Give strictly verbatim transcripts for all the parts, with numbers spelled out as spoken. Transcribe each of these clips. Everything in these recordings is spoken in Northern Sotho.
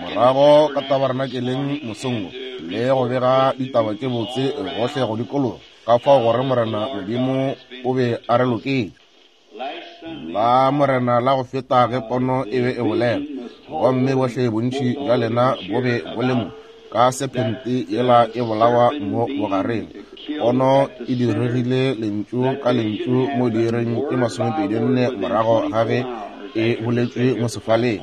Morago ka tabarenakeleng mosong wo, le go bega ditaba tše botse gohle go dikologa, ka fao gore Morena Modimo o be a re loketše. La Morena la go feta ge pono e be e bolela, gomme bohle bontši bja lena bo be bo le mo, ka sephente yela e bolawa mo bogareng. Pono e diregile lentšu ka lentšu mo diiring tše masomepedi nne morago ga ge e boletšwe mo sefaleng.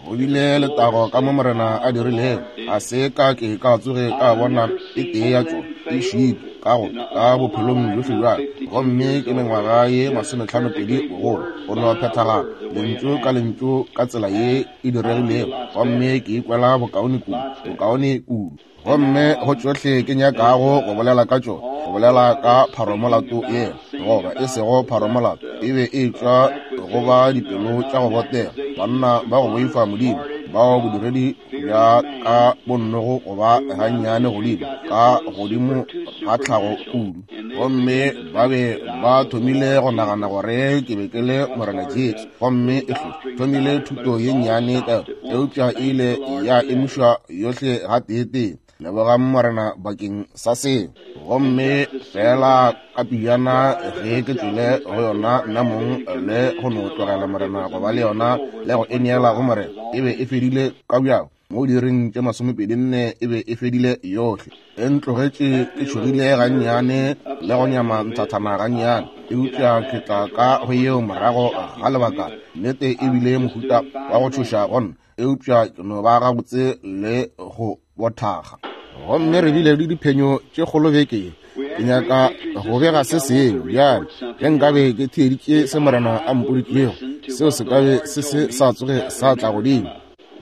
Go bile letago ka mo Morena a dirilego, ga se ka ke ka tsoge ka bona e tee ya tšona e šitwe ka go ka bophelong bjohle bja ka, gomme ke mengwaga ye masomehlano pedi bogolo. Go no phethagala lentšu ka lentšu ka tsela ye e diregilego, gomme ke ikwela bokaone kudu, bokaone kudu. Gomme go tšohle ke nyakago go bolela ka tšona, go bolela ka pharomolato yela, goba e sego pharomolato, e be e tšwa go ba dipelo tša go botega, banna ba go boifa Modimo, bao bodiredi bja ka bonnogo goba gannyane godimo ka godimo ga tlhago kudu. Gomme ba be ba thomile go nagana gore ke be ke le Morena Jesu, gomme e thomile thuto ye nnyane ka yona, eupša e ile ya emišwa yohle gateetee. Lebogang Morena bakeng sa seo. Gomme fela ka pejana ge ke tšwele go yona nna mong le go no tlogela Morena go ba le yona le go e neela go Morena, e be e fedile ka bjako. Mo diiring tše masomepedi nne e be e fedile yohle. E ntlogetše ke tšhogile gannyane le go nyama nthathana gannyane, eupša ke tla ka go yeo morago ga lebaka. Nnete e bile mohuta wa go tšhoša go nna, eupša ke no ba gabotse le go bothaga. Gomme re bile le diphenyo tše kgolo beke ye. Ke nyaka go bega se sengwe bjale. Ge nkabe ke theeditše se Morena a mpoditšego, seo se ka be se se sa tsoge sa tla godimo.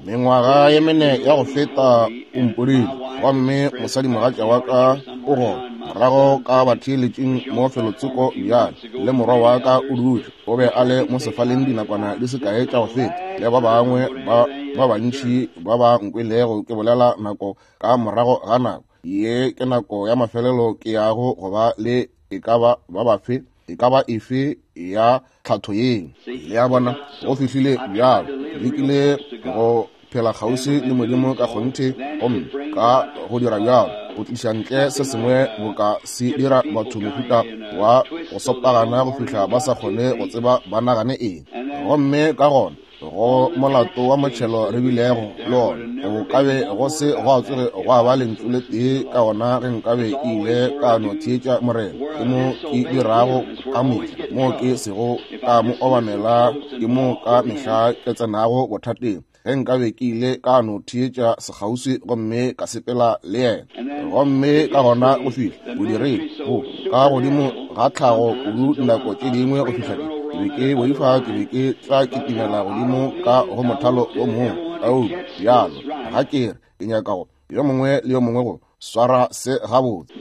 Mengwaga ye mene ya go feta o mpoditše, gomme mosadimogatša wa ka o gona morago ka batheeletšing mo felotsoko bjale, le morwa wa ka o dutše, o be a le mo sefaleng dinakwana di se kae tša go feta, le ba bangwe ba ba bantši ba ba nkwelego ke bolela nako ka morago ga nako. Ye ke nako ya mafelelo ke yago go ba le e ka ba ba bafe, e ka ba efe ya tlhatho yeo. Le a bona, go fihlile bjalo, lekile go phela kgauswi le Modimo ka kgonthe, gomme ka go dira bjalo go tliša ntle se sengwe boka se dira batho mohuta wa go sopagana go fihla ba sa kgone go tseba ba nagane eng. Gomme ka gona go molato wa motšhelo re bilego le ona, go ka be go se gwa tsoge gwa ba lentšu le tee ka ona ge nkabe ke ile ka no theetša Morena. Ke mo ke dirago ka mehla, mo ke sego ka mo obamela, ke mo ka mehla ke tsenago bothateng. Ge nkabe ke ile ka no theetša sekgauswi gomme ka sepela le yena. Gomme ka gona go fihla bodiredi bo ka godimo ga tlhago kudu dinako tše dingwe go fihla ke be ke boifa ke be ke tla kitimela godimo ka go mothalo o mongwe. Ao bjalo ga ke re ke nyaka go yo mongwe le yo mongwe go swara se gabotse,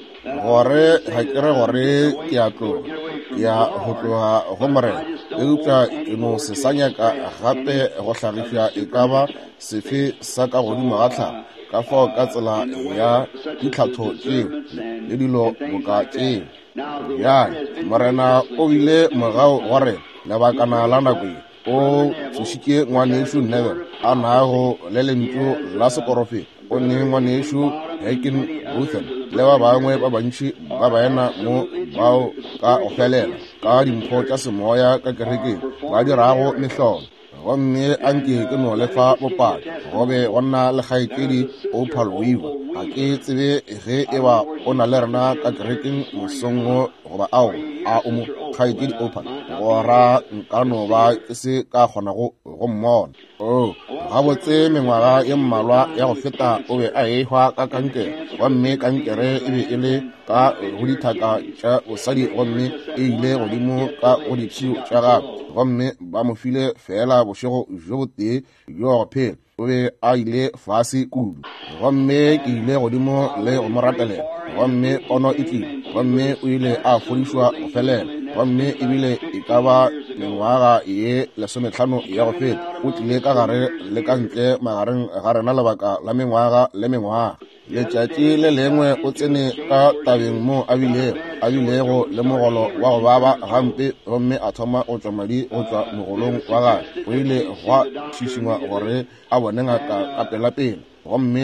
gore ga ke re gore ke a tloga, ke ya go tloga go Morena, eupša ke no se sa nyaka gape go hlagiša e ka ba sefe sa ka godimo ga tlhago, ka fao ka tsela ya ditlhatho tšeo le dilo boka tšeo. Bjale Morena o bile mogau go rena lebakana la nako ye, o tsošitše ngwanešu Neville a nago le lentšu la seporofeta, o ne ngwanešu Heckingbothan le ba bangwe ba bantši ba baena mo bao ka go felela ka dimpho tša semoya ka kerekeng ba dirago mehlolo. Gomme anke ke no lefa bopaki, go be go nna le kgaetšedi Opal Weaver. Ga ke tsebe ge e ba o na le rena ka kerekeng mosong wo goba ao a o mo, kgaetšedi Opal, gora nka no ba ke se ka kgonago go mmona. Oh, gabotse mengwaga ye mmalwa ya go feta o be a ehwa ka kankere, gomme kankere e be e le ka go dithaka tša bosadi, gomme e ile godimo ka go dipshio tša gagwe, gomme ba mo file fela bošego bjo botee bjo go phela. O be a ile fase kudu, gomme ke ile godimo le go mo rapelela, gomme pono e tlile, gomme o ile a fodišwa go felela. Gomme ebile e ka ba mengwaga ye lesomehlano ya go feta o tlile ka gare le ka ntle magareng ga rena lebaka la mengwaga le mengwaga. Letšatši le lengwe o tsene ka tabeng mo a bilego a bilego le mogolo wa go baba gampe, gomme a thoma go tšwa madi go tšwa mogolong wa gagwe. Go ile gwa šišingwa gore a bone ngaka ka pelapela, gomme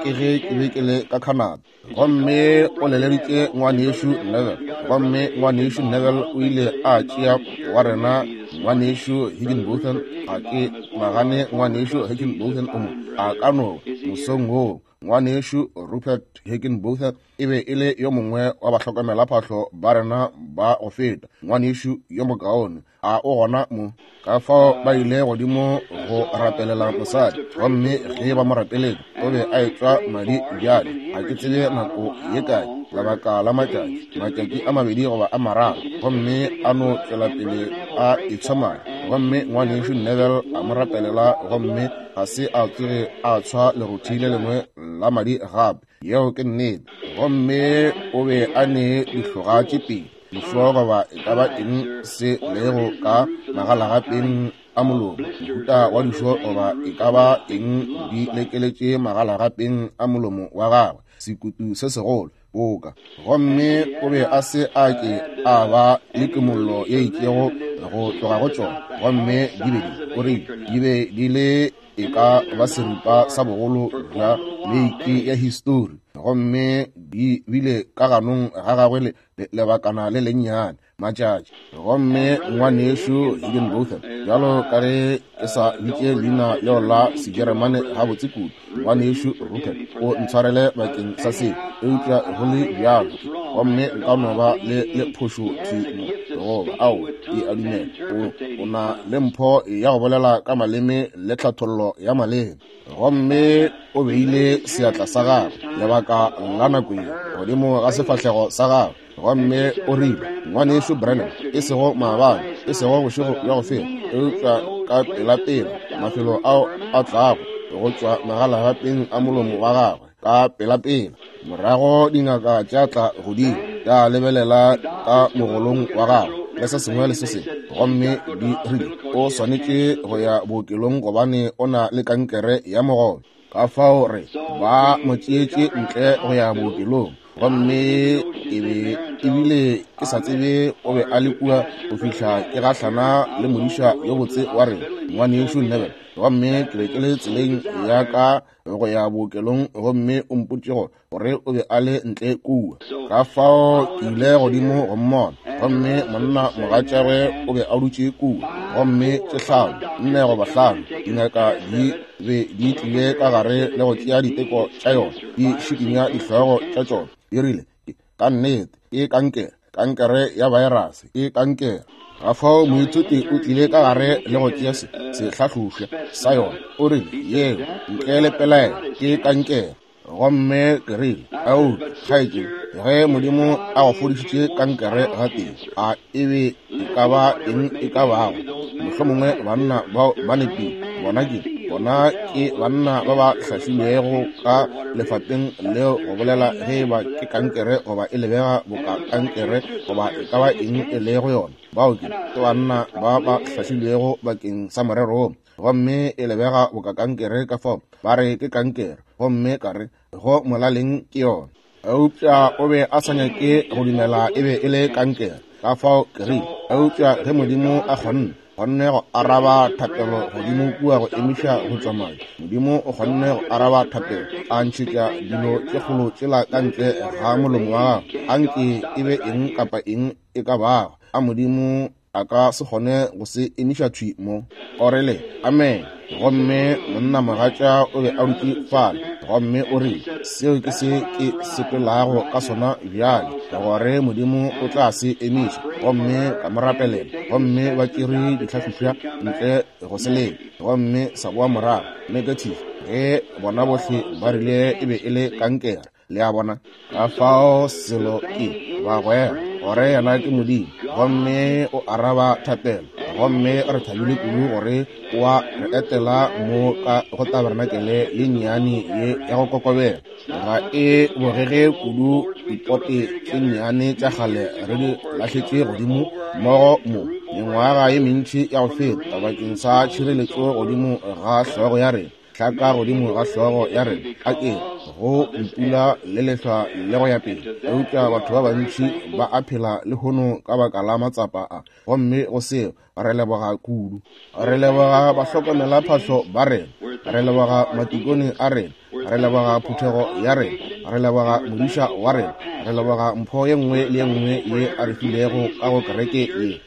ke ge ke be ke le ka Canada. Gomme o leleditše ngwanešu Neville, gomme ngwanešu Neville o ile a tšea wa rena ngwanešu Higginbotham. Ga ke nagane ngwanešu Higginbotham o mo a ka no mosong woo. Ngwanešu Rupert Higginbotham e be e le yo mongwe wa bahlokomelaphahlo ba rena ba go feta, ngwanešu yo mokaone. A o gona mo? Ka fao ba ile godimo go rapelela mosadi, gomme ge ba mo rapeletše o be a etšwa madi bjale. Ga ke tsebe nako ye kae, lebaka la matšatši, matšatši a mabedi goba a mararo, gomme a no tšwela pele a etshwa madi. Gomme ngwanešu Neville a mo rapelela, gomme ga se a tsoge a tshwa lerothi le lengwe la madi gape. Yeo ke nnete. Gomme o be a ne dihloga tše pedi, dišo goba e ka ba eng se lego ka magalagapeng a molomo, mohuta wa dišo goba e ka ba eng di lekeletše magalagapeng a molomo wa gagwe, sekutu se segolo boka. Gomme o be a se a ke a ba le kimollo ye itšego go tloga go tšona, gomme di be di o rile di be di le e ka ba seripa sa bogolo bja meiki ya histori, gomme di bile ka ganong ga gagwe le lebakana le lennyane matšatši. Gomme ngwanešu Higginbotham, bjalo ka ge ke sa bitše leina leo la Sejeremane gabotse kudu, ngwanešu Rupert o ntshwarele bakeng sa seo, eupša go le bjalo gomme nka no ba le le phošo thwi mo, goba ao ke a dumela o, o na le mpho ya go bolela ka maleme le tlhathollo ya maleme. Gomme o beile seatla sa gagwe lebaka la nako ye godimo ga sefahlego sa gagwe, gomme o rile, ngwanešu Branham, e sego maabane, e sego bošego bja go feta, eupša ka pelapela mafelo ao a tlago go tšwa magalagapeng a molomo wa gagwe ka pelapela. Morago dingaka tša tla godimo tša lebelela ka mogolong wa gagwe le se sengwe le se sengwe, gomme di rile o swanetše go ya bookelong gobane o na le kankere ya mogolo. Ka fao re ba mo tšeetše ntle go ya bookelong, gomme e be ebile ke sa tsebe o be a le kua go fihla ke gahlana le modiša yo botse wa rena ngwanešu Neville. Gomme ke be ke le tseleng ya ka go ya bookelong, gomme o mpotše gore o be a le ntle kua. Ka fao ke ile godimo go mmona, gomme monna mogatšagwe o be a dutše kua, gomme tše hlano, nne goba hlano dingaka di be di tlile ka gare le go tšea diteko tša yona, di šikinya dihlogo tša tšona. Di rile, ka nnete ke kankere, kankere ya virus, ke kankere. Ka fao moithuti o tlile ka gare le go tšea se sehlahlošwa sa yona, o rile, yeo ntle le pelaelo ke kankere. Gomme ke rile, ao kgaetšedi, ge Modimo a go fodišitše kankere gatee, a e be e ka ba eng e ka bago? Mohlomongwe banna bao ba nepile. Bona ke bona ke banna ba ba hlahlilwego ka lefapeng leo go bolela ge eba ke kankere goba e lebega boka kankere goba e ka ba eng e lego yona. Bao ke ke banna ba ba hlahlilwego bakeng sa morero wo, gomme e lebega boka kankere, ka fao ba re ke kankere, gomme ka re go molaleng ke yona. Eupša o be a sa nyake go dumela e be e le kankere, ka fao ke rile, eupša ge Modimo a kgonne kgonne go araba thapelo godimo kua go emiša go tšwa madi, Modimo o kgonne go araba thapelo a ntšhetša dilo tše kgolo tšela ka ntle ga molomo wa gagwe, anke e be eng kapa eng e ka bago, a Modimo a ka se kgone go se emiša thwi mo. O rile, amen. Gomme monna mogatša o be a dutše fale, gomme o rile, seo ke se ke sepelago ka sona bjale, gore Modimo o tla se emiša. Gomme ka mo rapelela, gomme ba tšere dihlahlošwa ntle go se leke, gomme sa boa morago negative, ge bona bohle ba rile e be e le kankere. Le a bona? Ka fao selo ke bagwera gore yena ke Modimo, gomme o araba thapelo, gomme re thabile kudu gore wa re etela mo ka go tabernakele ye nnyane ye ya go kokobela. Ga e bogege kudu dipote tše nnyane tša kgale re di lahletše godimo mmogo mo mengwaga ye mentši ya go feta bakeng sa tšhireletšo godimo ga hlogo ya rena, hlaka godimo ga hlogo ya rena. A ke go mpula le lehlwa le go ya pele. Eupša batho ba bantši ba a phela lehono ka baka la matsapa a, gomme go seo re leboga kudu. Re leboga bahlokomelaphahlo ba rena, re leboga matikone a rena, re leboga phuthego ya rena, re leboga modiša wa rena, re leboga mpho ye nngwe le ye nngwe ye a re filego ka go kereke ye.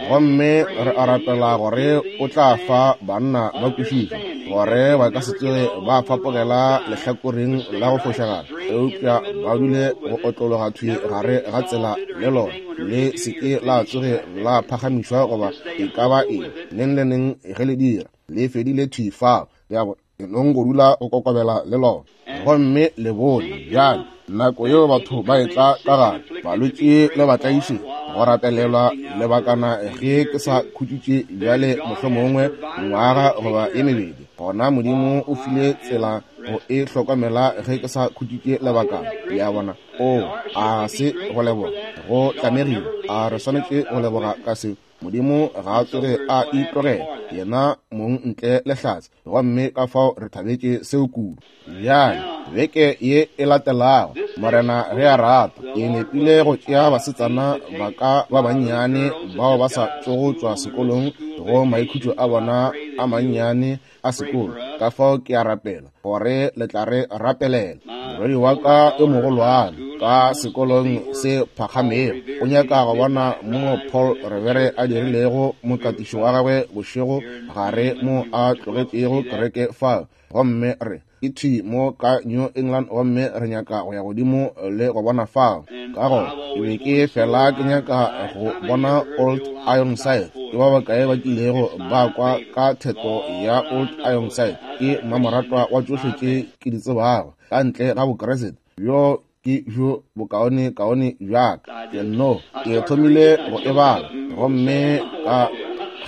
Gomme re a rapela gore o tla fa banna ba kwešišo, gore ba ka se tsoge ba fapogela lehlakoreng la go fošagala, eupša ba dule go otlologa thwi gare ga tsela le lona, le se ke la tsoge la phagamišwa goba e ka ba eng, neng le neng ge le dira, le fedile thwi fao. Ya nong go dula go kokobela le lona. Gomme le bone bjale nako yeo batho ba etla ka gare, balwetši le batlaiši, go rapelelwa lebakana ge ke sa khutšitše bjale mohlomongwe ngwaga goba ye mebedi, gona Modimo o file tsela go e hlokomela ge ke sa khutšitše lebakana. Le a bona? O a se go leboga, go tlamegile, a re swanetše go leboga ka se. Modimo ga a tsoge a itlogela yena mong ntle le hlatse, gomme ka fao re thabetše seo kudu. Bjale beke ye e latelago, Morena ge a rata, ke nepile go tšea basetsana ba ka ba bannyane bao ba sa tšogo tšwa sekolong go maikhutšo a bona a mannyane a sekolo. Ka fao ke a rapela gore le tla re rapelela. Morwedi wa ka yo mogolwane ka sekolong se phagamego o nyaka go bona mo Paul Revere a dirilego mokatišo wa gagwe bošego gare mo a tlogetšego kereke fao, gomme re ke thwi mo ka New England, gomme re nyaka go ya godimo le go bona fao. Ka gona ke be ke fela ke nyaka go bona Old Ironside. Ke ba bakae ba kilego ba kwa ka theto ya Old Ironside? Ke mmamoratwa wa tšohle tše ke di tsebago ka ntle ga Bokreste, bjo ke bjo bokaone kaone bjaka. Ke no ke thomile go e bala gomme ka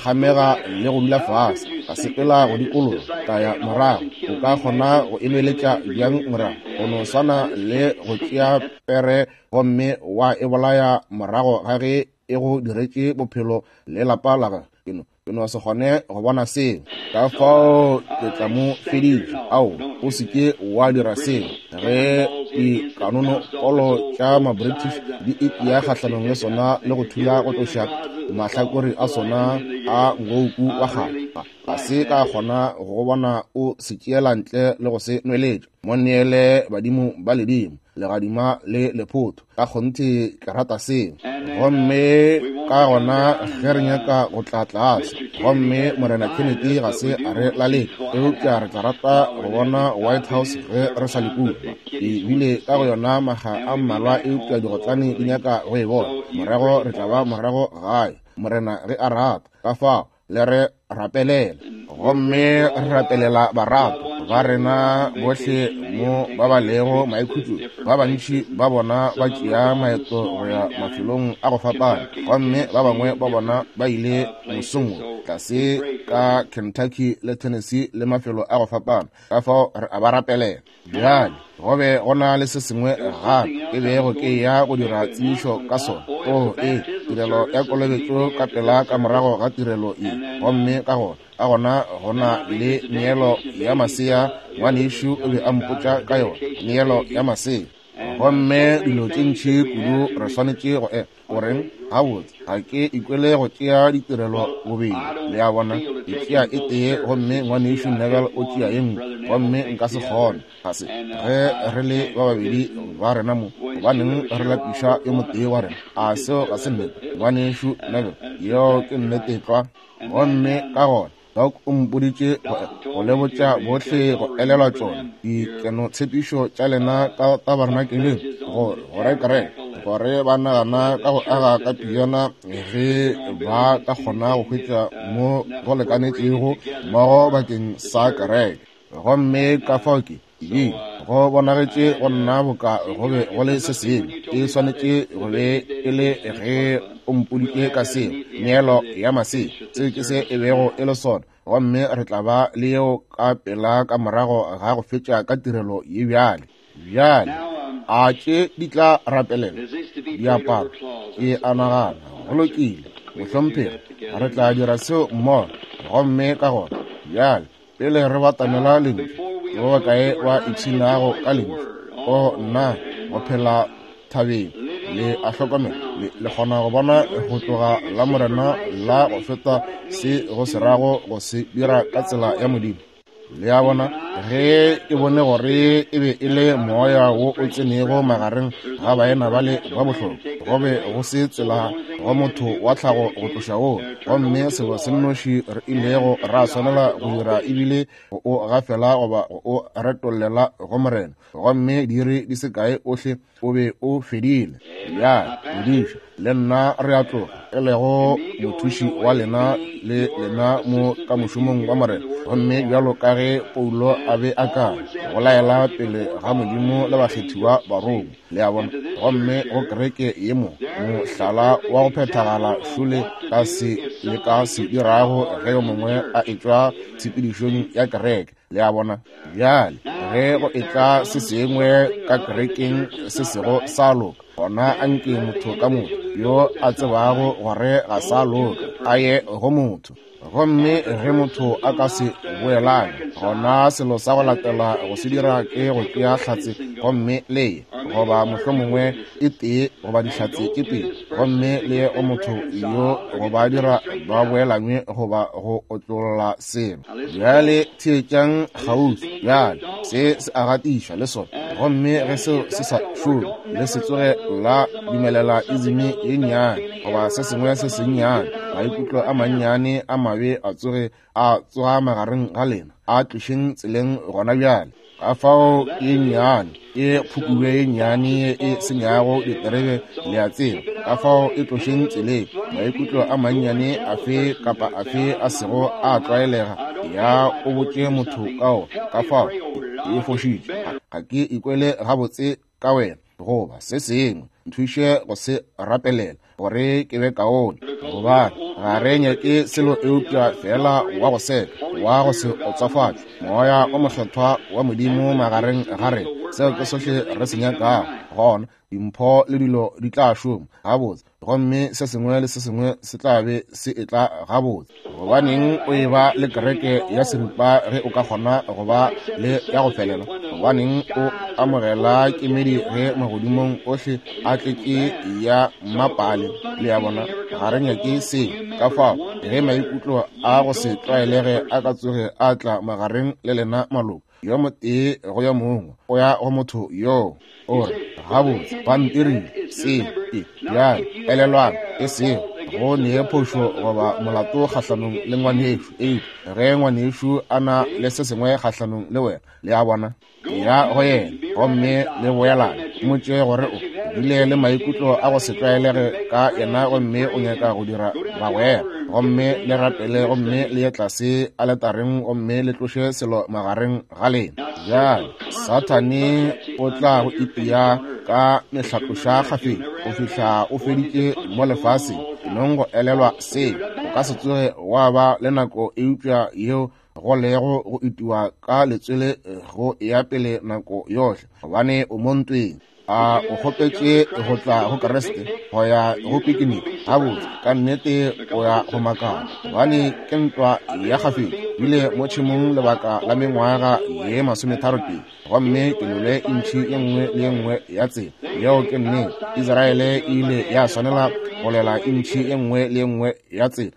kgamega le go dula fase, ka sepela go dikologa, ka ya morago. O ka kgona go emeletša bjang morago? Go no swana le go tšea pere gomme wa e bolaya morago ga ge e go diretše bophelo le lapa la gagwe. Ke no ke no se kgone go bona seo, ka fao ke tla mo fediša. Ao, o se ke wa dira seo. Ge dikanonopolo tša ma-British di itia kgahlanong le sona le go thula go tloša mahlakore a sona a ngouku wa kgale, ga se ka kgona go bona o se tšeela ntle le go se nweletša. Mo neele badimo ba ledimo, legadima le lephotho. Ka kgonthe ke rata seo. Gomme ka gona ge re nyaka go tla tlase, gomme Morena Kennedy ga se a re laletša, eupša re tla rata go bona White House ge re sa le kua. Ke bile ka go yona maga a mmalwa, eupša digotlane di nyaka go e bona. Morago re tla ba morago gae, Morena ge a rata. Ka fao le re rapelela, gomme re rapelela barato ba rena bohle mo ba ba lego maikhutšong. Ba bantši ba bona ba tšea maeto go ya mafelong a go fapana, gomme ba bangwe ba bona ba ile mosong wo tlase ka Kentucky le Tennessee le mafelo a go fapana. Ka fao re a ba rapelela. Bjale go be go na le se sengwe gape ke bego ke ya go dira tsebišo ka sona. O e tirelo ya kolobetšo ka pela ka morago ga tirelo ye, gomme ka gona ka gona go na le neelo ya masea. Ngwanešu o be a mpotša ka yona, neelo ya masea. Gomme dilo tše ntši kudu re swanetše go e goreng gabotse ga ke ikwele go tšea ditirelo bobedi. Le a bona, ke tšea e tee gomme ngwanešu Neville o tšea ye nngwe, gomme nka se kgone. Ga se ge re le ba babedi ba rena mo, gobaneng re lapiša yo motee wa rena? A seo ga se nnete, ngwanešu Neville? Yeo ke nnete tlwa. Gomme ka gona Doc o mpoditše go le botša bohle go elelwa tšona dikenotshepišo tša lena ka tabernakeleng, gore gore kereke gore ba nagana ka go aga ka pijana ge ba ka kgona go hwetša mo go lekanetšego mmogo bakeng sa kereke. Gomme ka fao ke ye go bonagetše go nna boka go be go le se sengwe e swanetše go be e le ge o mpoditše ka seo, neelo ya masea. Seo ke se e bego e le sona, gomme re tla ba le yeo ka pela ka morago ga go fetša ka tirelo ye bjale. Bjale a tše di tla rapelela diaparo? Ke a nagana go lokile, mohlomphegi, re tla dira seo mmogo. Gomme ka gona bjale pele re batamela lentšu, Ba bakae ba ipshinago ka lentšu? O nna, go phela thabeng. Le a hlokomela, le, le kgona go bona go tloga la Morena la go feta se go se rago go se dira ka tsela ya Modimo. Le a bona, ge ke bone gore e be e le moya wo o tsenego magareng ga baena bale ba bohlokwa, go be go se tsela go motho wa tlhago go tloša woo. Gomme selo se nnoši re ilego ra swanela go dira ebile go o gafela goba go o retollela go Morena. Gomme diiri di se kae ohle o be o fedile. Bjale, modiša le nna re a tloga, e lego mothuši wa lena le lena mo ka mošomong wa Morena. Gomme bjalo ka ge Paulo a be a ka go laela pele ga Modimo le bakgethiwa barongwa, le a bona. Gomme go kereke ye mo mohlala wa go phethagala šole ka se le ka se dirago ge yo mongwe a etšwa tshepedišong ya kereke, le a bona. Bjale ge go etla se sengwe ka kerekeng se sego sa loka, gona anke motho ka motho yo a tsebago gore ga sa loka a ye go motho. Gomme ge motho a ka se boelane, gona selo sa go latela go se dira ke go tšea hlatse gomme le ye, goba mohlomongwe e tee goba dihlatse tše pedi, gomme le ye go motho yo go ba dira ba boelanywe goba go otlolla selo. Bjale theetšang kgauswi. Bjale se se a gatišwa le sona. Gomme ge seo se sa šome, le se tsoge la dumelela izimi ye nnyane goba se sengwe se sennyane, maikutlo a mannyane a mabe a tsoge a tsoga magareng ga lena, a tlošeng tseleng gona bjale. Ka fao ye nnyane e phukube ye nnyane e senyago diterebe, le a tseba. Ka fao e tlošeng tseleng maikutlo a mannyane afe kapa afe a sego a tlwaelega, ya o botše motho kao. Ka fao e fošitše, ga ke ikwele gabotse ka wena goba se sengwe, nthuše go se rapelela gore ke be kaone. Gobane ga re nyake selo eupša fela wa go seka, wa go se otsofatšwe, moya o mokgethwa wa Modimo magareng ga rena. Seo ke sohle re se nyakago. Gona dimpho le dilo di tla šoma gabotse, gomme se sengwe le se sengwe se tla be se etla gabotse. Gobaneng o e ba le kereke ya seripa ge o ka kgona go ba le ya go felela? Gobaneng o amogela kemedi ge magodimong ohle a tletše ya mmapale? Le a bona, ga re nyake se. Ka fao ge maikutlo a go se tlwaelege a ka tsoge a tla magareng le lena maloko, yo motee go yo mongwe o ya go motho yoo, o re, gabotse ba ntirile se ke. Bjale elelwang, e sego go nee phošo goba molato kgahlanong le ngwanešu, eupša ge ngwanešu a na le se sengwe kgahlanong le wena, le a bona, ya go yena gomme le boelane. Mmotše gore o bile le maikutlo a go se tlwaelege ka yena gomme o nyaka go dira bagwera, gomme le rapele gomme le ye tlase aletareng gomme le tloše selo magareng ga lena. Bjale Sathane o tla go ipea ka mehlatloša kgafetša go fihla o feditše mo lefaseng. Nong go elelwa seo, o ka se tsoge wa ba le nako eupša yeo go lego go itiwa ka letswele go ya pele nako yohle, gobane o mo ntweng. A o kgopetše go tla go Kriste go ya go pikiniki? Gabotse, ka nnete o ya go makala, gobane ke ntwa ya kgafetša. Bile mo tšhemong lebaka la mengwaga ye masometharo pedi, gomme ke lwele intšhi ye nngwe le ye nngwe ya tsela. Yeo ke nnete. Israele e ile ya swanela go lwela intšhi ye nngwe le ye nngwe ya tsela.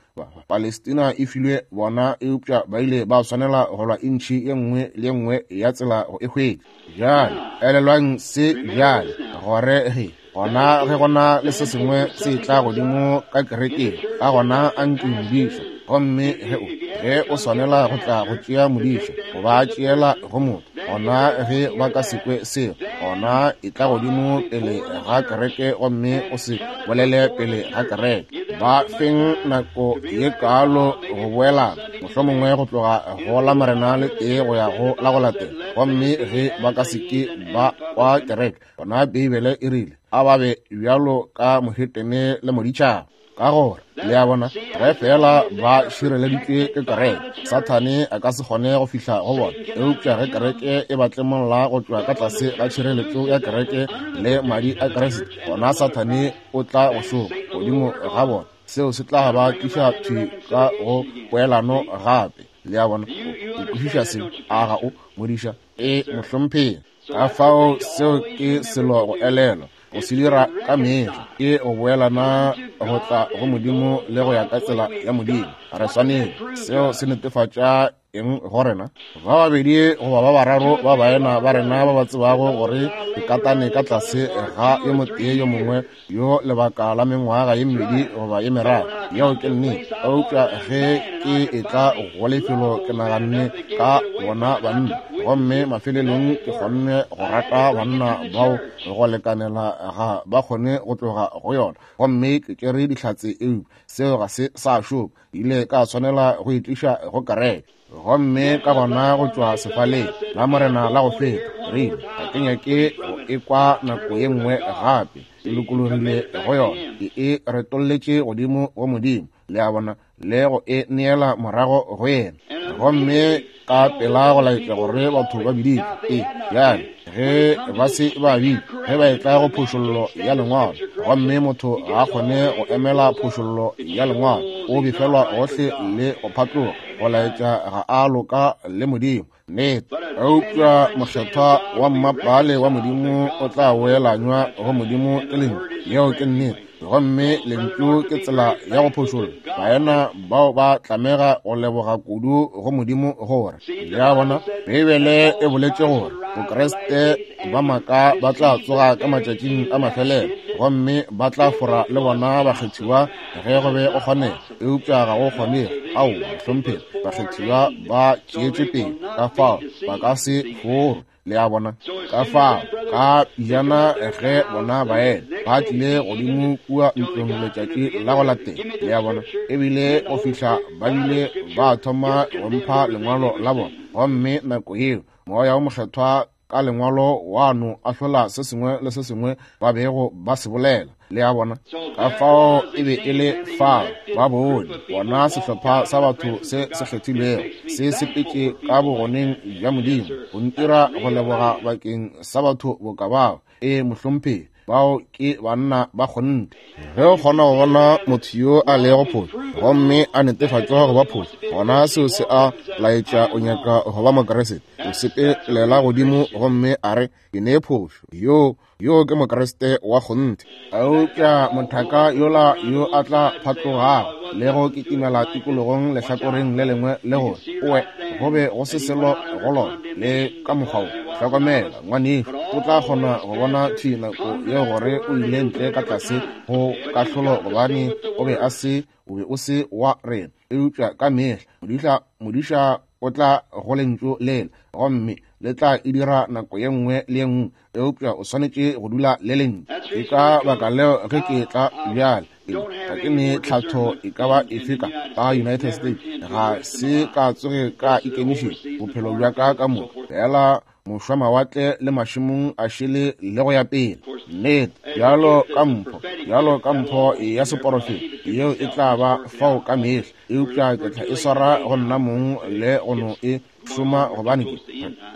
Palestina e filwe bona, eupša ba ile ba swanela go lwa intšhi ye nngwe le ye nngwe ya tsela go e hwetša. Bjale elelwang se bjale, gore ge gona ge gona le se sengwe se tla godimo ka kerekeng, ka gona anke modiša. Gomme ge o ge o swanela go tla go tšea modiša go ba tšeela go motho, gona ge ba ka se kwe seo, gona e tla godimo pele ga kereke gomme o se bolele pele ga kereke. Ba feng nako ye kaalo go boelana, mohlomongwe go tloga go la Morena le tee go ya go la go latela. Gomme ge ba ka se ke ba kwa kereke, gona Beibele e rile a ba be bjalo ka mohetene le moditšhaba. Ka gore le a bona, ge fela ba šireleditšwe ke kereke, Sathane a ka se kgone go fihla go bona. Eupša ge kereke e ba tlemolla go tšwa ka tlase ga tšhireletšo ya kereke le madi a Kriste, gona Sathane o tla go šoma godimo ga bona. Seo se tla ba tliša thwi ka go poelano gape. Le a bona, o kwešiša seo, a ga o modiša? E mohlomphegi. Ka fao seo ke selo go elelwa, go se dira ka mehla ke go boelana go tla go Modimo le go ya ka tsela ya Modimo. Re swanetše. Seo se netefatša eng go rena? Ba babedi goba ba bararo ba baena ba rena ba ba tsebago gore ke katane ka tlase ga yo motee yo mongwe yo lebaka la mengwaga ye mmedi goba ye meraro. Yeo ke nnete. Eupša ge ke etla go lefelo ke naganne ka bona banna, gomme mafelelong ke kgonne go rata banna bao go lekanela ga ba kgone go tloga go yona, gomme ke tšere dihlatse, eupša seo ga se sa šoma. Ile ka tshwanela go itliša go kereke. Gomme ka gona go tšwa sefaleng la Morena la go feta, re ile ga ke nyake go ekwa nako ye nngwe gape. Ke lokologile go yona, ke e retolletše godimo go Modimo, le a bona, le go e neela morago go yena. Gomme ka pela go laetša gore batho ba biditše. E bjale ge ba se ba bitša, ge ba etla go phošollo ya lengwalo, gomme motho ga a kgone go emela phošollo ya lengwalo, o befelwa gohle le go phatloga, go laetša ga a loka le Modimo. Nnete. Eupša mokgethwa wa mmapale wa Modimo o tla boelanywa go Modimo ke lentšu. Yeo ke nnete. Gomme lentšu ke tsela ya go phošolla. Baena bao ba tlamega go leboga kudu go Modimo gore, le a bona, Beibele e boletše gore Bokreste ba maaka ba tla tsoga ka matšatšing a mafelelo, gomme ba tla fora le bona bakgethiwa ge go be go kgonega. Eupša ga go kgonege. Ao, mohlomphegi, bakgethiwa ba tšeetšwe pele, ka fao ba ka se forwe. Le a bona? Ka fao ka pijana ge bona baena ba tlile godimo kua ntlong letšatši la go latela, le a bona, ebile go fihla ba bile ba thoma go mpha lengwalo la bona. Gomme nako yeo Moya wo Mokgethwa ka lengwalo wa no ahlola se sengwe le se sengwe ba bego ba se bolela. Le a bona? Ka fao e be e le fao ba bone bona sehlopha sa batho se se kgethilwego se sepetše ka bogoneng bja Modimo go ntira go leboga bakeng sa batho boka bao. E mohlomphegi, bao ke banna ba kgonthe. Ge o kgona go bona motho yo a lego phošo gomme a netefatšwa go ba phošo, gona seo se a laetša o nyaka go ba Mokriste. O sepelela godimo gomme a re, ke ne phošo, yo yo ke Mokriste wa kgonthe. Eupša mothaka yola yo a tla phatlogago le go kitimela tikologong lehlakoreng le lengwe le gore oe go be go se selo go lona le ka mokgwa wo, hlokomela ngwanešu, o tla kgona go bona thwi nako yeo gore o ile ntle ka tlase go kahlolo, gobane o be a se, o be o se wa rena. Eupša ka mehla modiša, modiša o tla go lentšu lela, gomme le tla e dira nako ye nngwe le ye nngwe, eupša o swanetše go dula le lentšu. Ke ka baka leo ge ke tla bjale, ga ke ne tlhatho e ka ba efe ka ka United States, ga se ka tsoge ka ikemišetša bophelo bja ka ka moka, fela mošwamawatle le mašemong a šele le go ya pele. Nnete, bjalo ka mpho, bjalo ka mpho ya seporofeta, yeo e tla ba fao ka mehla, eupša ke tla e swara go nna mong le go no e šoma, gobane ke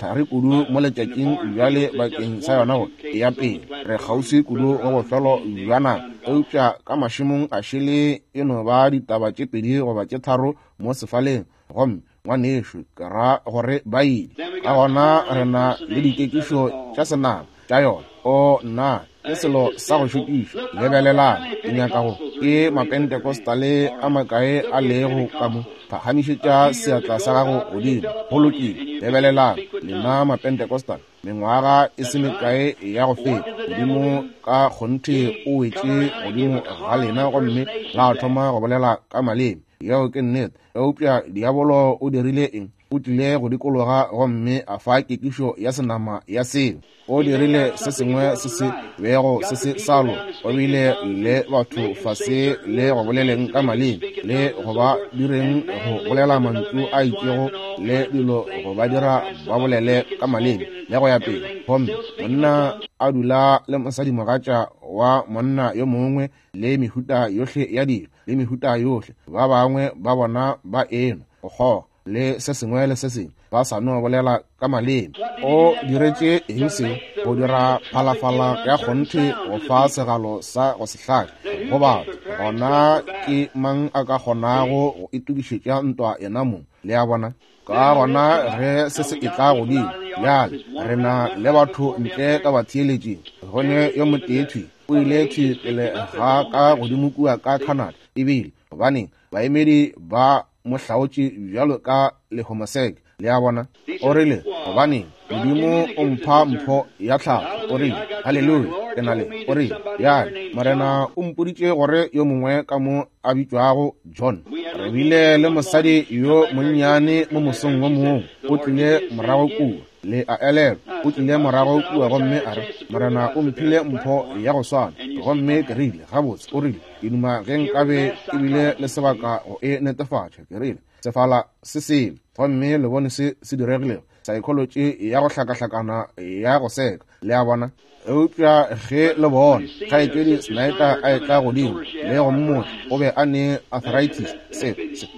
thari kudu mo letšatšing bjale bakeng sa yona gore e ya pele. Re kgauswi kudu go bofelo bja nako, eupša ka mašemong a šele e no ba ditaba tše pedi goba tše tharo mo sefaleng, gomme ngwanešu ke ra gore ba ile. Ka gona re na le dikekišo tša senama tša yona. O nna, ke selo sa go šokiša. Lebelelang, ke nyaka go ke Mapentecostale a makae a lego ka mo, phagamišetša seatla sa gago godimo. Go lokile. Lebelelang, lena Mapentecostal, mengwaga e se mekae ya go feta, Modimo ka kgonthe o wetše godimo ga lena gomme la thoma go bolela ka maleme. Yeo ke nnete. Eupša diabolo o dirile eng? O tlile go dikologa gomme a fa kekišo ya senama ya seo. O dirile se sengwe se se bego se se sa loka. O bile le batho fase le go boleleng ka maleme le go ba direng go bolela mantšu a itšego le dilo go ba dira ba bolele ka maleme le go ya pele. Gomme monna a dula le mosadimogatša wa monna yo mongwe le mehuta yohle ya dilo le mehuta yohle, ba bangwe ba bona ba enwa go kgoga le se sengwe le se sengwe, ba sa no bolela ka maleme. O diretše eng seo? Go dira phalafala ya kgonthe go fa segalo sa go se hlake go batho. Gona ke mang a ka kgonago go itokišetša ntwa yena mong? Le a bona? Ka gona ge se se etla godimo bjale, re na le batho ntle ka batheeletšing. Go ne yo motee thwi o ile thwi pele ga ka godimo kua ka Canada, ebile gobaneng baemedi ba mo hlaotše bjalo ka lehomoseke. Le a bona? O rile, gobaneng Modimo o mpha mpho ya tlhago. O rile, haleluya, ke na le. O rile, bjale Morena o mpoditše gore yo mongwe ka mo a bitšwago John. Re bile le mosadi yo monnyane mo mosong wo mongwe, o tlile morago kua. Le a elelwa, o tlile morago kua gomme a re, Morena o mphile mpho ya go swana. Gomme ke rile, gabotse, o rile, ke duma ge nkabe ke bile le sebaka go e netefatša. Ke rile, sefala se sele, gomme le bone se se diregilego, psychology ya go hlakahlakana ya go seka. Le a bona? Eupša ge le bona kgaetšedi Snyder a etla godimo le go mmotša, o be a ne arthritis, se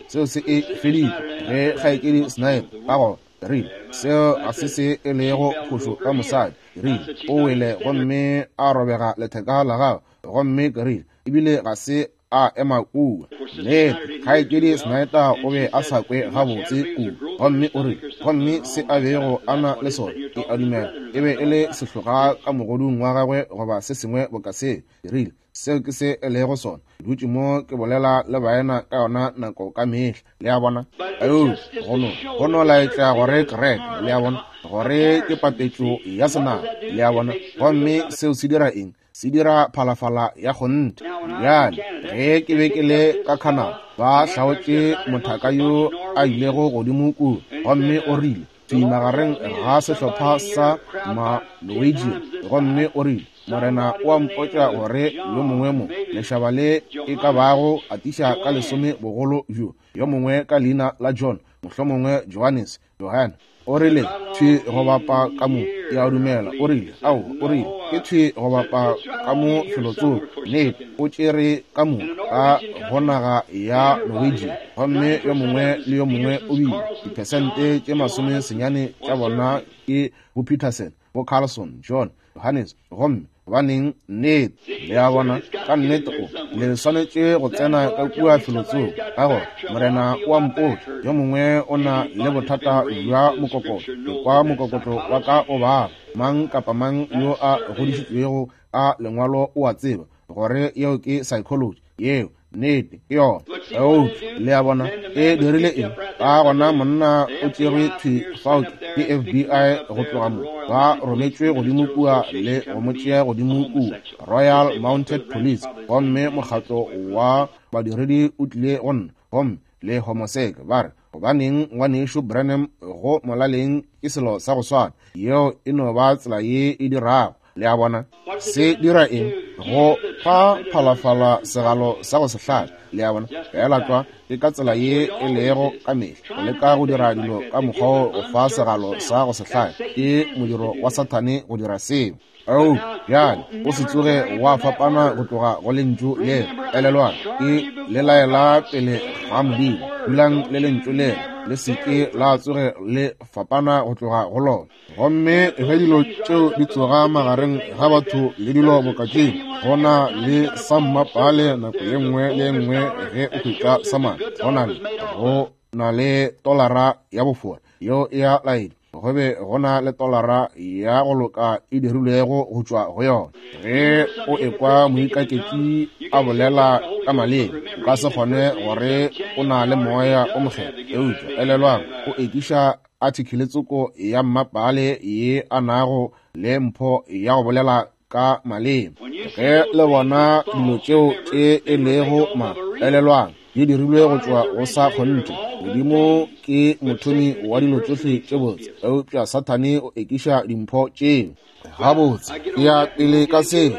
seo se e feditše. Ge kgaetšedi Snyder ka gona rile, seo ga se se e lego phošo ka mosadi. Rile, o wele gomme a robega letheka la gagwe, gomme ke rile, ebile ga se a ema kua. Nnete, kgaetšedi Snyder o be a sa kwe gabotse kua, gomme o rile, gomme se a bego a na le sona, ke a dumela e be e le sehloga ka mogodung wa gagwe goba se sengwe boka se. Rile, seo ke se e lego sona. Ke dutše mo ke bolela le baena ka yona nako ka mehla. Le a bona? Eupša go no go no laetša gore kereke, le a bona, gore ke papetšo ya senaga. Le a bona? Gomme seo se dira eng? Se dira phalafala ya kgonthe. Bjale ge ke be ke le ka Canada, ba hlaotše mothaka yo a ilego godimo kua, gomme o rile thwi magareng ga sehlopha sa ma-Norwegian, gomme o rile, Morena o a mpotša gore yo mongwe mo lešaba le e ka bago atiša ka lesome bogolo bjo, yo mongwe ka leina la John, mohlomongwe Johannes, Johan. O rile thwi go bapa ka mo, ke a dumela. O rile, ao, o rile ke thwi go bapa ka mo felotsoko. Nnete, o tšere ka mo ka go naga ya Norwegian, gomme yo mongwe le yo mongwe o bile diphesente tše masome senyane tša bona ke bo Peterson, bo Carlson, John, Johannes. Gomme gobaneng, nnete, le a bona, ka nnete o le swanetše go tsena ka kua felotsoko, ka gore Morena o a mpotša yo mongwe o na le bothata bja mokokotlo. Ke kwa mokokotlo wa ka o baba. Mang kapa mang yo a godišitšwego ka lengwalo o a tseba gore yeo ke psychology. Yeo nnete ke yona. Eupša le a bona, e dirile eng? Ka gona monna o tšerwe thwi fao ke F B I go tloga mo, ba rometšwe godimo kua le go mo tšea godimo kua Royal Mounted Police, gomme mokgatlo wa badiredi o tlile go nna, gomme le homoseke ba re, gobaneng ngwanešo Branham go molaleng ke selo sa go swana. Yeo e no ba tsela ye e dirago. Le a bona? Se dira eng? Go fa phalafala segalo sa go se hlabe. Le a bona? Fela tlwa ke ka tsela ye e lego ka mehla. Go leka go dira dilo ka mokgwa go fa segalo sa go se hlabe ke modiro wa Sathane go dira seo. Ao, bjale o se tsoge wa fapana go tloga go lentšu le. Elelwang, ke le laela pele ga Modimo. Dulang le lentšu le, le se ke la tsoge le fapana go tloga go lona. Gomme ge dilo tšeo di tsoga magareng ga batho le dilo boka tšeo, go na le sa mmapale nako ye nngwe le ye nngwe ge o hwetša sa madi. Go na le go na le tolara ya bofora yeo e a laetša, go be go na le tolara ya go loka e dirilwego go tšwa go yona. Ge o ekwa moikaketši a bolela ka maleme, o ka se kgone gore o na le moya o mokgethwa. Eupša elelwang, o ekiša article tsoko ya mmapale ye a nago le mpho ya go bolela ka maleme. Ge le bona dilo tšeo tše e lego ma, elelwang, di dirilwe go tšwa go sa kgonthe. Modimo ke mothomi wa dilo tšohle tše botse, eupša Sathane o ekiša dimpho tšeo. Gabotse, ke ya pele ka se,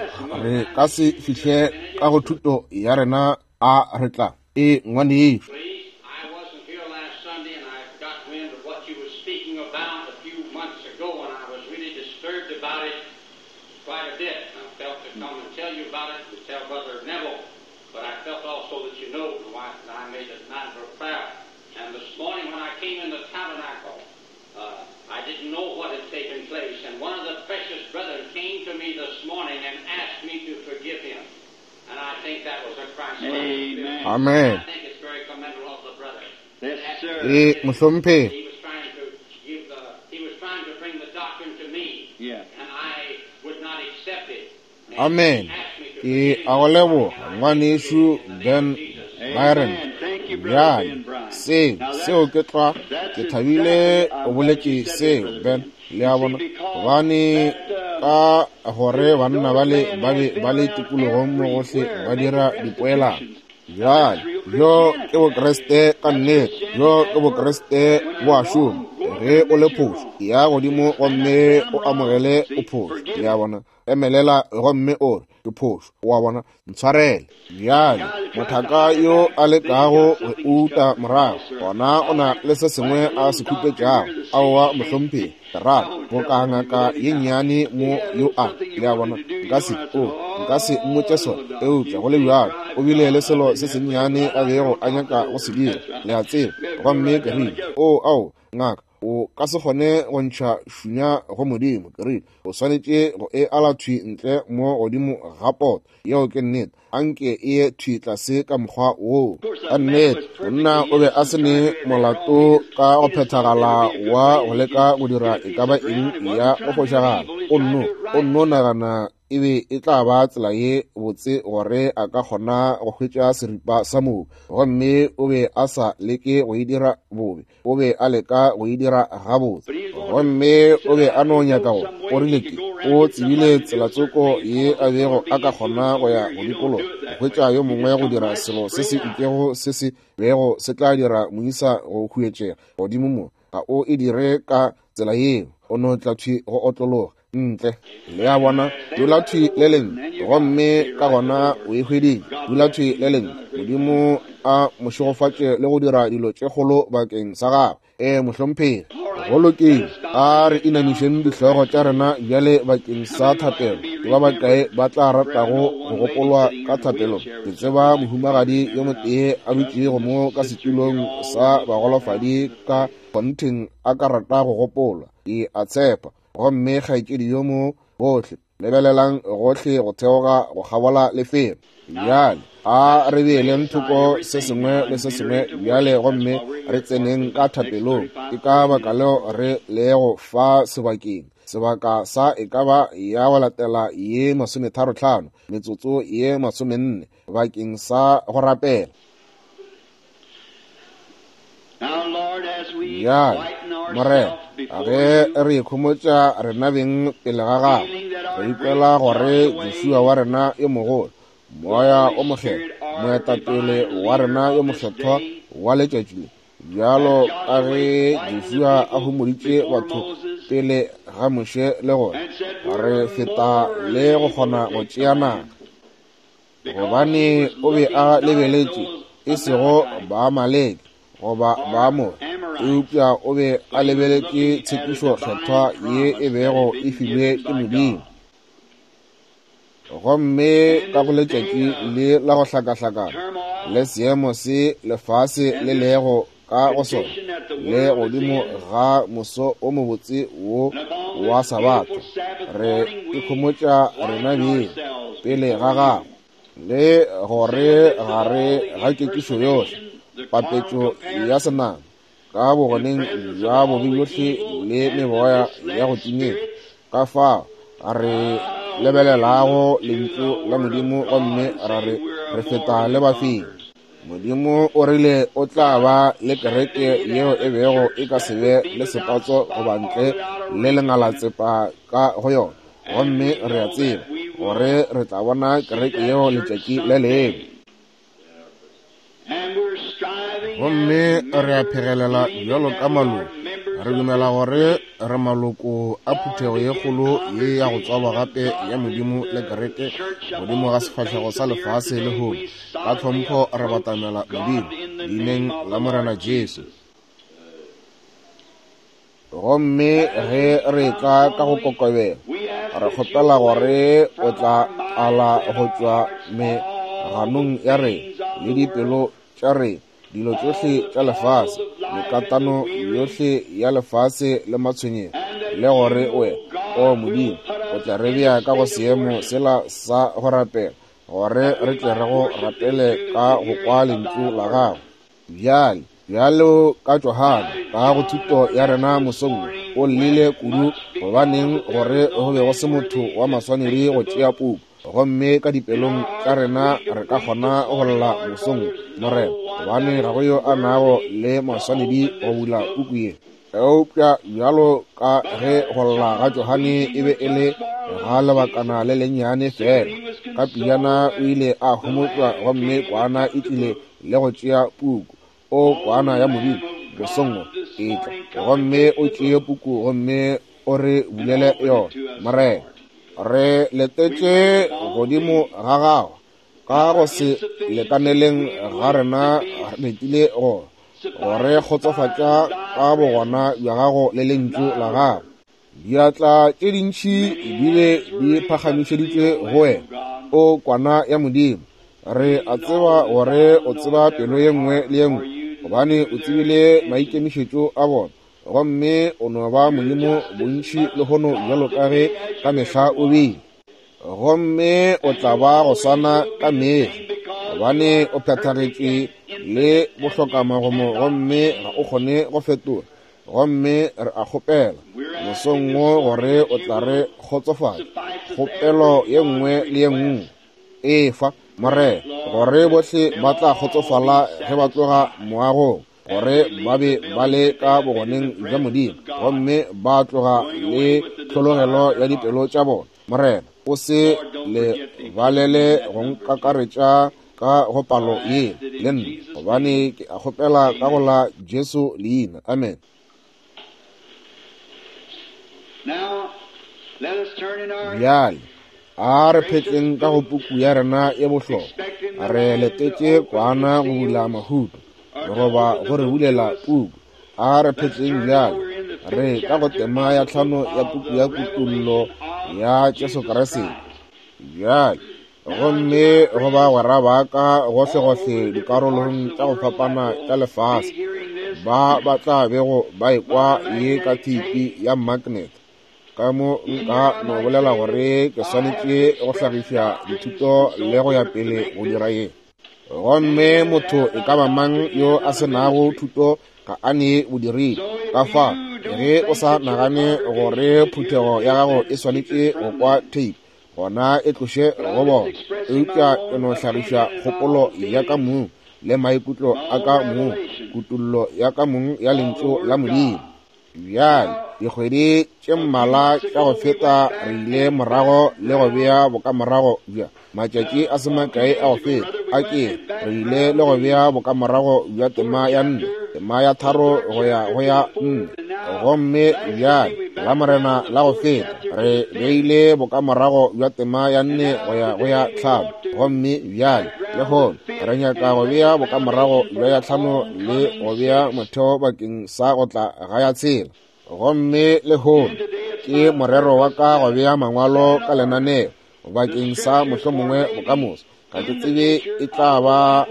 re ka se fihle ka go thuto ya rena a re tla e ngwanešo. Amen. I think it's very commendable of the brother. E mohlomphegi. Amen. Ke a go leboga ngwanešu Ben Byron. Bjale seo seo ke tlwa ke thabile o boletše seo Ben, le a bona, gobane ka gore banna bale ba be ba le tikologong mo gohle ba dira dipoelano. Bjale bjo ke Bokriste ka nnete, bjo ke Bokriste bo a šoma. Ge o le phošo, ya godimo gomme o amogele o phošo, le a bona, emelela gomme o re ke phošo, o a bona, ntshwarele. Bjale mothaka yo a lekago go uta morago gona o na le se sengwe a se khupetšago. Aowa mohlomphegi, ke rata boka ngaka ye nnyane mo yo a, le a bona, nka se o nka se mmotše sona, eupša go le bjalo o bile le selo se sennyane a bego a nyaka go se dira, le a tseba. Gomme ke rile, o ao ngaka, o ka se kgone go ntšha šunya go Modimo. Ke rile, o swanetše go e ala thwi ntle mo godimo ga poto. Yeo ke nnete, anke e ye thwi tlase ka mokgwa woo. Ka nnete monna o be a se ne molato ka go phethagala wa go leka go dira e ka ba eng ya go fošagala. O nno o nno nagana e be e tla ba tsela ye botse gore a ka kgona go hwetša seripa sa mobu, gomme o be a sa leke go e dira bobe, o be a leka go e dira gabotse. Gomme o be a no nyaka go, o rile ke o tsebile tselatsoko ye a bego a ka kgona go ya go dikologa go hwetša yo mongwe go dira selo se se itšego se se bego se tla dira moisa go huetšega godimo mo. Ga o e dire ka tsela yeo, o no tla thwi go otlologa ntle, le a bona, dula thwi le lengwe, gomme ka gona o e hweditše. Dula thwi le lengwe, Modimo a mo šegofatše le go dira dilo tše kgolo bakeng sa gagwe. E mohlomphegi, go lokile. A re inamišeng dihlogo tša rena bjale bakeng sa thapelo. Ke ba bakae ba tla ratago go gopolwa ka thapelong? Ke tseba mohumagadi yo motee a dutšego mo ka setulong sa bagolofadi ka kgontheng a ka rata go gopolwa, ke a tshepa. Gomme kgaetšedi yo mo, bohle lebelelang gohle go theoga go kgabola lefelo. Bjale a re beeleng thoko se sengwe le se sengwe bjale gomme re tseneng ka thapelong. Ke ka baka leo re lego fa sebakeng, sebaka sa e ka ba ya go latela ye masometharo hlano, metsotso ye masomenne bakeng sa go rapela. Bjale Morena, ge re ikhomotša rena beng pele ga gago, re ikwela gore Joshua wa rena yo mogolo, moya o mokgethwa, moetapele wa rena yo mokgethwa wa letšatši le, bjalo ka ge Joshua a homoditše batho pele ga Moshe le gore re feta le go kgona go tšea naga, gobane o be a lebeletše e sego Baamaleke goba Baamore, eupša o be a lebeletše tshepišo kgethwa ye e bego e filwe ke Modimo. Gomme ka go letšatši le la go hlakahlakana le seemo se lefase le lego ka go sona, le godimo ga moso o mobotse wo wa Sabatha, re ikhomotša rena beng pele ga gago, le gore gare ga kekišo yohle, papetšo ya senama ka bogoneng bja bobe bjohle le meboya ya go timetša, ka fao re lebelelago lentšu la Modimo gomme ra re re feta le bafenyi. Modimo o rile o tla ba le kereke yeo e bego e ka se be le sepatso goba ntle le lengalatsepa ka go yona, gomme re a tseba gore re tla bona kereke yeo letšatši le lengwe. Gomme re a phegelela bjalo ka maloko, re dumela gore re maloko a phuthego ye kgolo ye ya go tswalwa gape ya Modimo le kereke godimo ga sefahlego sa lefase lehono. Ka tlhompho re batamela Modimo leineng la Morena Jesu. Gomme ge re tla ka go kokobela, re kgopela gore o tla ala go tšwa meganong ya rena le dipelo tša rena dilo tšohle tša lefase, mekatano yohle ya lefase le matshwenyego, le gore wena, o Modimo, o tla re bea ka go seemo sela sa go rapela, gore re tle re go rapele ka go kwa lentšu la gago. Bjale Bjalo ka Johane ka go thuto ya rena mosong o llile kudu, gobaneng gore go be go se motho wa maswanedi go tšea puku. Gomme ka dipelong tša rena re ka kgona go lla mosong, Morena, gobane ga go yo a nago le maswanedi go bula puku ye. Eupša bjalo ka ge go lla ga Johane e be e le ga lebakana le lennyane fela, ka pejana o ile a homotšwa gomme kwana e tlile le go tšea puku. O kwana ya Modimo, mosong e tla gomme o tšee puku gomme o re bulele yona. Morena, re letetše godimo ga gago ka go se lekaneleng ga rena, re letile go gore kgotsofatša ka bogona bja gago le lentšu la gago. Diatla tše dintši di be di phagamišeditšwe go wena, o kwana ya Modimo. Re a tseba gore o tseba pelo ye nngwe le ye nngwe, gobane o tsebile maikemišetšo a bona, gomme o no ba Modimo bontši lehono bjalo ka ge ka mehla o bile, gomme o tla ba go swana ka mehla, gobane o phethagetše le bohlokamagomo gomme ga o kgone go fetola. Gomme re a kgopela mosong wo gore o tla re kgotsofatša kgopelo ye nngwe le ye nngwe efa, Morena, gore bohle ba tla kgotsofala ge ba tloga moagong, gore ba be ba le ka bogoneng bja Modimo gomme ba tloga le tlhologelo ya dipelo tša bona. Morena, o se le balele go nkakaretša ka go palo ye le nna, gobane ke a kgopela ka go la Jesu leina. Amen. Bjale a re phetleng ka go puku ya rena ye bohlokwa. Re letetše kwana go bula mahuto goba go re bulela puku. A re phetleng bjale re ka go tema ya tlhano ya puku ya Kutullo ya Jesu Kriste. Bjale gomme go bagwera ba ka gohlegohle dikarolong tša go fapana tša lefase ba ba tla bego ba ekwa ye ka theipi ya magnet, ka mo nka no bolela gore ke swanetše go hlagiša dithuto le go ya pele go dira ye. Gomme motho e ka ba mang yo a se nago thuto ga a ne bodiredi. Ka fa ge o sa nagane gore phuthego ya gago e swanetše go kwa theipi, gona e tloše go bona. Eupša ke no hlagiša kgopolo ya ka mong le maikutlo a ka mong, kutullo ya ka mong ya lentšu la Modimo. Bjale dikgwedi tše mmalwa tša go feta re ile morago le go bea bokamorago bja matšatši a se makae a go feta a ke re ile le go bea bokamorago bja tema ya nne, tema ya tharo go ya go ya nne. Gomme bjale la Morena la go feta re beile bokamorago bja tema ya nne go ya go ya tlhano. Gomme bjale lehono re nyaka go bea bokamorago bja ya tlhano le go bea motheo bakeng sa go tla ga ya tshela. Gomme lehono ke morero wa ka go bea mangwalo ka lenaneo bakeng sa mohlomongwe bokamoso. Ga ke tsebe e tla ba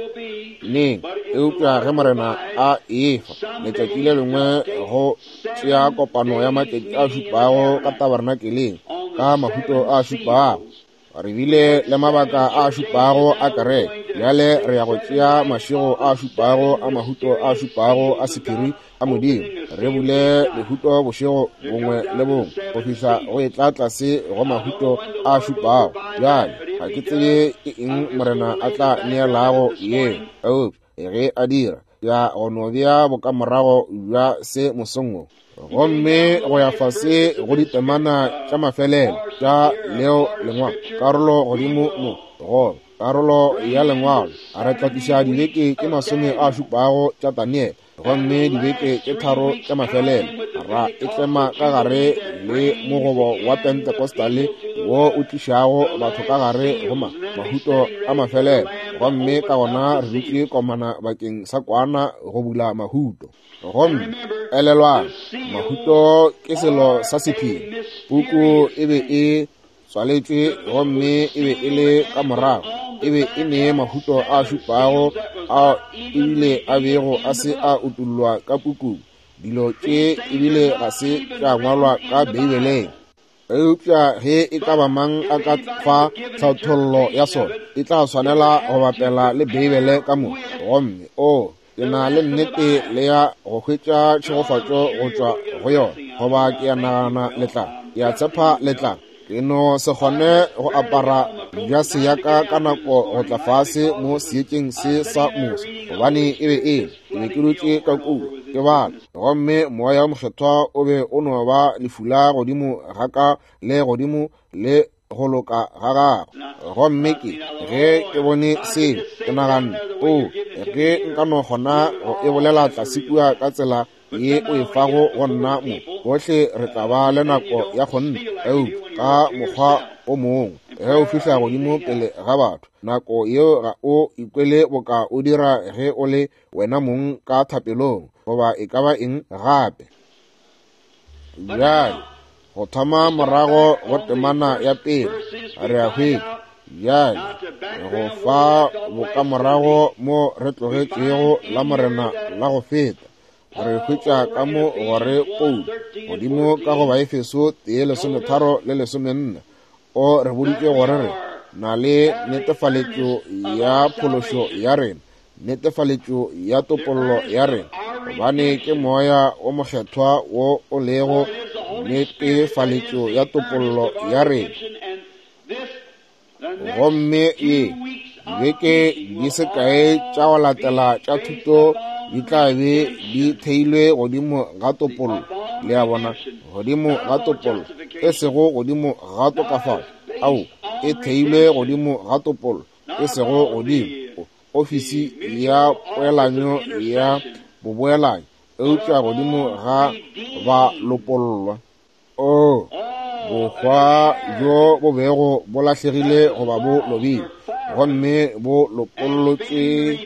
neng, eupša ge Morena a efa letšatši le lengwe go tšea kopano ya matšatši a šupago ka tabernakeleng ka mahuto a šupago. Re bile le mabaka a šupago a kereke. Bjale re ya go tšea mašego a šupago a mahuto a šupago a sephiri a Modimo, re bule lehuto bošego bongwe le bongwe go fihla go etla tlase go mahuto a šupago. Bjale ga ke tsebe ke eng Morena a tla neelago yeo, eupša ge a dira, ya go no bea bokamorago bja se mosong wo. Gomme go ya fase go ditemana tša mafelelo tša leo lengwalo, karolo godimo mo goba karolo ya lengwalo, re tla tliša dibeke tše masome a šupago tša Daniele, gomme dibeke tše tharo tša mafelelo ra e tlema ka gare le mogobo wa Pentecostale wo o tlišago batho ka gare go mahuto a mafelelo. Gomme ka gona re dutše komana bakeng sa kwana go bula mahuto. Gomme elelwang, mahuto ke selo sa sephiri. Puku e be e tswaletšwe gomme e be e le ka morago, e be e ne mahuto a šupago a ebile a bego a se a utollwa ka pukung. Dilo tše ebile ga se tša ngwalwa ka Beibeleng. Eupša ge e ka ba mang a ka fa tlhathollo ya sona, e tla swanela go bapela le Beibele ka moka. Gomme o Ke na le nnete le ya go hwetša tšhegofatšo go tšwa go yona, goba ke a nagana le tla, ke a tshepa le tla. Ke no se kgone go apara jase ya ka ka nako go tla fase mo seetšeng se sa moso, gobane e be e ke be ke dutše ka kua ke bala, gomme moya wo mokgethwa o be o no ba lefula godimo ga ka le godimo le go loka ga gagwe. Gomme ke ge ke bone seo, ke naganne, o ge nka no kgona go e bolela tlase kua ka tsela ye o e fago go nna mo, bohle re tla ba le nako ya kgonthe. Eupša ka mokgwa o mongwe, ge o fihla godimo pele ga batho, nako yeo ga o ikwele boka o dira ge o le wena mong ka thapelong goba e ka ba eng gape. Bjale go thoma morago go temana ya pele re a hwetša bjale go fa bokamorago mo re tlogetšego la Morena la go feta. Re hwetša ka mo gore Paulo godimo ka go Baefeso tee lesometharo le lesomenne o re boditše gore re na le netefaletšo ya phološo ya rena, netefaletšo ya topollo ya rena, gobane ke moya o mokgethwa wo o lego netefaletšo ya topollo ya rena. Gomme ye dibeke di se kae tša go latela tša thuto di tla be di theilwe godimo ga topollo. Le a bona, godimo ga topollo, e sego godimo ga tokafatšo. Ao, e theilwe godimo ga topollo, e sego godimo ofisi ya poelanyo ya boboelanyo, eupša godimo ga ba lopollwa. O bohwa bjo bo bego bo lahlegile goba bo lobile, gomme bo lopollotšwe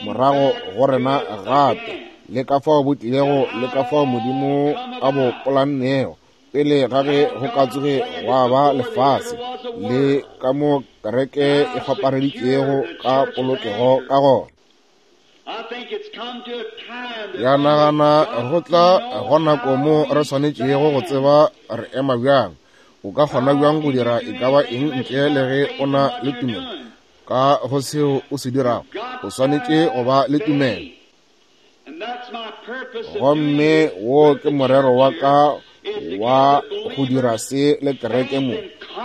morago go rena gape, le ka fao bo tlilego, le ka fao Modimo a bo polannego pele ga ge go ka tsoge gwa ba lefase, le ka mo kereke e kgwapareditšego ka polokego ka gona. Ya nagana go tla go nako mo re swanetšego go tseba re ema bjang. O ka kgona bjang go dira e ka ba eng ntle le ge o na le tumelo ka go seo o se dirago? O swanetše go ba le tumelo. Gomme wo ke morero wa ka wa go dira se le kereke mo,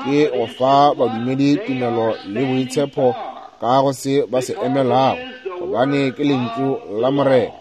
ke go fa badumedi tumelo le boitshepo ka go se ba se emelago, gobane ke lentšu la Morena.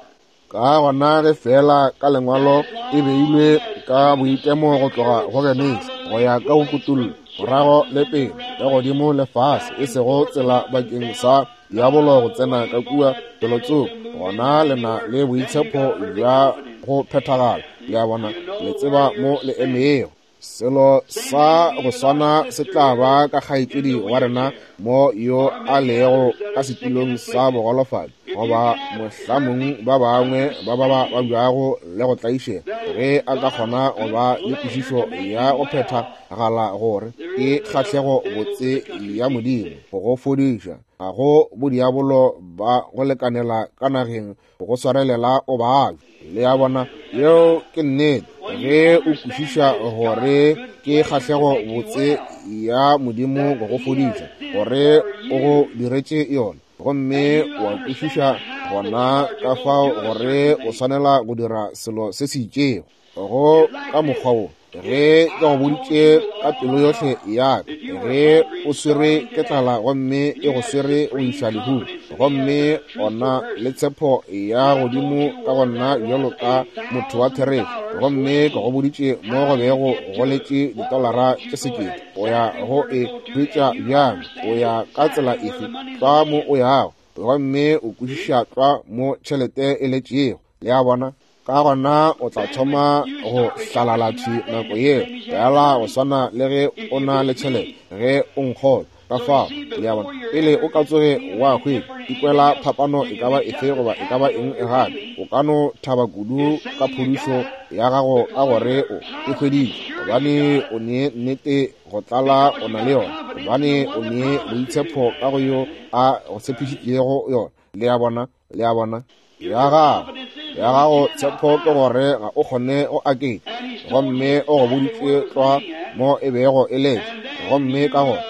Ka gona ge fela ka lengwalo e beilwe ka boikemo go tloga go Genesi go ya ka go Kutullo, morago le pele le godimo le fase, e sego tsela bakeng sa diabolo go tsena ka kua felotsoko, gona le na le boitshepo bja go phethagala. Le a bona, le tseba mo le emego. Selo sa go swana se tla ba ka kgaetšedi wa rena mo yo a lego ka setulong sa bogolofadi, goba mohlamong ba bangwe ba ba ba babjago le go tlaišega, ge a ka kgona go ba le kwešišo ya go phethagala gore ke kgahlego botse ya Modimo go go fodiša. Ga go bodiabolo ba go lekanela ka nageng go swarelela o babja. Le a bona, yeo ke nnete. Ge o kwešiša gore ke kgahlego botse ya Modimo go go fodiša, gore o go diretše yona, gomme wa kwešiša gona ka fao gore o swanela go dira selo se se itšego go ka mokgwa wo. Ge ke go boditše ka pelo yohle ya ka, ge o swerwe ke tlala gomme e go swere go iša lehung, gomme ona le tshepo ya godimo ka go nna bjalo ka motho wa therešo, gomme ke go boditše mo go bego go letše ditolara tše sekete, o ya go e hwetša bjang? O ya ka tsela efe? Tlwa mo o yago, gomme o kwešiša tlwa mo tšhelete e letšego. Le a bona? Ka gona o tla thoma go hlalala thwi nako yeo, fela go swana le ge o na le tšhelete ge o nkgolwa. Ka fao, le a bona, pele o ka tsoge wa hwetša ikwela phapano e ka ba efe goba e ka ba eng gape, o ka no thaba kudu ka phodišo ya gago ka gore o e hweditše, gobane o ne nnete go tlala o na le yona, gobane o ne boitshepo ka go yo a go tshepišitšego yona. Le a bona, le a bona, ya gago ya gago tshepo ke gore ga o kgone go aketša, gomme o go boditše tlwa mo e bego e letše, gomme ka gona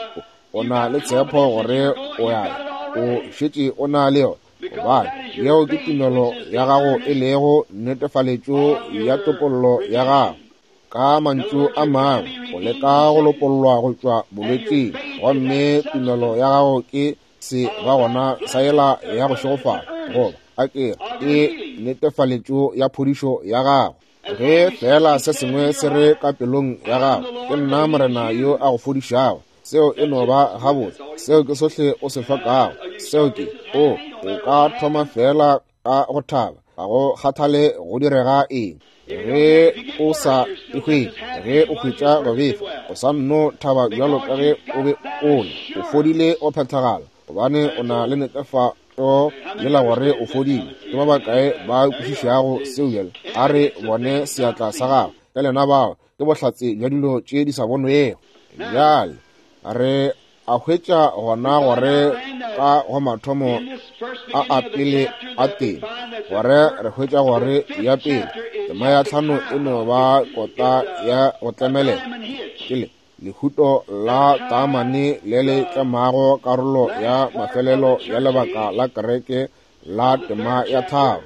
o na le tshepo gore o ya o šetše o na le yona, gobane Yeo ke tumelo ya gago e lego netefaletšo ya topollo ya gago. Ka mantšu a mangwe, o leka go lopollwa go tšwa bolwetšing, gomme tumelo ya gago ke se ba gona sa yela ya go šegofala, goba a ke ke netefaletšo ya phodišo ya gago. Ge fela se sengwe se re ka pelong ya gago, ke nna Morena yo a go fodišago, seo e no ba gabotse, seo ke sohle o se hlokago. Seo ke o o ka thoma fela ka go thaba, ga go kgathale go direga eng. Ge o sa e hwetše, ge o hwetša go befa, o sa nno thaba bjalo ka ge o be o le, o fodile o phethagala, gobane o na le netefatšo yela gore o fodile. Ke ba bakae ba kwešišago seo bjale? A re bone seatla sa gago. Ka lena bao ke bohlatse bja dilo tše di sa bonwego. Bjale re a hwetša gona gore ka go mathomo a a pele a teng, gore re hwetša gore ya pele tema ya tlhano e no ba kota ya go tlemelela, ke le lehuto la taamane le le tlemago karolo ya mafelelo ya lebaka la kereke la tema ya tharo.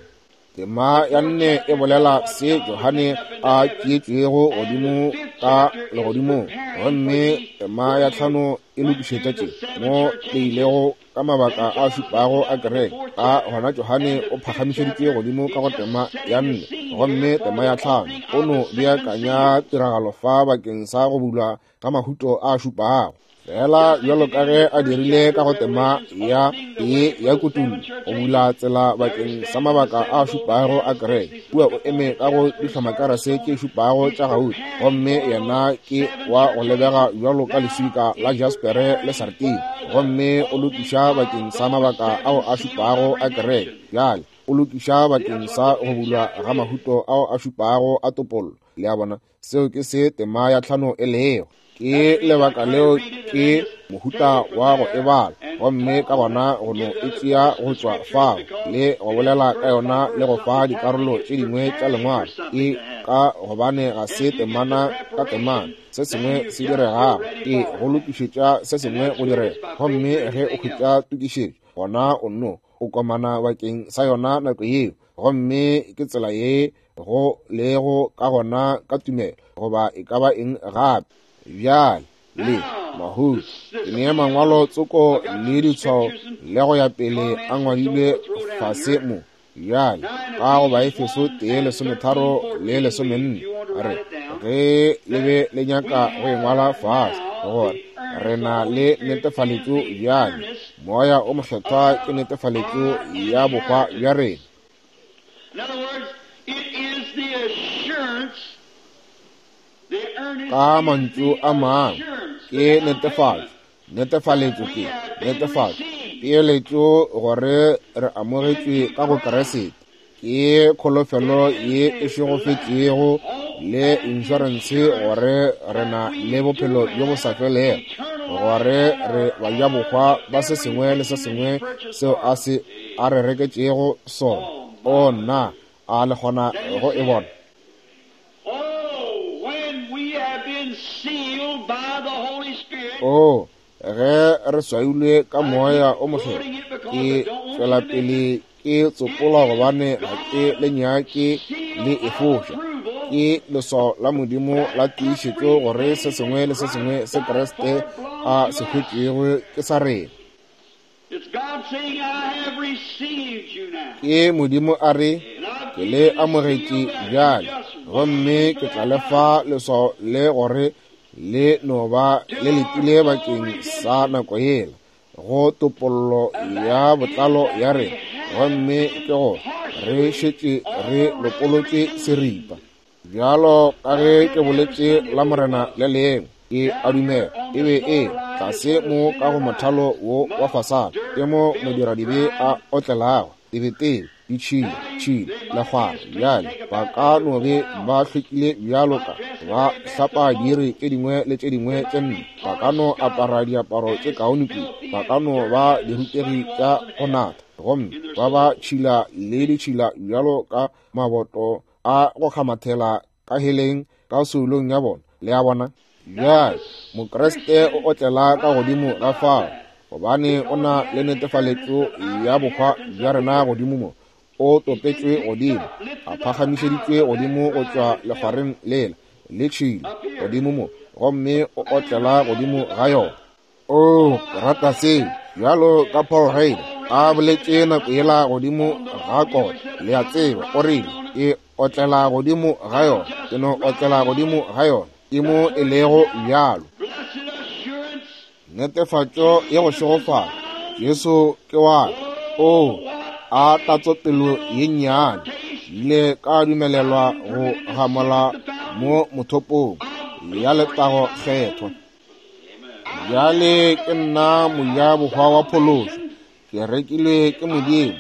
Tema ya nne e bolela se Johane a tšeetšwego godimo ka legodimong, gomme tema ya tlhano e lokišetša tše mo le ilego ka mabaka a šupago a kereke. Ka gona Johane o phagamišeditšwe godimo ka go tema ya nne, gomme tema ya tlhano o no beakanya tiragalo fa bakeng sa go bulwa ka mahuto a šupago, fela bjalo ka ge a dirile ka go tema ya tee ya kutullo, go bula tsela bakeng sa mabaka a šupago a kereke. Kua o eme ka go dihlomakerese tše šupago tša gauta, gomme yena ke wa go lebega bjalo ka leswika la jaspere le sartine, gomme o lokiša bakeng sa mabaka ao a šupago a kereke. Bjale o lokiša bakeng sa go bulwa ga mahuto ao a šupago a topollo. Le a bona, seo ke se tema ya tlhano e lego. Ke lebaka leo ke mohuta wa go e bala, gomme ka gona go no e tšea go tšwa fao le go bolela ka yona le go fa dikarolo tše dingwe tša lengwalo. Ke ka gobane ga se temana ka temana se sengwe se diregago, ke go lokišetša se sengwe go direga, gomme ge o hwetša tokišetšo, gona o nno o komana bakeng sa yona nako yeo. Gomme ke tsela ye go lego ka gona ka tumelo, goba e ka ba eng gape. Bjale le mahuto ke nea mangwalo tsoko le ditshwao le go ya pele a ngwadilwe fase mo. Bjale ka go Baefeso tee lesometharo le lesomenne, re ge le be le nyaka go e ngwala fase, gore re na le netefaletšo bjale. Moya o Mokgethwa ke netefaletšo ya bohwa bja rena. Ka mantšu a mangwe, ke netefatšo, netefaletšo ke netefatšo, peeletšo gore re amogetšwe ka go Kriste, ke kholofelo ye e šegofetšego le inšorense gore re na le bophelo bjo bo sa felego, gore re bajabohwa ba se sengwe le se sengwe seo a se a re reketšego sona. O nna, a le kgona go e bona? O ge re swailwe ka moya o mokgethwa, ke tšwela pele ke tsopola gobane ga ke le nyake le e foša. Ke leswao la Modimo la tiišetšo gore se sengwe le se sengwe se Kriste a se hwetšego ke sa rena. Ke Modimo a re, ke le amogetše bjale, gomme ke tla le fa leswao le gore le no ba le letile bakeng sa nako yela go topollo ya botlalo ya rena, gomme ke gore re šetše re lopolotše seripa. Bjalo ka ge ke boletše la Morena le lengwe, ke a dumela e be e tlase mo ka go mothalo wo wa fasana, ke mo modiradibe a otlelago tebetebe, ditšhila tšhila lekgwara. Bjale ba ka no be ba hlwekile bjalo ka ba hlapa diiri tše dingwe le tše dingwe tše nne, ba ka no apara diaparo tše kaone kudu, ba ka no ba dirutegi tša go natha, gomme ba ba tšhila le ditšhila bjalo ka maboto a go kgamathela ka heleng ka soulong ya bona. Le a bona? Bjale Mokriste o otlela ka godimo ga fao, gobane o na le netefaletšo ya bohwa bja rena godimo mo. O topetšwe godimo, a phagamišeditšwe godimo go tšwa lekgwareng lela le tšhila godimo mo, gomme o otlela godimo ga yona. O rata seo, bjalo ka Paul Reid a boletše nako yela godimo ga kota, le a tseba, o rile, ke otlela godimo ga yona, ke no otlela godimo ga yona, ke mo e lego bjalo. Netefatšo ya go šegofala, Jesu ke wa ka. O a tatsopelo ye nnyane, ile ka dumelelwa go gamola mo mothopong ya letago kgethwa. Bjale ke nna mojabohwa wa phološo, ke rekilwe ke Modimo,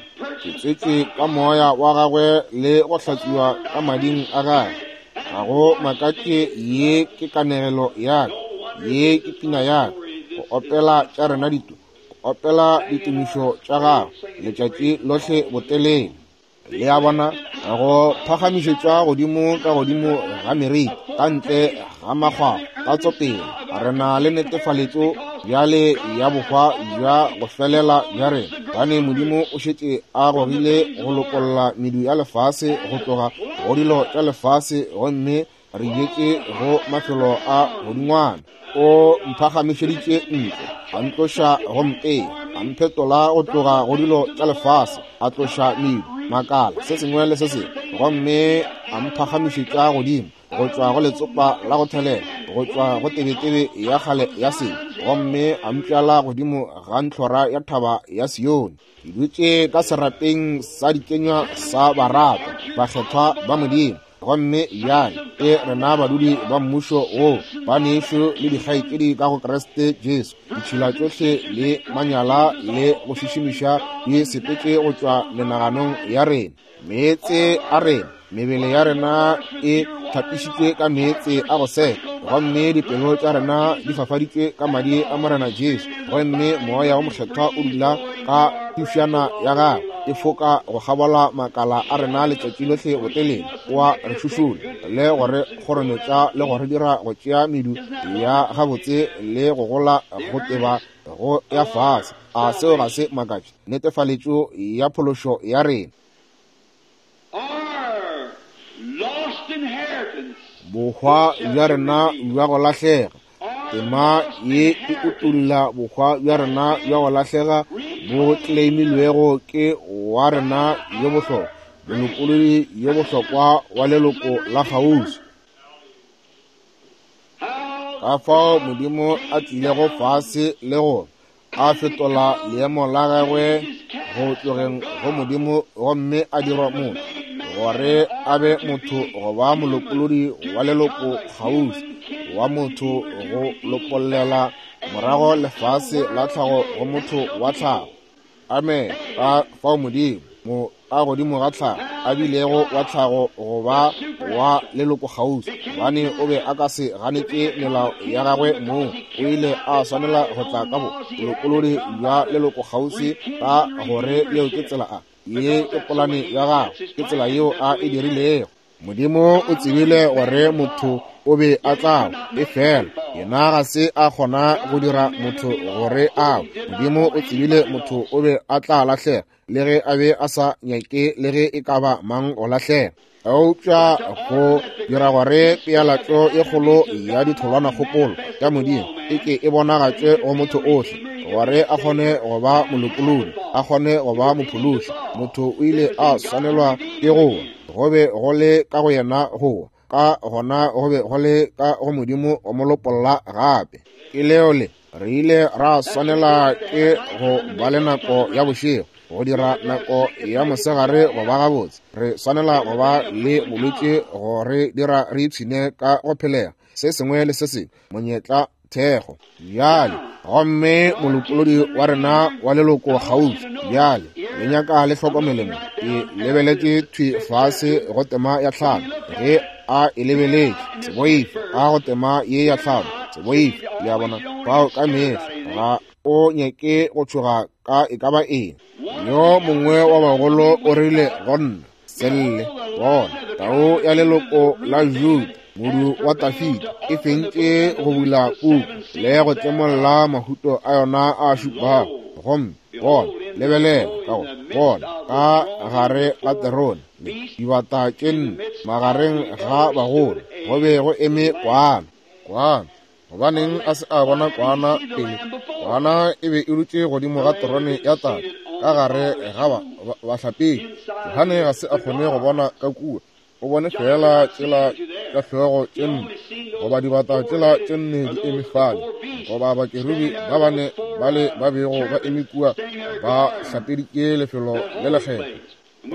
ke tswetšwe ka moya wa gagwe le go hlatswiwa ka mading a gagwe. Ga go makatše ye ke kanegelo ya ka, ye ke pina ya ka, go opela tša rena dito, go opela ditumišo tša gagwe letšatši lohle botelele. Le a bona, go phagamišetšwa godimo ka godimo ga meriti, ka ntle ga makgwakgwa, ka tsopele. Re na le netefaletšo bjale ya bohwa bja go felela bja rena, gobane Modimo o šetše a gogile go lokolla medu ya lefase go tloga go dilo tša lefase, gomme re jetše go mafelo a godingwana. O mphagamišeditše ntle, a ntloša go mpea, a mphetola go tloga go dilo tša lefase, a tloša medu, makala, se sengwe le se sengwe, gomme a mphagamišetša godimo go tšwa go letsopa la go thelela, go tšwa go tebetebe ya kgale ya sebe, gomme a mpšala godimo ga ntlhora ya thaba ya Sione. Ke dutše ka serapeng sa dikenywa sa baratwa bakgethwa ba Modimo, gomme bjale ke rena badudi ba mmušo wo, banešu le dikgaetšedi ka go Kriste Jesu. Ditšhila tšohle le manyala le go šišimiša di sepetše go tšwa menaganong ya rena. Meetse a rena, mebele ya rena e hlapišitšwe ka meetse a go seka, gomme dipelo tša rena di fafaditšwe ka madi a Morena Jesu, gomme moya wa mokgethwa o dula ka thušana ya gagwe e foka go kgabola makala a rena letšatši lohle botelele, wa re šušula le go re kgorometša le go re dira go tšea medu ya gabotse le go gola go teba go ya fase. A seo ga se makatše? Netefaletšo ya phološo ya rena, bohwa bja rena bja go lahlega. Tema ye e utolla bohwa bja rena bja go lahlega bo claimilwego ke wa rena yo bohlokwa, molopolodi yo bohlokwa wa leloko la kgauswi. Ka fao Modimo a tlilego fase le go a fetola leemo la gagwe go tlogeng go Modimo, gomme a dirwa motho gore a be motho go ba molopolodi wa leloko kgauswi wa motho, go lopollela morago lefase la tlhago go motho wa tlhago. Amen. Ka fao Modimo mo ka godimo ga tlhago a bilego wa tlhago go ba wa leloko kgauswi, gobane o be a ka se ganetše melao ya gagwe mong, o ile a swanela go tla ka bolopolodi bja leloko kgauswi, ka gore yeo ke tsela a ye ke polane ya gagwe, ke tsela yeo a e dirilego. Modimo o tsebile gore motho o be a tla e fela, yena ga se a kgona go dira motho gore a. Modimo o tsebile motho o be a tla lahlega, le ge a be a sa nyake le ge e ka ba mang go lahlega. Eupša go dira gore pealatšo e kgolo ya ditholwanakgopolo tša Modimo e ke e bonagatšwe go motho ohle, gore a kgone go ba molopolodi, a kgone go ba mophološi, motho o ile a swanelwa ke go wa. Go be go le ka go yena go wa, ka gona go be go le ka go Modimo go mo lopolla gape. Ke leo le re ile ra swanela ke go ba le nako ya bošego, go dira nako ya mosegare go ba gabotse. Re swanela go ba le bolwetši go re dira re ipshine ka go phelega se sengwe le se sengwe, monyetla thekgo. Bjale gomme molopolodi wa rena wa leloko kgauswi, bjale le nyaka le hlokomele mo. Ke lebeletše thwi fase go tema ya tlhano, ge a e lebeletše, se boife, a go tema ye ya tlhano, se boife. Le a bona, fao ka mehla ga o nyake go tšhoga ka e ka ba eng. Yo mongwe wa bagolo o rile go nna, se lle, bona tau ya leloko la Juda, Modu wa Dafida, e fentše go bula puku le go tlemolla mahuto a yona a šupago. Gomme bona, lebelela ka go bona ka gare ga terone dibata tše nne magareng ga bagolo go be go eme kwana. Kwana, gobaneng a se a bona kwana pele? Kwana e be e dutše godimo ga terone ya Tate ka gare ga bahlapedi. Johane ga se a kgone go bona ka kua, o bone fela tšela tša hlogo tše nne goba dibata tšela tše nne di eme fale, goba bakerubi ba bane bale ba bego ba eme kua ba hlapeditše lefelo le lekgethwa.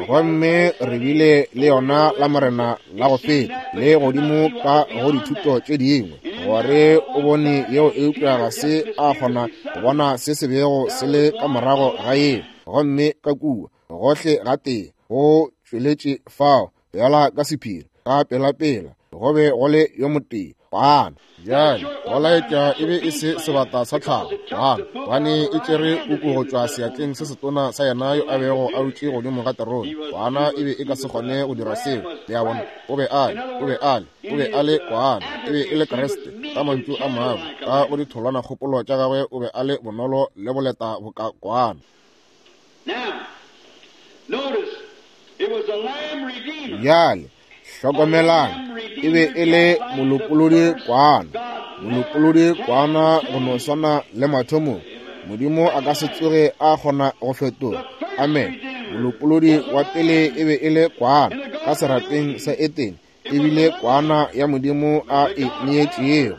Gomme re bile le yona la Morena la go feta le godimo ka go dithuto tše dingwe gore o bone yeo, eupša ga se a kgona go bona se se bego se le ka morago ga yeo. Gomme ka kua gohle gatee go tšweletše fao bjala ka sephiri ka pelapela go be go le yo motee kwana. Bjale go laetša e be e se sebata sa tlhago, kwana, gobane e tšere puku go tšwa seatleng se setona sa yena yo a bego a dutše godimo ga terone. Kwana e be e ka se kgone go dira seo. Le a bona, o be a le, o be a le, o be a le kwana, e be e le Kriste. Ka mantšu a mangwe, ka go ditholwana kgopolo tša gagwe o be a le bonolo le boleta boka kwana. Bjale hlokomelang, e be e le molopolodi kwana, molopolodi kwana go no swana le mathomong. Modimo a ka se tsoge a kgona go fetola. Amen. Molopolodi wa pele e be e le kwana ka serapeng sa Etene, ebile kwana ya Modimo a e neetšego.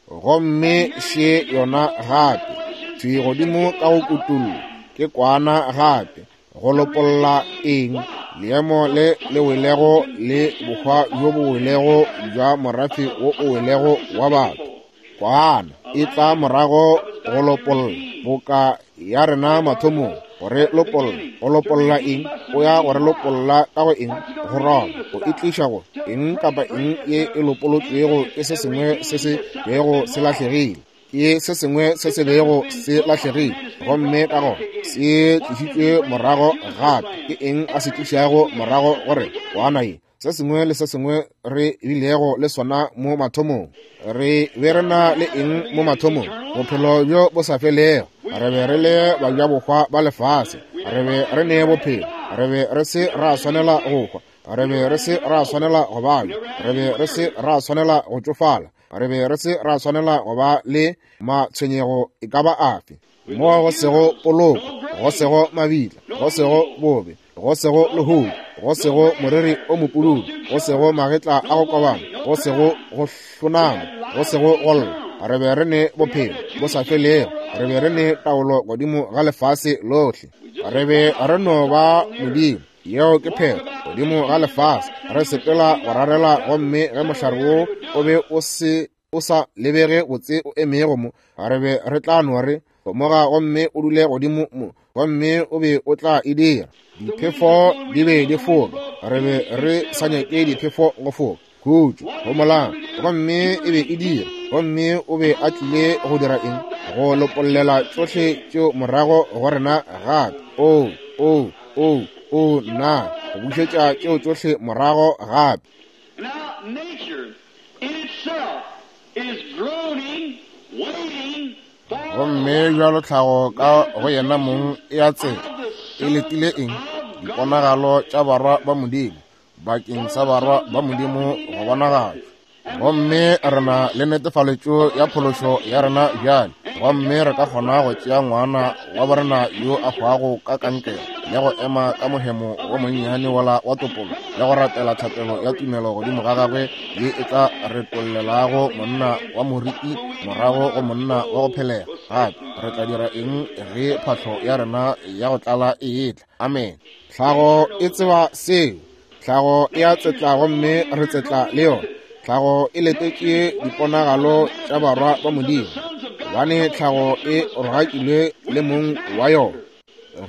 Gomme še yona gape thwi godimo ka go kutullo, ke kwana gape go lopolla eng? Leemo le le welego le bohwa bjo bo welego bja morafe wo o welego wa batho. Kwana e tla morago go lopolla boka ya rena mathomong, gore lopolla. Go lopolla eng? O ya gore lopolla ka go eng? Go roba, go e tliša go eng kapa eng ye e lopolotšwego ke se sengwe se se bego se lahlegile, ke se sengwe se se bego se lahlegile, gomme ka gona se tlišitšwe morago gape. Ke eng a se tlišago morago gore kwana ye? Se sengwe le se sengwe re bilego le sona mo mathomong. Re be re na le eng mo mathomong? Bophelo bjo bo sa felego. Re be re le bajabohwa ba lefase, re be re ne bophelo, re be re se ra swanela go hwa, re be re se ra swanela go babja, re be re se ra swanela go tšofala, re be re se ra swanela go ba le matshwenyego e ka ba afe. Mo go sego poloko, go sego mabitla, go sego bobe, go sego lehodu, go sego moriri o mopududu, go sego magetla a go kobana, go sego go hlonama, go sego go lla. Re be re ne bophelo bo sa felego, re be re ne taolo godimo ga lefase lohle, re be re no ba Modimo. Yeo ke phelo godimo ga lefase, re sepela go rarela. Gomme ge mohlare wo o be o se o sa lebege botse o emego mo, re be re tla no re moga gomme o dule godimo mo, gomme o be o tla e dira. Diphefo di be di foka, re be re sa nyake diphefo go foka. Khutšo, homolang, gomme e be e dira. Gomme o be a tlile go dira eng? Go lopollela tšohle tšeo morago go rena gape. O, o, o, o, nna, go bušetša tšeo tšohle morago gape. Gomme bjalo tlhago ka go yena mong e a tsela, e letile eng? Diponagalo tša barwa ba Modimo, bakeng sa barwa ba Modimo go bonagatšwa. Gomme re na le netefaletšo ya phološo ya rena bjale, gomme re ka kgona go tšea ngwana wa borena yo a hwago ka kankere le go ema ka mohemo wo monnyane wola wa topolo le go rapela thapelo ya tumelo godimo ga gagwe ye e tla retollelago monna wa moriti morago go monna wa go phelega gape. Re tla dira eng ge phahlo ya rena ya go tlala e etla? Amen. Tlhago e tseba seo. Tlhago e a tsetla gomme re tsetla le yona. Tlhago e letetše diponagalo tša barwa ba Modimo, gobane tlhago e rogakilwe le mong wa yona.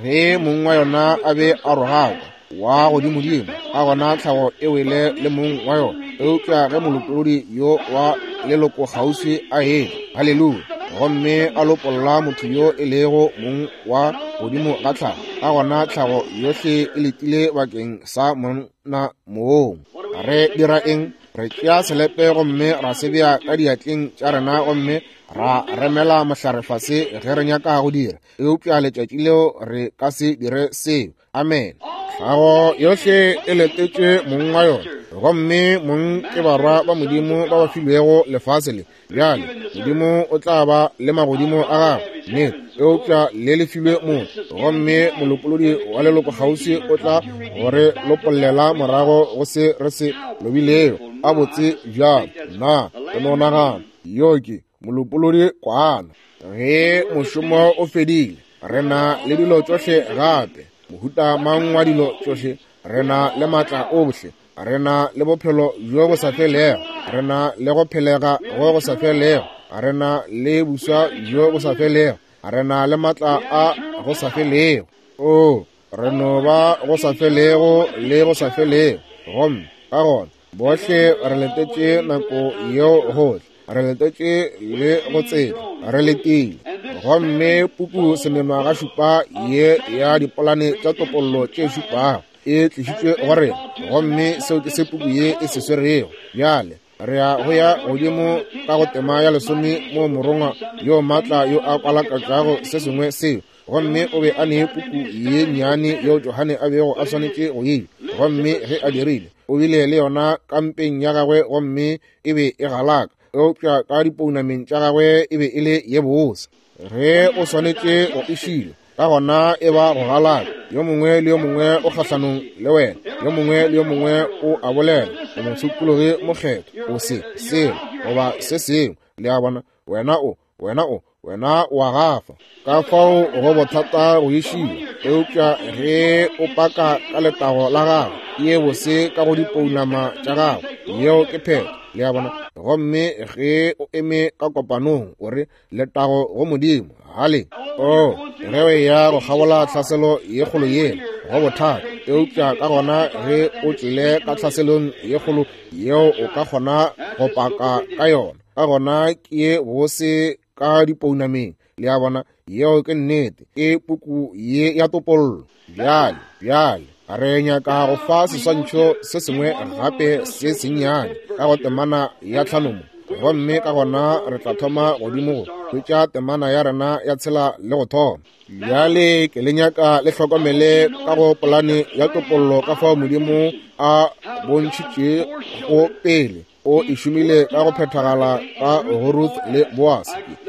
Ge mong wa yona a be a rogakwa wa godimodimo, ka gona tlhago e wele le mong wa yona. Eupša ge molopolodi yo wa leloko kgauswi a etla, haleluya, gomme a lopolla motho yo e lego mong wa godimo ga tlhago, ka gona tlhago yohle e letile bakeng sa monna mong. Re dira eng? Re tšea selepe gomme ra se bea ka diatleng tša rena gomme ra remela mohlare fase ge re nyaka go dira, eupša letšatši leo re ka se dire seo. Amen. Tlhago yohle e letetše mong wa yona, gomme mong ke barwa ba Modimo ba ba filwego lefase le. Bjale Modimo o tla ba le magodimo a gagwe, nnete, eupša le le filwe motho, gomme molopolodi wa leloko kgauswi o tla gore lopollela morago go se re se lobilego. A botse bjalo, na ke no nagana yo ke molopolodi kwana. Ge mošomo o fedile, re na le dilo tšohle gape, mohuta mang wa dilo tšohle, re na le maatla ohle, re na le bophelo bjo bo sa felego, re na le go phelega go go sa felego, re na le buswa bjo bo sa felego, re na le maatla a go sa felego. O, re no ba go sa felego le go sa felego. Gomme ka gona bohle re letetše nako yeo gohle, re letetše le go tsela, re letile. Gomme puku semenwa šupa ye ya dipolane tša topollo tše šupago e tlišitšwe go rena, gomme seo ke se puku ye e se swerego. Bjale re ya go ya godimo ka go tema ya lesome mo morongwa yo maatla yo a kwalakatšago se sengwe seo, gomme o be a ne puku ye nnyane yeo Johane a bego a swanetše go eja, gomme ge a dirile o bile le yona kampeng ya gagwe gomme e be e galaka, eupša ka dipounameng tša gagwe e be e le ye bose. Ge o swanetše go e šila, ka gona e ba go galaka. Yo mongwe le yo mongwe o kgahlanong le wena, yo mongwe le yo mongwe o a bolela, o mosokologi mokgetho, o se selo goba se sengwe. Le a bona, wena o, wena o, wena o a gafa. Ka fao go bothata go išiwa, eupša ge o paka ka letago la gago, ye bose ka go dipounama tša gago, yeo ke phetho. Le a bona? Gomme ge o eme ka kopanong o re letago go Modimo, hale o ge o ya go kgabola tlhaselo ye kgolo yela, go bothata. Eupša ka gona ge o tšwele ka tlhaselong ye kgolo yeo o ka kgona go paka ka yona, ka gona ke ye bose ka dipounameng. Le a bona? Yeo ke nnete, ke puku ye ya topollo. Bjale, bjale re nyaka go fa seswantšho se sengwe gape se sennyane ka go temana ya tlhano mo, gomme ka gona re tla thoma godimo go hwetša temana ya rena ya tshela le go thoma. Bjale ke le nyaka le hlokomele ka go polane ya topollo ka fao Modimo a bontšhitše go pele o e šomile ka go phethagala ka go Ruth le Boaz.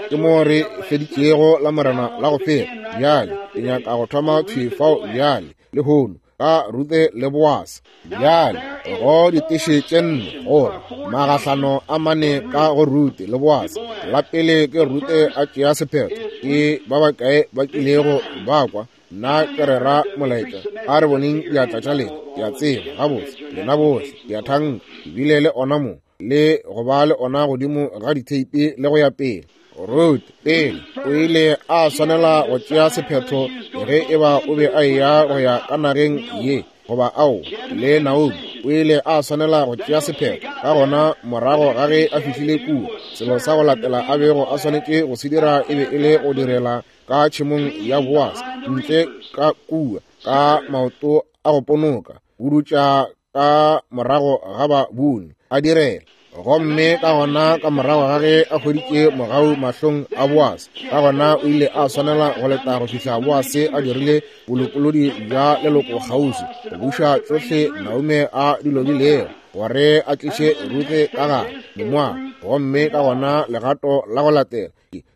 Ke mo re feditšego la morena la go fela. Bjale ke nyaka go thoma thwi fao bjale lehono ka Ruth le Boaz. Bjale go diteše tše nne gore magahlano a mane ka go Ruth le Boaz. La pele ke Ruth a tšea sephetho, ke ba bakae ba kilego ba kwa nna ke rera molaetša? A re boneng diatla tša lena. Ke a tseba gabotse lena bohle ke a thanka ebile le ona mo le go ba le ona godimo ga ditheipi le go ya pele. Ruth pele o ile a swanela go tšea sephetho ge e ba o be a eya go ya ka nageng ye goba ao le Naomi. O ile a swanela go tšea sephetho. Ka gona morago ga ge a fihlile kua, selo sa go latela a bego a swanetše go se dira e be e le go direla ka tšhemong ya Boaz ntle ka kua ka maoto a go ponoka, budutša ka morago ga ba buni a direla. Gomme ka gona ka morago ga ge a hweditše mogau mahlong a Boaz, ka gona o ile a swanela go leta go fihla Boaz a dirile bolopolodi bja leloko kgauswi go buša tšohle Naomi a di lobilego gore a tliše Ruthe ka gare Momoaba. Gomme ka gona legato la go latela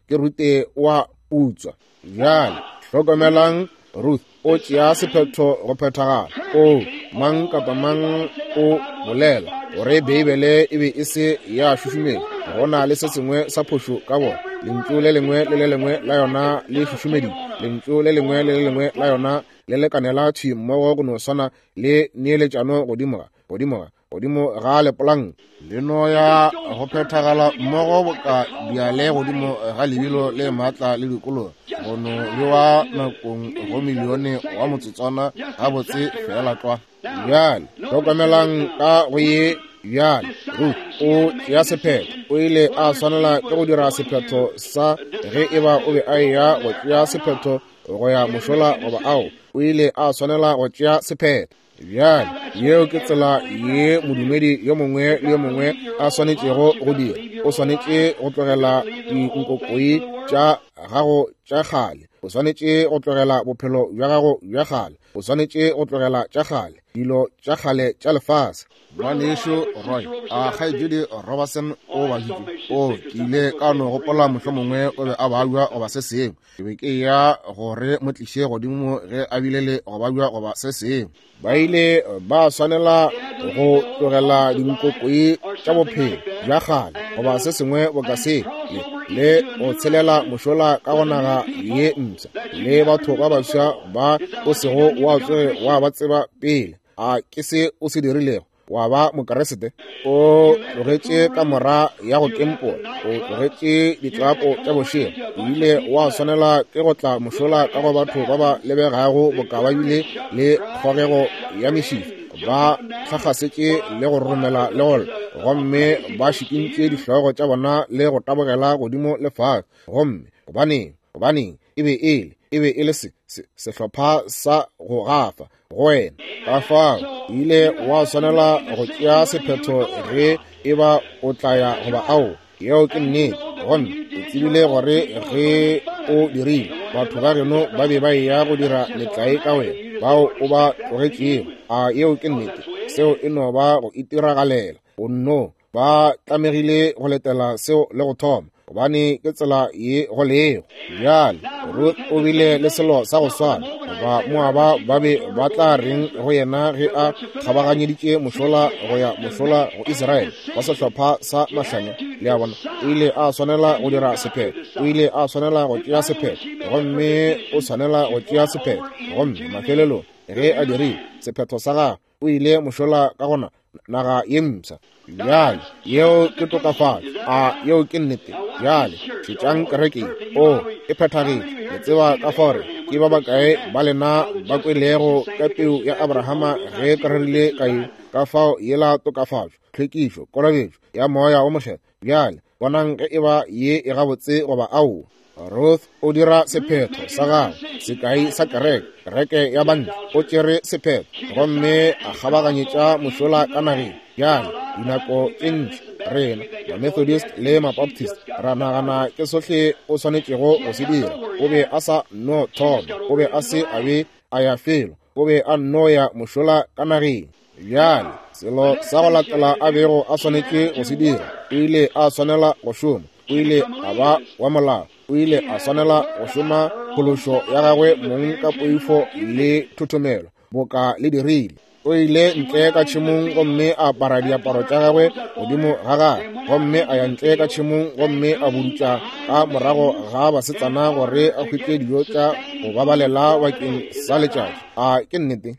ke Ruthe wa putswa. Bjale hlokomelang, Ruth o tšea sephetho go phethagala. O mang kapa mang o bolela gore Beibele e be e se ya šušumetšwa, go na le se sengwe sa phošo ka bona. Lentšu le lengwe le le lengwe la yona le šušumeditšwe, lentšu le lengwe le le lengwe la yona le lekanela thwi mmogo go no swana le neeletšano godimo ga godimo ga godimo ga lepolanka. Le no ya go phethagala mmogo boka diale godimo ga lebilo le maatla le dikologa go no bewa nakong go milione wa motsotswana gabotse fela tlwa. Bjale hlokomelang ka go ye. Bjale Ruth o tšea sephetho. O ile a swanela ke go dira sephetho sa ge e ba o be a eya go tšea sephetho go ya mošola goba ao. O ile a swanela go tšea sephetho. Bjale, yeo ke tsela ye modumedi yo mongwe le yo mongwe a swanetšego go dira. O swanetše go tlogela dinkokoi tša gago tša kgale. O swanetše go tlogela bophelo bja gago bja kgale. O swanetše go tlogela tša kgale, dilo tša kgale tša lefase. Ngwanešu Roy, a kgaetšedi Robertson o baditše. O, ke ile ka no gopola mohlomongwe o be a babja goba se sengwe. Ke be ke ya gore mo tliše godimo ge a bile le go babja goba se sengwe. Ba ile ba swanela go tlogela dinkokoi tša bophelo bja kgale goba se sengwe boka se, le, le go tshelela mošola ka go naga ye mpsha le batho ba baswa ba o sego wa tsoge wa ba tseba pele. A ke se o se dirilego? Wa ba Mokeresete? O tlogetše kamora ya go kempola, o tlogetše ditlapo tša bošego, o ile wa swanela ke go tla mošola ka go batho ba ba lebegago boka ba bile le kgogego ya mešifa, ba tlhakgasetše le go romela le go lla, gomme ba šikintše dihlogo tša bona le go tabogela godimo le fase. Gomme gobaneng? Gobaneng? E be e le, e be e le se, se, sehlopha sa go gafa go wena. Ka fao ile wa swanela go tšea sephetho ge e ba o tla ya goba ao. Yeo ke nnete. Gomme o tsebile gore ge o dirile, batho ba geno ba be ba eya go dira metlae ka wena, bao o ba tlogetšego. A yeo ke nnete? Seo e no ba go itiragalela. O nno ba tlamegile go letela seo le go thoma, gobane ke tsela ye go lego. Bjale Ruth o bile le selo sa go swana. Ba Moaba ba be ba tla reng go yena ge a kgabaganyeditše mošola go ya mošola go Israele wa sehlopha sa mahlanya? Le a bona, o ile a swanela go dira sephetho. O ile a swanela go tšea sephetho, gomme o swanela go tšea sephetho. Gomme mafelelong ge a dirile sephetho sa gagwe, o ile mošola ka gona naga ye mpsha. Bjale, yeo ke tokafatšo. A yeo ke nnete? Bjale, šetšang kereke. O, e phethagetše. Le tseba ka fao re ke ba bakae ba lena ba kwelego ka peu ya Abrahama ge ke rerile ka ye, ka fao yela tokafatšo, tlhwekišo, kolobetšo ya Moya wo Mokgethwa. Bjale, bonang ge e ba ye e gabotse goba aowa. Ruth o dira sephetho sa gagwe, sekai sa kereke, kereke ya bantle. O tšere sephetho gomme a kgabaganyetša mošola ka nageng. Bjale, dinako tše ntši rena ma-Methodist le ma-Baptist ra nagana ke sohle o swanetšego go se dira. O be a sa no thoma, o be a se a be a ya felo, o be a nno ya mošola ka nageng. Bjale, selo sa go latela a bego a swanetše go se dira, o ile a swanela go šoma. O ile a ba wa molao. O ile a swanela go šoma phološo ya gagwe mong ka poifo le thothomelo, boka le dirile. O ile ntle ka tšhemong gomme a apara diaparo tša gagwe godimo ga gagwe, gomme a ya ntle ka tšhemong gomme a budutša ka morago ga basetsana gore a hwetše dijo tša go babalela bakeng sa letšatši. A ke nnete?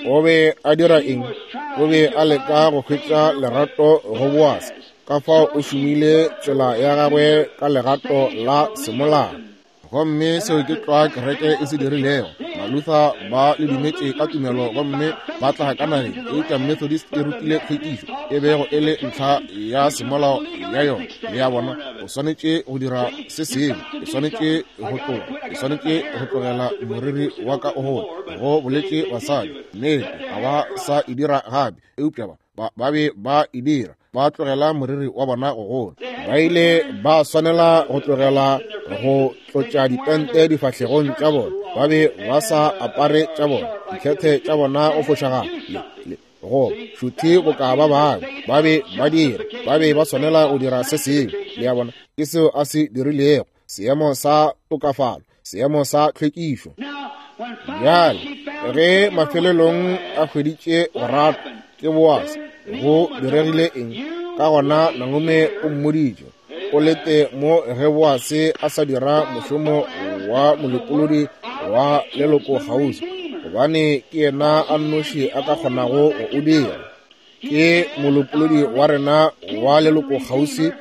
O be a dira eng? O be a leka go hwetša lerato go Boase. Ka fao o šomile tsela ya gagwe ka legato la semolao. Gomme seo ke tlwa kereke e se dirilego. Maluther ba le dumetše ka tumelo gomme ba tla ka nageng, eupša Methodist e rutile tlhwekišo e bego e le ntlha ya semolao ya yona. Le a bona, o swanetše go dira se sengwe, o swanetše go tloga, o swanetše go tlogela moriri wa ka o gole, go boletše basadi. Nnete, ga ba sa e dira gape, eupša ba ba be ba e dira, ba tlogela moriri wa bona go gola. Ba ile ba swanela go tlogela go tlotša dipente difahlegong tša bona. Ba be ba sa apare tša bona, dikhethe tša bona go fošagala le go šuthe boka ba bangwe. Ba be ba dira, ba be ba swanela go dira se sengwe. Le a bona, ke seo a se dirilego, seemo sa tokafalo, seemo sa tlhwekišo. Bjale, ge mafelelong a hweditše go ratwa ke Boase, go diregile eng? Ka gona Naomi o mmoditše, o lete mo ge Boase a sa dira mošomo wa molopolodi wa leloko kgauswi, gobane ke yena a nnoši a ka kgonago go o dira. Ke molopolodi wa rena wa leloko kgauswi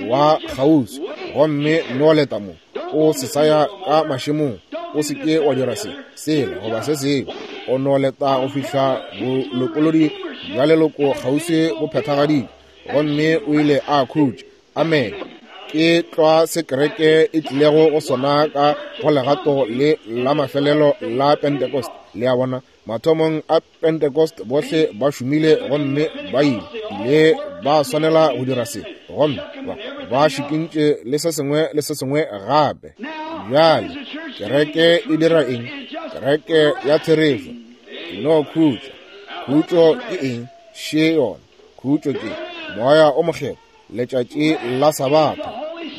wa kgauswi, gomme no leta mo, o se sa ya ka mašemong, o se ke wa dira se, sela goba se sengwe. O no leta go fihla bolopolodi bja leloko kgauswi bo phethagaditšwe, gomme o ile a khutša. Amen. Ke tlwa se kereke e tlilego go sona ka go legato le la mafelelo la Pentecost. Le a bona, mathomong a Pentecost bohle ba šomile gomme ba ile le ba swanela go dira se, gomme ba ba šikintše le se sengwe le se sengwe gape. Bjale kereke e dira eng? Kereke ya therešo e no khutša. Khutšo ke eng? Še yona. Khutšo ke Moya o Mokgethwa, letšatši la Sabatha.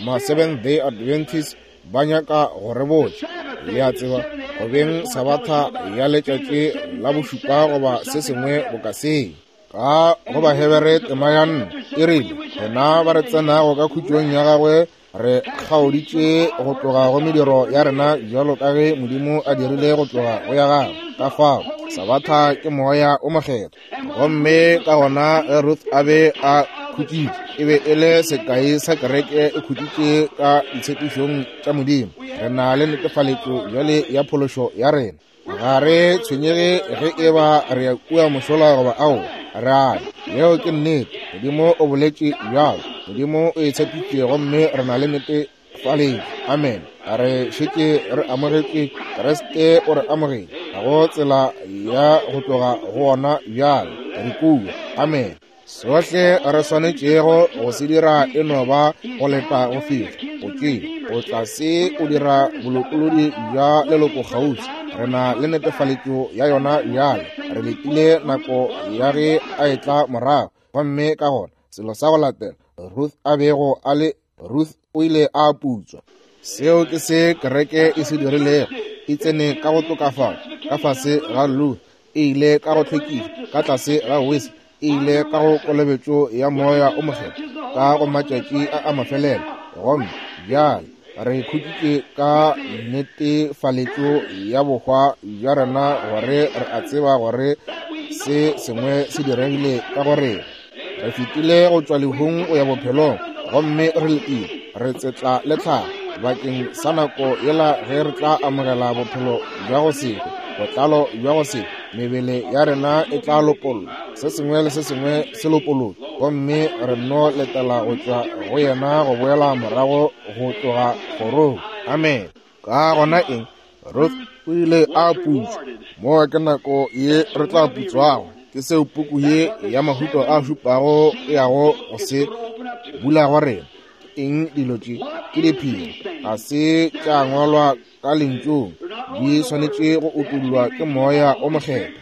Ma Seventh Day Adventist ba nyaka go re botša, le a tseba, go beng Sabatha ya letšatši la bošupa goba se sengwe boka seo. Ka go Bahebere tema ya nne e rile, rena ba re tsenago ka khutšong ya gagwe re kgaoditše go tloga go mediro ya rena bjalo ka ge Modimo a dirile go tloga go ya gagwe. Ka fao Sabatha ke Moya o Mokgethwa. Gomme ka gona ge Ruth a be a khutšitše, e be e le sekai sa kereke e khutšitše ka ditshepišong tša Modimo. Re na le netefaletšo bjale ya phološo ya rena. Ga re tshwenyege ge e ba re ya kua mošola goba ao, re a ya. Yeo ke nnete. Modimo o boletše bjalo. Modimo o e tshepitše gomme re na le netefaletšo. Amen. Re šetše re amogetše Kriste, o re amogetše. Ga go tsela ya go tloga go ona bjale. Re kua. Amen. Sohle re swanetšego go se dira e no ba go leta go fihla go tšea o tla se o dira bolokolodi bja leloko kgauswi. Re na le netefaletšo ya yona bjale. Re letile nako ya ge a etla morago, gomme ka gona selo sa go latela Ruth a bego a le, Ruth o ile a putswa. Seo ke se kereke e se dirilego. E tsene ka go tokafala ka fase ga Luther, e ile ka go hlwekiša ka tlase ga Wesley, e ile ka go kolobetšo ya Moya o Mokgethwa ka go matšatši a a mafelelo. Gomme bjale re khutšitše ka netefaletšo ya bohwa bja rena gore re a tseba gore se sengwe se diregile ka go rena. Re fetile go tšwa lehung go ya bophelong, gomme re letile, re tsetla le tlhago bakeng sa nako yela ge re tla amogela bophelo bja go se hwe, botlalo bja go se hwe. Mebele ya rena e tla lopollwa, se sengwe le se sengwe se lopolotšwe, gomme re no letela go tšwa go yena go boela morago go tloga kgorong. Amen. Ka gona eng? Ruth o ile a putswa. Mo ke nako ye re tla putswago. Ke seo puku ye ya Mahuto a šupago e yago go se bula go rena. Eng dilo tše? Ke diphiri, ga se tša ngwalwa ka lentšung, di swanetše go utollwa ke Moya o Mokgethwa.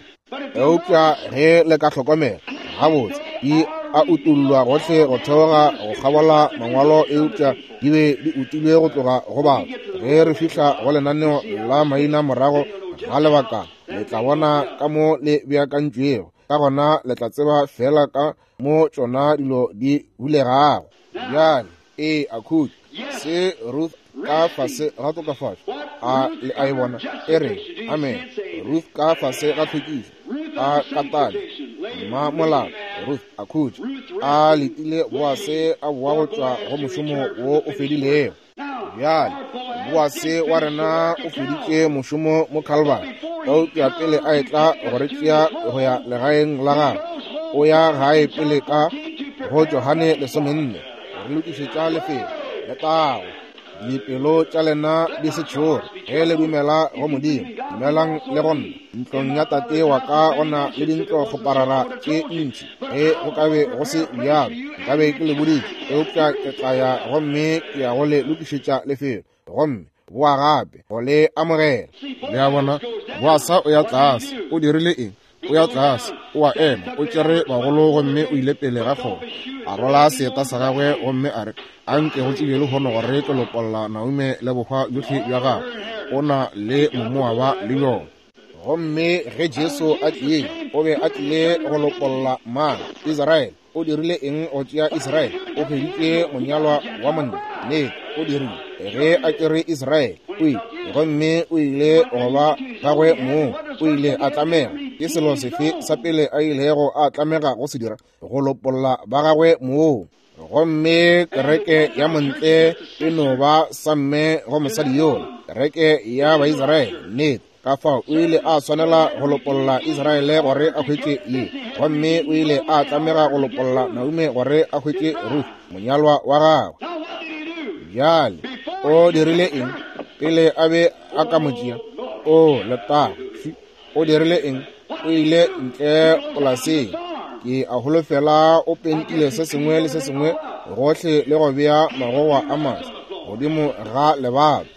Eupša ge le ka hlokomela gabotse, di a utollwa gohle go theoga go kgabola mangwalo, eupša di be di utilwe go tloga go batho. Ge re fihla go lenaneo la maina morago ga lebakana, le tla bona ka mo le beakantšwego. Ka gona le tla tseba fela ka mo tšona dilo di bulegago. Bjale e a khutša se Ruth ka fase ga tokafatšo, a le a e bona e re amen. Ruth ka fase ga tlhwekišo, a katane mma molato. Ruth a khutša, a letile Boase a boa go tšwa go mošomo wo o fedilego. Bjale Boase wa rena o feditše mošomo mo Calvary, eupša pele a etla go re tšea go ya legaeng la gagwe, o ya gae pele ka go Johane lesomenne re lokišetša lefelo letago. Dipelo tša lena di se tšhoge ge le dumela go Modimo, dumelang le go nna. Ntlong ya Tate wa ka go na le dintlo kgoparara tše ntši. Ge go ka be go se bjalo, nkabe ke le boditše, eupša ke tla ya gomme ke ya go le lokišetša lefelo, gomme boa gape go le amogela. Le a bona, Boasa o ya tlase. O dirile eng? O ya tlase, o a ema, o tšere bagolo gomme o ile pele ga kgoro, a rola seeta sa gagwe gomme a re, a nke go tsebje lehono gore ke lopolla Naume le bohwa bjohle bja gagwe, o na le Momoaba le bjona. Gomme ge Jesu a tlile, o be a tlile go lopolla mang? Israele. O dirile eng go tšea Israele? O hweditše monyalwa wa monna. Nnete, o dirile. Ge a tšere Israele, o ile, gomme o ile go ba gagwe mong. O ile a tlamega. Ke selo sefe sa pele a ilego a tlamega go se dira? Go lopolla ba gagwe mong. Gomme kereke ya montle e no ba sa mme go mosadi yola, kereke ya Baisraele. Nnete. Ka fao o ile a swanela go lopolla Israele gore a hwetše ye, gomme o ile a tlamega go lopolla Naume gore a hwetše Ruth, monyalwa wa gagwe. Bjale o dirile eng pele a be a ka mo tšea? O letago. O dirile eng? O ile ntle polaseng. Ke a holofela o pentile se sengwe le se sengwe gohle le go bea magogwa a maswa godimo ga lebato.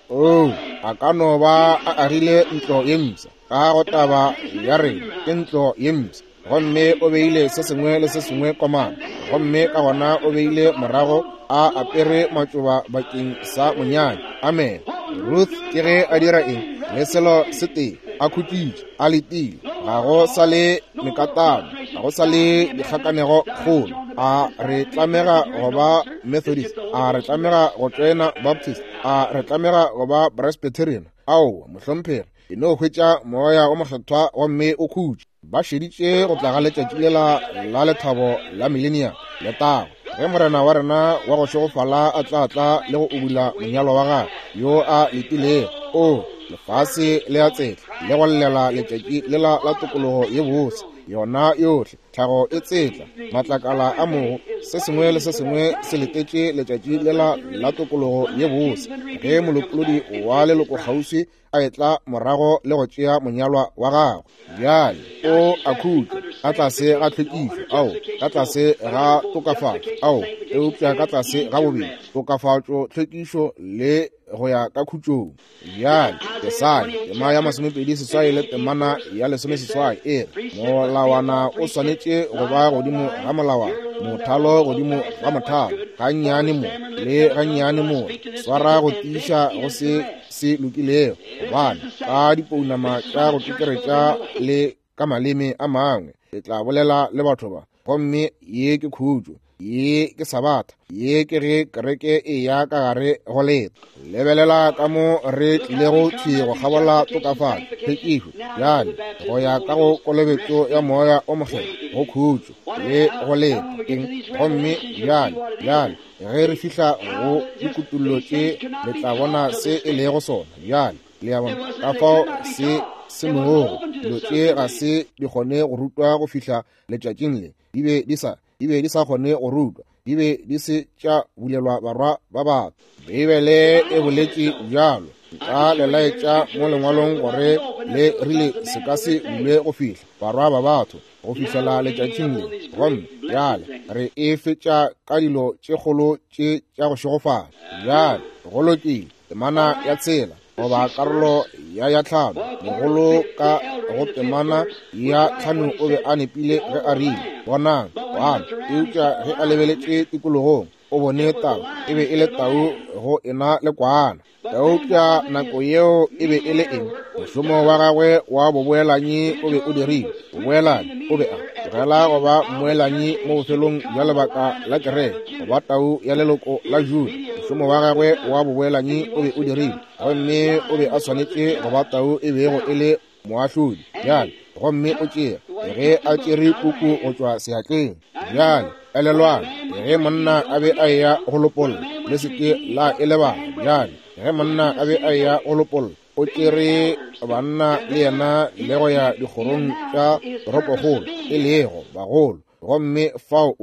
Oh, a ka no ba a agile ntlo ye mpsha ka go taba ya rena ke ntlo ye mpsha, gomme o beile se sengwe le se sengwe komana, gomme ka gona o beile morago a apere matšoba bakeng sa monyanya. Amen. Ruth ke ge a dira eng? Le selo se tee, a khutšitše, a letile. Ga go sa le mekatano, ga go sa le dikgakanego kgolo. A re tlamega go ba Methodist, a re tlamega go tšoena Baptist, a re tlamega go ba Presbyterian? Aowa, mohlomphegi, e no hwetša moya o mokgethwa gomme o khutše. Ba šeditše go tla ga letšatši lela la lethabo la millennium, letago, ge morena wa rena wa go šegofala a tla tla le go ubula monyalwa wa gagwe yo a letilego. O, lefase le a tsetla le go llela letšatši lela la tokologo ye bose, yona yohle tlhago e tsetla, matlakala a mogo, se sengwe le se sengwe se letetše letšatši lela la tokologo ye bose, ge molopolodi wa leloko kgauswi a etla morago le go tšea monyalwa wa gagwe. Bjale o a khutša ka tlase ga tlhwekišo, ao, ka tlase ga tokafatšo, ao, eupša ka tlase ga bobedi tokafatšo, tlhwekišo le go ya ka khutšong. Bjale Jesaya tema ya masomepedi seswai le temana ya lesomeseswai e re molawana o swanetše go ba godimo ga molawana, mothalo godimo ga mothalo, gannyane mo le gannyane mo, swara go tiiša go se se lokilego, gobane ka dipounama tša go kekeretša le ka maleme a mangwe le tla bolela le batho ba. Gomme ye ke khutšo, ye ke sabatha, ye ke ge kereke e ya ka gare go leta. Lebelela ka mo re tlilego thwi go kgabola tokafatšo, tlhwekišo, bjale go ya ka go kolobetšo ya moya o mokgethwa, go khutšo le go leta. Eng? Gomme bjale, bjale ge re fihla go dikutullo tše, le tla bona se e lego sona. Bjale le a bona ka fao se se mogo dilo tše ga se di kgone go rutwa go fihla letšatšing le. Di be di sa di be di sa kgone go rutwa, di be di se tša bulelwa barwa ba batho. Beibele e boletše bjalo. Nka le laetša mo lengwalong gore le rile se ka se bulwe go fihla barwa ba batho go fihlela letšatšing le. Gomme bjale re e fetša ka dilo tše kgolo tše tša go šegofala. Bjale go lokile, temana ya tshela goba karolo ya ya tlhano, mogolo ka go temana ya tlhano o be a nepile ge a rile bonang kwana, eupša ge a lebeletše tikologong o bone tau, e be e le tau go ena le kwana. Eupša nako yeo e be e le eng? Mošomo wa gagwe wa boboelanyi o be o dirile. Boboelanyi o be a tlogela go ba mmoelanyi mo bofelong bja lebaka la kereke, go ba tau ya leloko la Juda. Mošomo wa gagwe wa boboelanyi o be o dirile, gomme o be a swanetše go ba tau e bego e le moahlodi. Bjale gomme o tšea ge a tšere puku go tšwa seatleng. Bjale elelwang, ge monna a be a eya go lopolla, le se ke la e lebala. Bjale ge monna a be a eya go lopolla, o tšere banna le yena le go ya dikgorong tša toropokgolo, e lego bagolo, gomme fao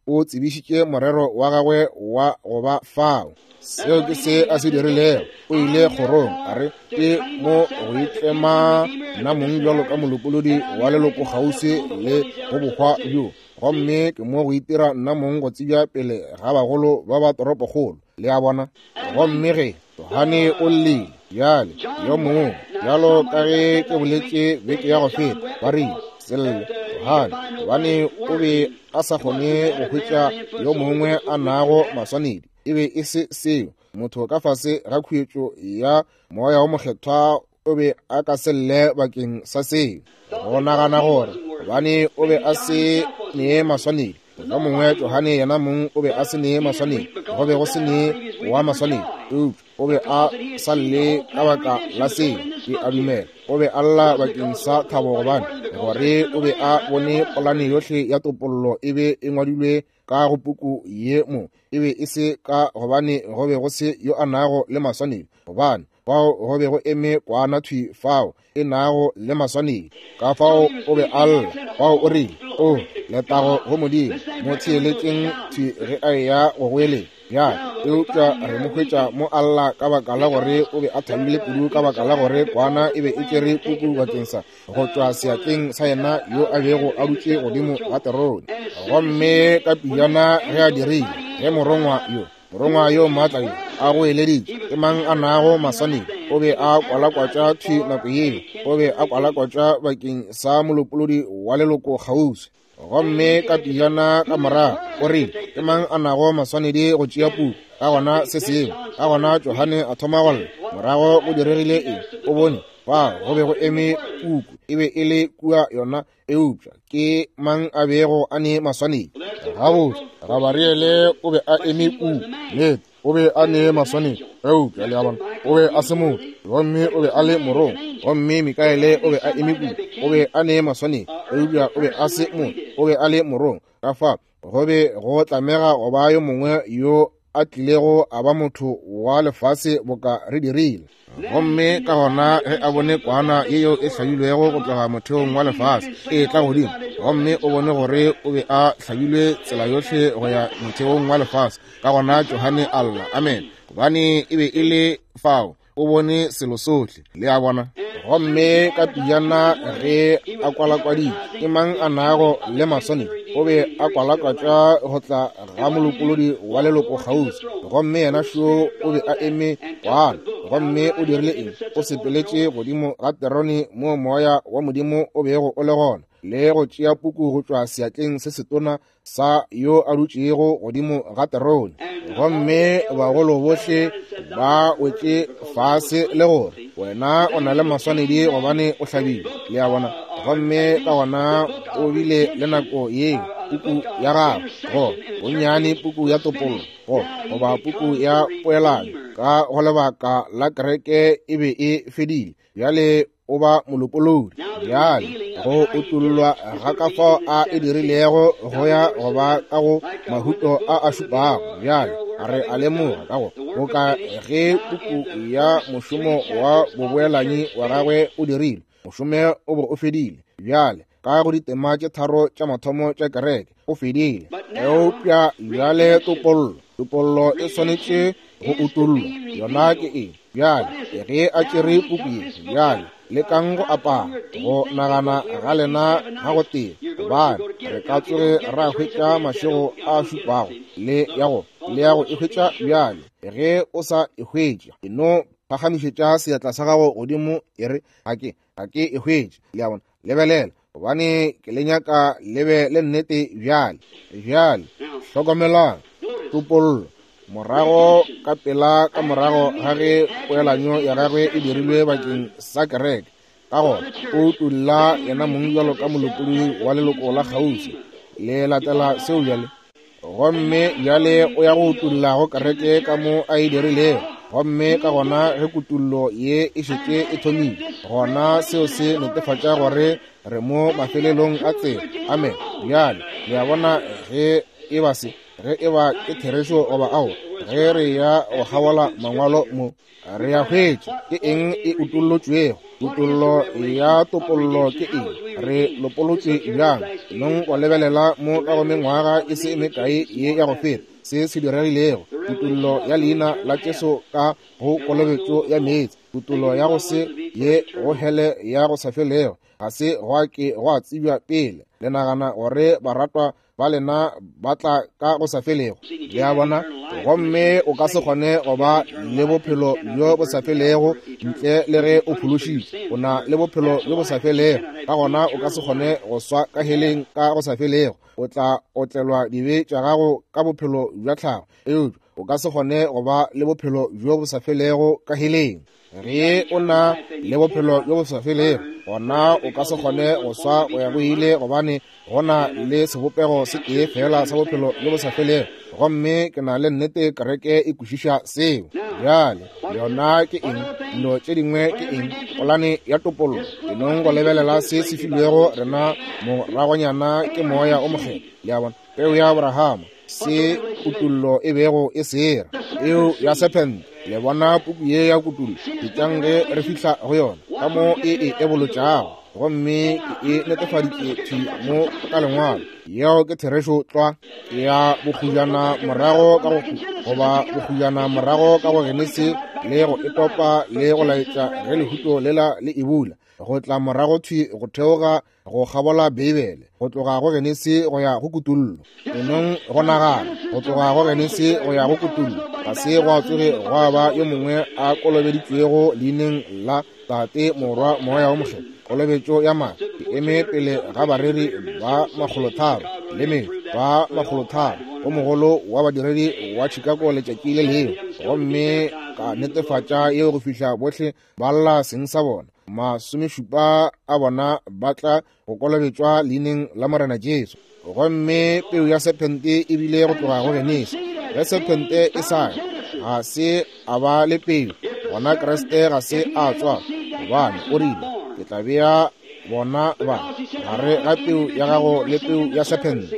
o tsebišitše morero wa gagwe wa go ba fao. Seo ke se a se dirilego. O ile kgorong a re ke mo go itlema nna mong bjalo ka molopolodi wa leloko kgauswi le go bohwa bjo, gomme ke mo go itira nna mong go tsebja pele ga bagolo ba ba toropokgolo. Le a bona? Gomme ge Johane o llile, bjale yo mongwe, bjalo ka ge ke boletše beke ya go feta, ba rile se lle Johane, gobane o be a sa kgone go hwetša yo mongwe a nago maswanedi. E be e se seo. Motho ka fase ga khuetšo ya moya o mokgethwa o be a ka se lle bakeng sa seo. Go nagana gore gobane o be a se nee maswanedi, mohlomongwe Johane yena mong o be a se nee maswanedi, go be go se nee wa maswanedi, eupša o be a sa lle ka baka la seo. Ke a dumela o be a lla bakeng sa thabo, gobane gore o be a bone polane yohle ya topollo e be e ngwadilwe ka go puku ye mo. E be e se ka gobane go be go se yo a nago le maswanedi, gobane fao go be go eme kwana thwi fao e nago le maswanedi. Ka fao o be a lla, fao o rile, o letago go Modimo, mo theeletšeng thwi ge a eya go goeletša. Bjale Eupša re mo hwetša mo a lla ka baka la gore o be a thabile kudu ka baka la gore kwana e be e tšere puku bakeng sa go tšwa seatleng sa yena yo a bego a dutše godimo ga terone. Gomme ka pejana ge a dirile, ge morongwa yo morongwa yo maatla yo a goeleditše, ke mang a nago maswanedi? O be a kwalakwatša thwi nako yeo, o be a kwalakwatša bakeng sa molopolodi wa leloko kgauswi. Gomme ka pejana ka morago o rile, ke mang a nago maswanedi go tšea puku? Ka gona se sengwe, ka gona Johane a thoma go lla. Morago go diregile eng? O bone fa go be go eme puku, e be e le kua yona, eupša ke mang a bego a ne maswanedi? Gabotse, Gabariele o be a eme kua, nnete o be a ne maswanedi, eupša le a bona, o be a se motho, gomme o be a le morongwa. Gomme Mikaele o be a eme kua, o be a ne maswanedi, eupša o be a se motho, o be a le morongwa. Ka fa go be go tlamega go ba yo mongwe yo a tlilego a ba motho wa lefase boka re dirile. Gomme ka gona ge a bone kwana yeo e hlabilwego go tloga motheong wa lefase e tla godimo, gomme o bone gore o be a hlabilwe tsela yohle go ya motheong wa lefase, ka gona Johane a lla, amen, gobane e be e le fao, o bone selo sohle, le a bona. Gomme ka pejana ge a kwalakwaditše, ke mang a nago le maswanedi? O be a kwalakwatša go tla ga molopolodi wa leloko kgauswi. Gomme yena šo o be a eme kwana. Gomme o dirile eng? O sepeletše godimo ga terone mo moya wa Modimo o bego o le gona, le go tšea puku go tšwa seatleng se setona sa yo a dutšego godimo ga terone. Gomme bagolo bohle ba wetše fase le gore, wena o na le maswanedi gobane o hlabile, le a bona. Gomme ka gona o bile le nako yeo puku ya gagwe, go bonnyane puku ya topollo, go goba puku ya poelano ka go lebaka la kereke e be e fedile. Bjale o ba molopolodi. Bjale go utollwa ga ka fao a e dirilego go ya go ba ka go mahuto a a šupago. Bjale re a lemoga ka go boka ge puku ya mošomo wa boboelanyi wa gagwe o dirile, mošomo o be o fedile. Bjale ka go ditema tše tharo tša mathomo tša kereke o fedile, eupša bjale topollo, topollo e swanetše go utollwa. Yona ke eng? Bjale ge a tšere puku ye, bjale lekang go apara go nagana ga lena ga go tee, gobane re ka tsoge ra hwetša mašego a šupago le ya go le ya go e hwetša. Bjale ge o sa e hwetše, e no phagamišetša seatla sa gago godimo e re, ga ke ga ke e hwetše. Le a bona? Lebelela, gobane ke le nyaka le be le nnete bjale. Bjale hlokomelang topollo. Morago ka pela ka morago ga ge poelanyo ya gagwe e dirilwe bakeng sa kereke, ka gona o utolla yena mong bjalo ka molopolodi wa leloko la kgauswi. Le latela seo bjale. Gomme bjale o ya go utolla go kereke ka mo a e dirilego. Gomme ka gona ge kutullo ye e šetše e thomile, gona seo se netefatša gore re mo mafelelong a tsela. Amen. Bjale le a bona ge e ba se, ge e ba ke therešo goba ao, ge re ya go kgabola mangwalo mo, re ya hwetša ke eng e utollotšwego. Kutollo ya topollo ke eng? Re lopolotšwe bjang? Nong go lebelela mo ka go mengwaga e se mekae ye ya go feta se se diregilego. Kutollo ya leina la Jesu ka go kolobetšo ya meetse, kutollo ya go se ye go hele ya go sa felego, ga se gwa ke gwa tsebja pele. Le nagana gore baratwa ba lena ba tla ka go sa felego, le a bona? Gomme o ka se kgone go ba le bophelo bjo bo sa felego ntle le ge o phološitšwe. O na le bophelo bjo bo sa felego, ka gona o ka se kgone go swa ka heleng ka go sa felego. O tla otlelwa dibe tša gago ka bophelo bja tlhago, eupša o ka se kgone go ba le bophelo bjo bo sa felego ka heleng. Ge o na le bophelo bjo bo sa felego, gona o ka se kgone go swa go ya go ile, gobane go na le sebopego se tee fela sa bophelo bjo bo sa felego. Gomme ke na le nnete kereke e kwešiša seo. Bjale yona ke eng? Dilo tše dingwe ke eng? Polane ya topollo. Ke nong go lebelela se se filwego rena moragonyana ke moya o mokgethwa. Le a bona? Peu ya Abrahama, se kutullo e bego e sera, eo ya sephente. Le bona puku ye ya kutullo, etšang ge re fihla go yona, ka mo e e ebolotšago. Gomme ke e netefaditše thwi mo ka Lengwalo. Yeo ke therešo tlwa. Ya bokgujana morago ka go goba bokgujana morago ka go Genesi le go etopa le go laetša ge lehuto lela le e bula, go tla morago thwi go theoga go kgabola Beibele, go tloga go Genesi go ya go Kutullo. Enong go nagana, go tloga go Genesi go ya go Kutullo, ga se gwa tsoge gwa ba yo mongwe a kolobeditšwego leineng la Tate, Morwa, Moya wo Mokgethwa. Kolobetšo ya madi ke eme pele ga bareri ba makgolotharo le metšo ba makgolotharo o mogolo wa badiredi wa Chicago letšatši le lengwe, gomme ka netefatša yeo go fihla bohle ba lla seng sa bona. Masomešupa a bona ba tla go kolobetšwa leineng la Morena Jesu. Gomme peu ya sephente e bile go tloga go Genesi. Ge sephente e sa ya, ga se a ba le peu, gona Kriste ga se a tswa, gobane o rile, ke tla bea bona ba gare ga peu ya gago le peu ya sephente.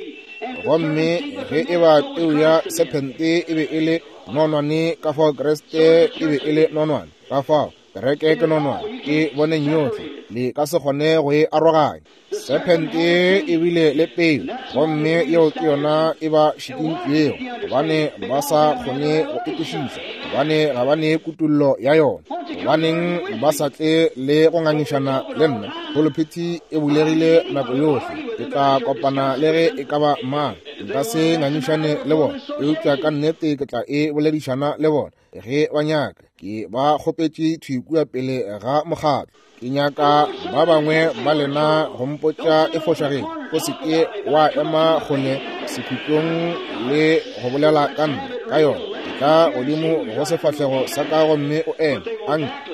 Gomme ge e ba peu ya sephente e be e le nonwane, ka fao Kriste e be e le nonwane, ka fao kereke ke nonwane, ke boneng yohle, le ka se kgone go e aroganya. Sephente e bile le peu, gomme yeo ke yona e ba šikintšego, gobane ba sa kgone go e kwešiša, gobane ga ba ne kutullo ya yona. Gobaneng ba sa tle le go ngangišana le nna? Pulpiti e bulegile nako yohle, ke tla kopana le ge e ka ba mang, nka se ngangišane le bona, eupša ka nnete ke tla e boledišana le bona ge ba nyaka. Ke ba kgopetše thwi kua pele ga mokgatlo. Ke nyaka ba bangwe ba lena go mpotša e fošagetše. O se ke wa ema kgole sekhutlong le go bolela ka nna ka yona. Ka godimo go sefahlego sa ka gomme o eme.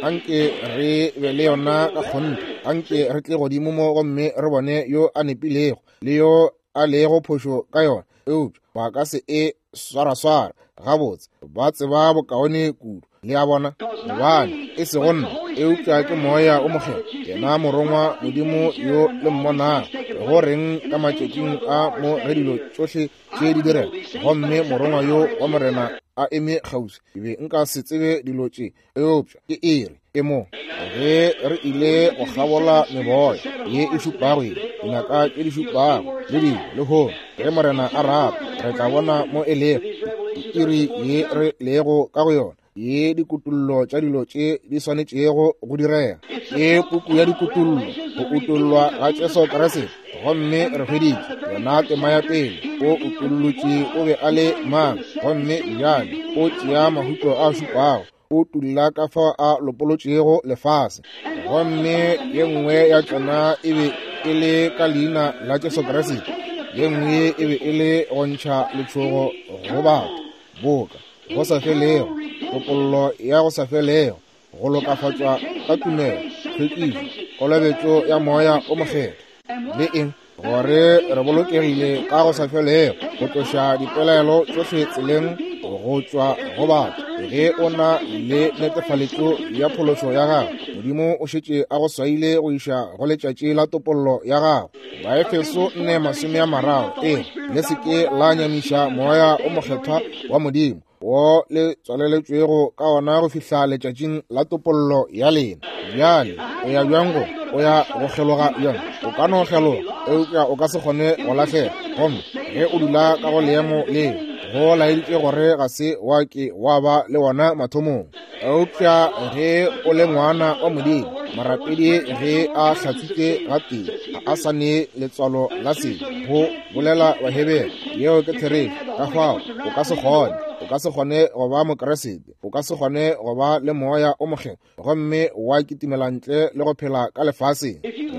Anke re be le yona ka kgonthe. Anke re tle godimo mo gomme re bone yo a nepilego le yo a lego phošo ka yona. Eupša ba ka se e swaraswara gabotse, ba tseba bokaone kudu. Le a bona, gobane e sego nna, eupša ke Moya o Mokgethwa, yena morongwa Modimo yo le mmonago. Go reng ka matšatšing a mo ge dilo tšohle tše di direga, gomme morongwa yo wa Morena a eme kgauswi, ke be nka se tsebe dilo tše, eupša ke ere e mo. Ge re ile go kgabola meboya ye e šupago ye, dinaka tše di šupago le dilo lehono, ge Morena a rata, re tla bona mo e lego iri ye re lego ka go yona, ye dikutullo tša dilo tše di swanetšego go direga. Ke puku ya dikutullo, go utollwa ga Jesu Kriste. Gomme re hweditše yona tema ya pele, o utollotše o be a le mang, gomme bjale o tšea mahuto a šupago, o tulla ka fao a lopolotšego lefase. Gomme ye nngwe ya tšona e be e le ka leina la Jesu Kriste, ye nngwe e be e le go ntšha letšhogo go batho boka go sa felego, topollo ya go sa felego, go lokafatšwa ka tumelo, tlhwekišo, kolobetšo ya Moya o Mokgethwa, le eng, gore re bolokegile ka go sa felego, go tloša dipelaelo tšohle tseleng go tšwa go batho. Ge o na le netefaletšo ya phološo ya gago, Modimo o šetše a go swaile go iša go letšatši la topollo ya gago. Baefeso nne masome a mararo e le se ke la nyamiša Moya o Mokgethwa wa Modimo, wo le tswaleletšwego ka ona go fihla letšatšing la topollo ya lena. Bjale o ya bjang go o ya go kgeloga bjang? O ka no kgeloga, eupša o ka se kgone go lahlega. Gomme ge o dula ka go leemo leo, go laeditše gore ga se wa ke wa ba le wona mathomong. Eupša ge o le ngwana wa Modimo, morapedi ge a hlatswitše gatee, ga a sa ne letswalo la sebe, go bolela Bahebere. Yeo ke therešo. Ka fao o ka se kgone, o ka se kgone go ba Mokriste, o ka se kgone go ba le Moya o Mokgethwa gomme wa kitimela ntle le go phela ka lefaseng.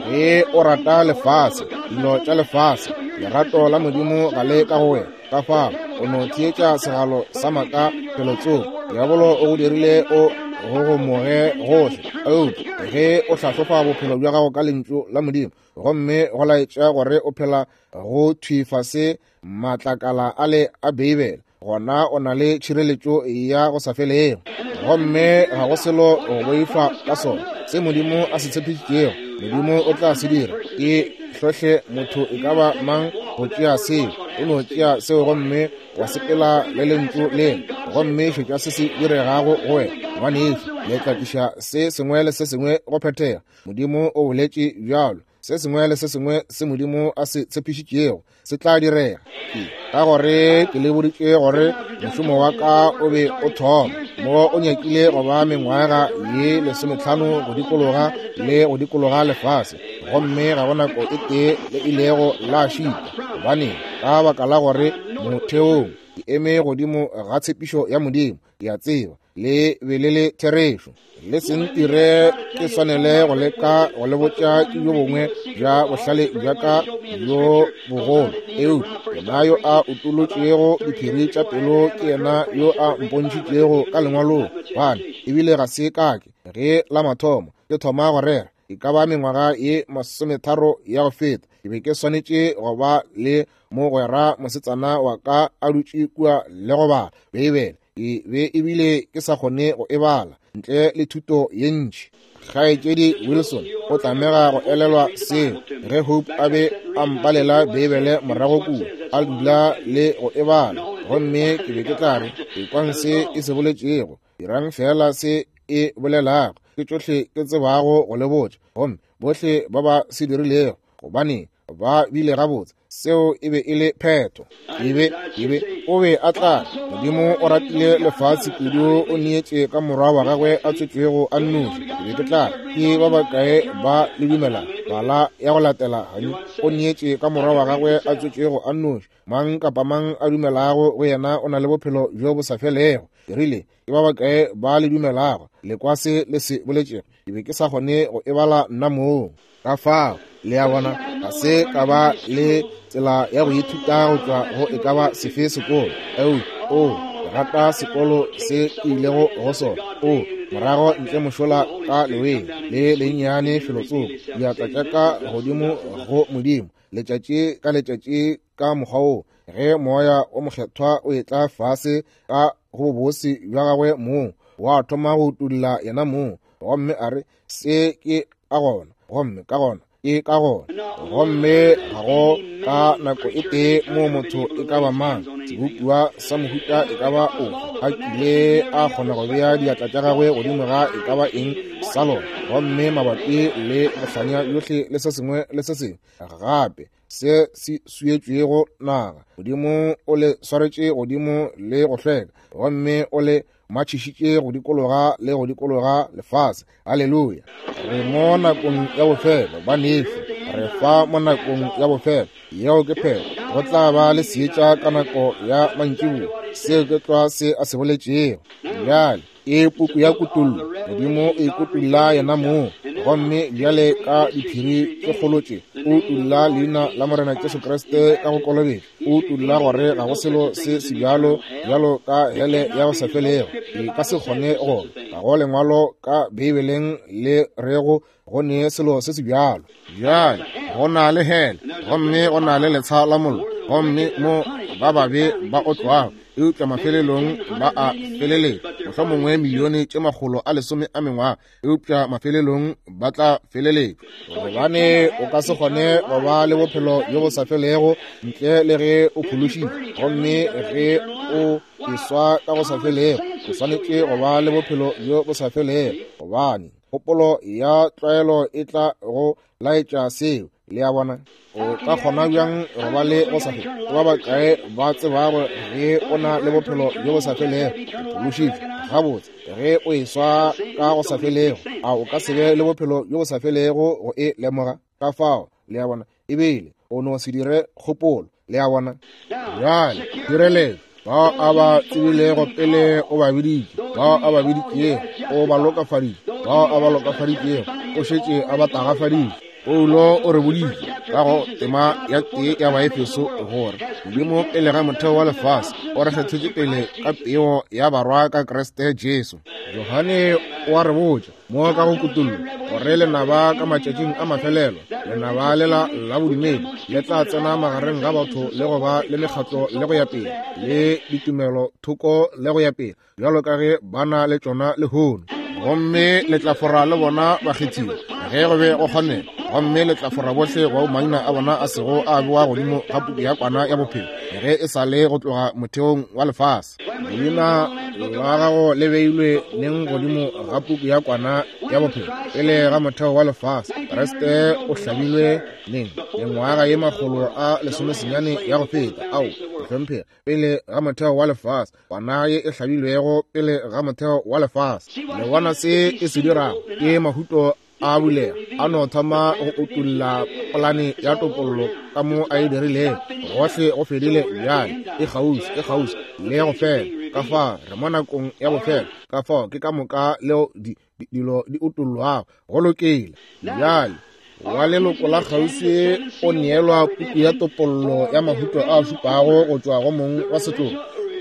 Ge o rata lefase, dilo tša lefase, lerato la Modimo ga le ka go wena. Ka fao o no theetša segalo sa maaka felotsoko. Diabolo o go dirile o gogomoge gohle. Eupša ge o hlahlofa bophelo bja gago ka lentšu la Modimo, gomme go laetša gore o phela go thwi fase matlakala a le a Beibele, gona o na le tšhireletšo ya go sa felego. Gomme ga go selo go boifa ka sona. Se Modimo a se tshepišitšego, Modimo o tla se dira. Ke hlohle motho e ka ba mang go tšea seo. O no tšea seo gomme wa sepela le lentšu lela, gomme šetša se se diregago go wena. Ngwanešu, le tla tliša se sengwe le se sengwe go phethega. Modimo o boletše bjalo. Se sengwe le se sengwe se Modimo a se tshepišitšego se tla direga. Ke ka gore ke le boditše gore mošomo wa ka o be o thoma mo o nyakile go ba mengwaga ye lesometlhano go dikologa le go dikologa lefase, gomme ga go nako e tee le ilego la šita. Gobane ka baka la gore motheong ke eme godimo ga tshepišo ya Modimo, ke a tseba le be le le therešo. Le se ntire ke swanele go leka go le botša ke bjo bongwe bja bohlale bja ka bjo bogolo, eupša yena yo a utolotšego diphiri tša pelo ke yena yo a mpontšhitšego ka lengwalong. Gobane ebile ga se kake ge la mathomo ke thoma go rera, e ka ba mengwaga ye masometharo ya go feta, ke be ke swanetše go ba le mogwera mosetsana wa ka a dutše kua le go bala Beibele. Ke be ebile ke sa kgone go e bala ntle le thuto ye ntši. Kgaetšedi Wilson o tlamega go elelwa seo ge Hope a be a mpalela Beibele morago kua, a dula le go e bala, gomme ke be ke tla re, ekwang se e se boletšego, dirang fela se e bolelago, ke tšohle ke tsebago go le botša. Gomme bohle ba ba se dirilego, gobane ba bile gabotse, seo e be e le phetho. Ebe ebe o be a tla. Modimo o ratile lefatshe kudu, o neetše ka morwa wa gagwe a tswetšwego a nnoši. Ke be ke tla ke ba bakae ba le dumela bala ya go latela hani, o neetše ka morwa wa gagwe a tswetšwego a nnoši. Mang kapa mang a dumelago go yena o na le bophelo bjo bo sa felego. Ke rile, ke ba bakae ba le dumelago le kwa se le se boletšego? Ke be ke sa kgone go e bala nna mong. Ka fao le a bona, ga se ka ba le tsela ya go ithuta go tšwa go e ka ba sefe sekolo. Eupša o ke rata sekolo se ke ilego go sona. O morago ntle mošola ka leweng le lennyane felotsoko, diatla tša ka godimo go Modimo letšatši ka letšatši ka mokgwa wo, ge moya o mokgethwa o etla fase ka go bobose bja gagwe mong, wa thoma go utolla yena mong, gomme a re, se ke ka gona, gomme ka gona ke ka gona. Gomme ga go ka nako e tee mo motho e ka ba mang, sebopiwa sa mohuta e ka ba ofe, a kile a kgona go bea diatla tša gagwe godimo ga e ka ba eng sa lona, gomme mabapi le bohlanya bjohle le se sengwe le se sengwe gape se se swietšwego naga, Modimo o le swaretše godimo le go hlweka, gomme o le matšhišitše go dikologa le go dikologa lefase. Haleluya! Re mo nakong ya bofelo, banešu, re fa mo nakong ya bofelo. Yeo ke phetho. Go tla ba le seetša ka nako ya mantšiboa. Seo ke tlwa se a se boletšego. Bjale ke puku ya kutollo. Modimo o ikutolla yena mong, gomme bjale ka diphiri tše kgolo tše o utolla leina la Morena Jesu Kriste ka go kolobetšwa. O utolla gore ga go selo se sebjalo bjalo ka hele ya go sa felego. E ka se kgone go ga go lengwalo ka Beibeleng le rego go ne selo se sebjalo. Bjale go na le hele, gomme go na le letsha la mollo, gomme mo ba babe ba otlwago, eupša mafelelong ba a feleletša, mohlomongwe milione tše makgolo a lesome a mengwaga, eupša mafelelong ba tla feleletšwa. Gobane o ka se kgone go ba le bophelo bjo bo sa felego ntle le ge o phološitšwe, gomme ge o eswa ka go sa felego, o swanetše go ba le bophelo bjo bo sa felego, gobane kgopolo ya tlwaelo e tla go laetša seo. Le a bona? O ka kgona bjang go ba le go sa fele? Ke ba bakae ba tsebago ge o na le bophelo bjo bo sa felego, o phološitšwe gabotse? Ge o eswa ka go sa felego, a o ka se be le bophelo bjo bo sa felego go e lemoga? Ka fao, le a bona, ebile o no se dire kgopolo. Le a bona? Bjale direletšo, bao a ba tsebilego pele o ba biditše, bao a ba biditšego o ba lokafaditše, bao a ba lokafaditšego o šetše a ba tagafaditše. Paulo o re boditše ka go tema ya tee ya Baefeso gore Modimo pele ga motheo wa lefase o re kgethetše pele ka peo ya barwa ka Kriste Jesu. Johane o a re botša mo ka go kutollo gore lenaba ka matšatšing a mafelelo, lenaba lela la bodumedi le tla tsena magareng ga batho le go ba le mekgatlo le go ya pele le ditumelo thoko le go ya pele, bjalo ka ge ba na le tšona lehono. Gomme le tla fora le bona bakgethiwa ge go be go kgonega. Gomme le tla fora bohle bao maina a bona a sego a bewa godimo ga puku ya Kwana ya Bophelo ge e sa le go tloga motheong wa lefase. Leina la gago le beilwe neng godimo ga puku ya Kwana ya Bophelo pele ga motheo wa lefase? Kriste o hlabilwe neng? Mengwaga ye makgolo a lesomesenyane ya go feta. Ao, mohlomphegi, pele ga motheo wa lefase, kwana ye e hlabilwego pele ga motheo wa lefase. Le bona se e se dirago? Ke mahuto a bulega, a no thoma go utulla polane ya topollo ka mo a e dirilego. Gohle go fedile bjale, e kgauswi, e kgauswi le go fela. Ka fa re mo nakong ya bofelo, ka fao ke ka moka leo di, di, dilo di utullwago. Go lokile. Bjale wa leloko la kgauswi o neelwa puku ya topollo ya mahuto a šupago go tšwa go mong wa setlogo.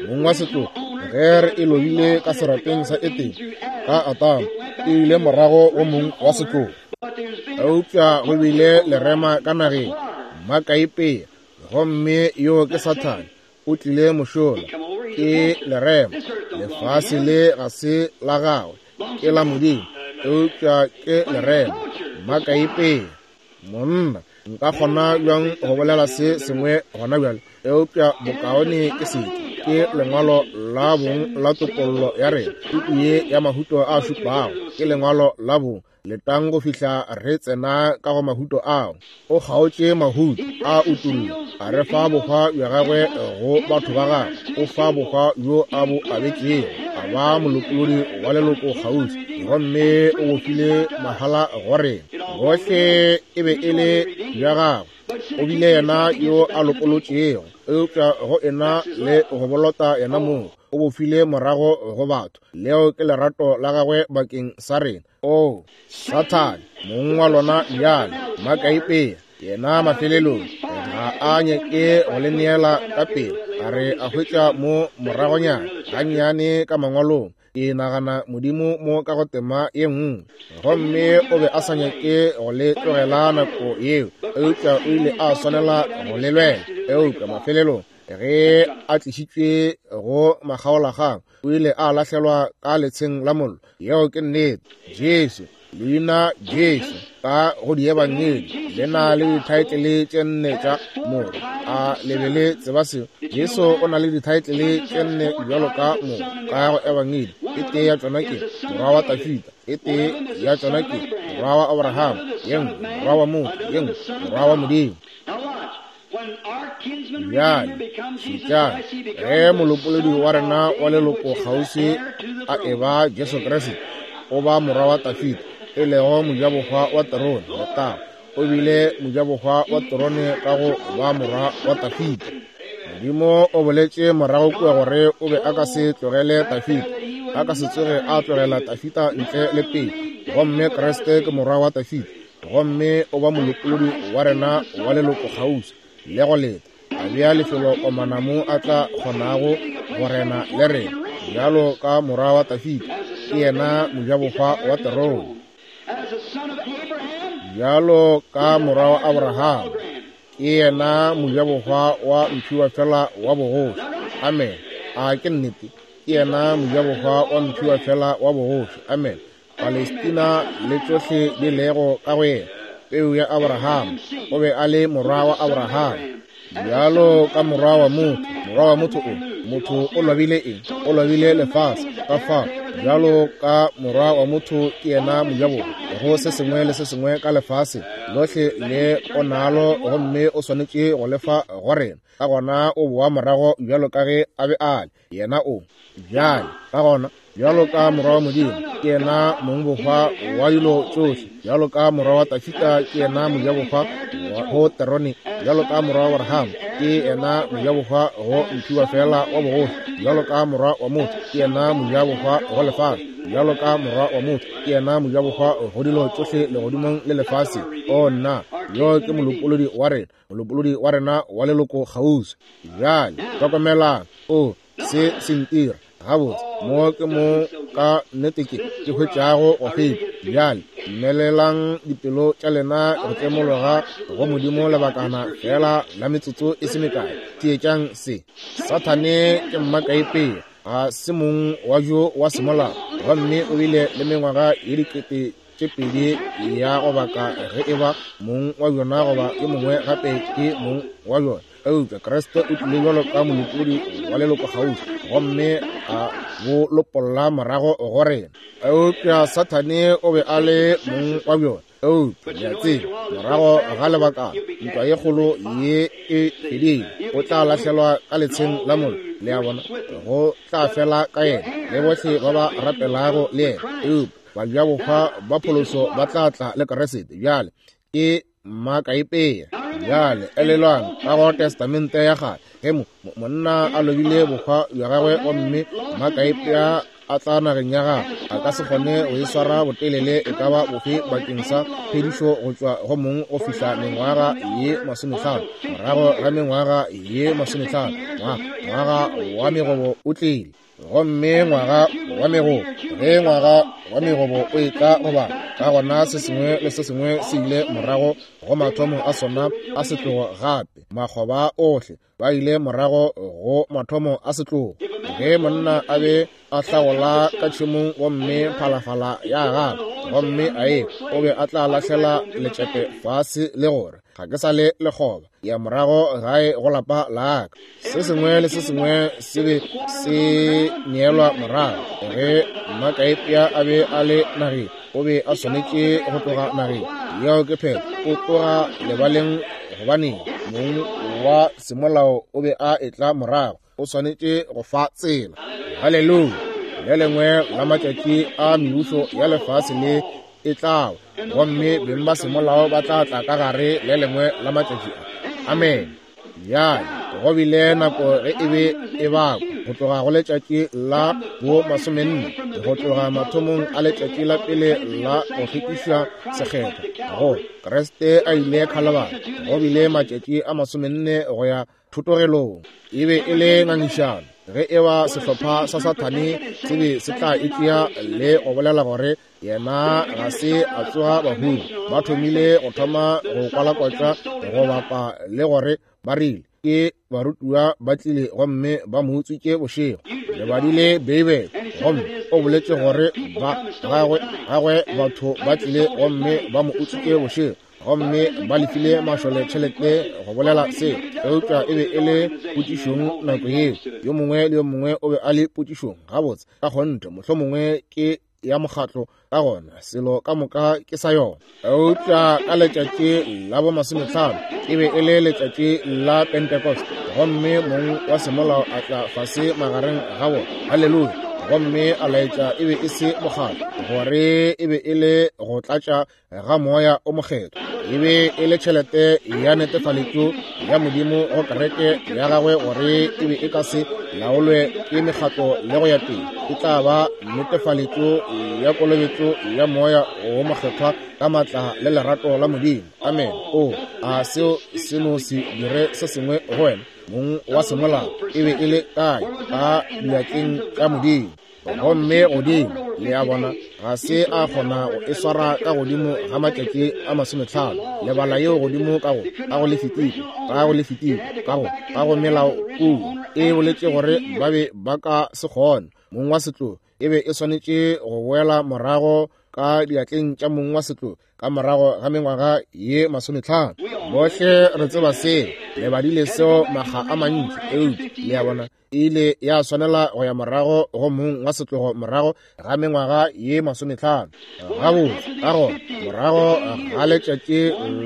Mong wa setlogo, ge re e lobile ka serapeng sa Etene ka Atamo, e ile morago go mong wa setlogo. Eupša go bile lerema ka nageng, makaipea, gomme yo ke Sathane, o tlile mošola. Ke lerema. Lefase le ga se la gagwe, ke la Modimo, eupša ke lerema, makaipea. Monna, nka kgona bjang go bolela se sengwe gona bjale, eupša bokaone ke seke. Ke lengwalo la bong la topollo ya rena, puku ye ya mahuto a šupago ke lengwalo la bong. Letang go fihla re tsena ka go mahuto ao. O kgaotše mahuto a utullo, a re fa bohwa bja gagwe go batho ba gagwe. O fa bohwa bjo a bo abetšego, a ba molopolodi wa leloko kgauswi, gomme o bo file mahala go rena. Gohle e be e le bja gagwe, o bile yena yo a lopolotšego, eupša go ena le go bolota yena mong, o bo file morago go batho. Leo ke lerato la gagwe bakeng sa rena. O Sathane, mong wa lona bjale, makaipea, yena mafelelong ga a nyake go le neela ka pele. A re a hwetša mo moragonyana gannyane ka mangwalong. Ke nagana Modimo mo ka go tema ye nngwe, gomme o be a sa nyake go le tlogela nako yeo, eupša o ile a swanela go le lwela. Eupša mafelelong ge a tlišitšwe go makgaolakgang, o ile a lahlelwa ka letsheng la mollo. Yeo ke nnete. Jesu, leina Jesu ka go diebangedi le na le dithaetlele tše nne tša morwa. A le be le tseba seo? Jesu o na le dithaetlele tše nne bjalo ka morwa ka go ebangedi. E tee ya tšona ke morwa wa Tafita, e tee ya tšona ke morwa wa Abraham, ye nngwe morwa wa motho, ye nngwe morwa wa Modimo. Bjale šetšang, ge molopolodi wa rena wa leloko kgauswi a eba Jesu Kriste, o ba morwa wa Tafita, e lego mojabohwa wa terone. Letago! O bile mojabohwa wa terone ka go ba morwa wa Tafita. Modimo o boletše morago kua gore o be a ka se tlogele Tafita, a ka se tsoge a tlogela Tafita ntle le pele. Gomme Kriste ke morwa wa Tafita, gomme o ba molopolodi wa rena wa leloko kgauswi le go leta, a bea lefelo komana mo a tla kgonago go rena le rena bjalo ka morwa wa Tafita. Ke yena mojabohwa wa terone. Bjalo ka morwa wa Abraham, ke yena mojabohwa wa mphiwa fela wa bogoši. Amen. A ke nnete? Ke yena mojabohwa wa mphiwa fela wa bogoši. Amen. Palestina le tšohle di lego ka go yena, peu ya Abraham, o be a le morwa wa Abraham. Bjalo ka morwa wa motho, morwa wa motho o, motho o lobile eng? O lobile lefase. Ka fao, bjalo ka morwa wa motho ke yena mojabohwa go se sengwe le se sengwe ka lefase lohle le o nalo, gomme o swanetše go lefa go rena. Ka gona o boa morago bjalo ka ge a be a le, yena o bjale. Ka gona bjalo ka morwa wa Modimo ke yena mongbohwa wa dilo tšohle. Bjalo ka morwa wa Tafita ke yena mojabohwa go terone. Bjalo ka morwa wa Abraham ke yena mojabohwa go mphiwa fela wa bogoši. Bjalo ka morwa wa motho ke yena mojabohwa go lefase. Bjalo ka morwa wa motho ke yena mojabohwa go dilo tšohle legodimong le lefase. O nna, yo ke molopolodi wa rena, molopolodi wa rena wa leloko kgauswi. Bjale hlokomelang, o se se ntira gabotse mo ke mo ka nnete ke ke hwetšago go feta. Bjale mmelelang dipelo tša lena go tlemologa go Modimo lebakana fela la metsotso e se mekae. Theetšang se. Sathane ke mmakaipea, ga se mong wa jo wa semolao, gomme o bile le mengwaga ye dikete tše pedi ya go baka ge e ba mong wa bjona goba yo mongwe gape ke mong wa bjona. Eupša Kriste o tlile bjalo ka molopolodi wa leloko kgauswi gomme a bo lopolla morago go rena. Eupša Sathane o be a le mong wa bjona. Eupša le a tseba, morago ga lebakana ntwa ye kgolo ye e fedile, o tla lahlelwa ka letsheng la mollo. Le a bona, go tla fela ka yena le bohle ba ba rapelago le yena. Eupša bajabohwa ba pholoso ba tla tla le Kriste. Bjale ke mmakaipea. Bjale elelwang ka go Testamente ya kgale, ge monna a lobile bohwa bja gagwe gomme mmakaipea a tla nageng ya gagwe, a ka se kgone go e swara botelele e ka ba bofe bakeng sa phedišo go tšwa go mong go fihla mengwaga ye masomehlano. Morago ga mengwaga ye masomehlano, ngwaga wa megobo o tlile. Gomme ngwaga wa megobo, ge ngwaga wa megobo o etla goba ka gona se sengwe le se sengwe se ile morago go mathomo a sona a setlogo gape. Makgoba ohle ba ile morago go mathomo a setlogo. Ge monna a be a hlagola ka tšhemong gomme phalafala ya gagwe gomme a e o be a tla lahlela letšepe fase le gore ga ke sa le lekgoba, ya morago gae go lapa la ka. Se sengwe le se sengwe se be se neelwa morago. Ge mmakaipea a be a le nageng, o be a swanetše go tloga nageng yeo ke phetho, o tloga lebaleng gobane mong wa semolao o be a etla morago, o swanetše go fa tsela. Haleluya! Le lengwe la matšatši a mebušo ya lefase le e tlago, gomme beng ba semolao ba tla tla ka gare le lengwe la matšatši a. Amen. Bjale go bile nako ge e be e bakwa go tloga go letšatši la bo masomenne, go tloga mathomong a letšatši la pele la go hlwekišwa sekgethwa go Kriste a ile Khalabari, go bile matšatši a masomenne go ya thotogelong. E be e le ngangišano ge e ba sehlopha sa Sathane se be se tla itšea le go bolela gore yena ga se a tsoga bahung. Ba thomile go thoma go kwalakwatša go bapa le gore ba rile ke barutiwa ba tlile gomme ba mo utswitše bošego. Le badile Beibele gomme o boletše gore ba gagwe gagwe batho ba tlile gomme ba mo utswitše bošego, gomme ba lefile mašole tšhelete go bolela se. Eupša e be e le potšišong nako yeo, yo mongwe le yo mongwe o be a le potšišong. Gabotse ka kgonthe mohlomongwe ke ya mokgatlo, ka gona selo ka moka ke sa yona. Eupša ka letšatši la bo masomehlano e be e le letšatši la Pentecost, gomme mong wa semolao a tla fase magareng ga bona. Haleluya! Gomme a laetša e be e se mokgatlo, gore e be e le go tlatša ga moya o mokgethwa. E be e le tšhelete ya netefaletšo ya Modimo go kereke ya gagwe gore e be e ka se laolwe ke mekgatlo le go ya pele. E tla ba netefaletšo ya kolobetšo ya moya o mokgethwa ka matla le lerato la Modimo. Amen. O a seo se no se dire se sengwe go wena. Mong wa semolao e be e le kae? Ka diatleng tša Modimo. Gomme godimo, le a bona, ga se a kgona go e swara ka godimo ga matšatši a masomehlano. Lebala yeo godimo ka go ka go Lefitiko, ka go Lefitiko, ka go ka go melao kua e boletše gore ba be ba ka se kgone. Mong wa setlogo e be e swanetše go boela morago ka diatleng tša mong wa setlogo ka morago ga mengwaga ye masomehlano. Bohle re tseba seo, le badile seo makga a mantši. Eupša le a bona, e ile ya swanela go ya morago go mong wa setlogo morago ga mengwaga ye masomehlano. Gabotse ka gona morago ga letšatši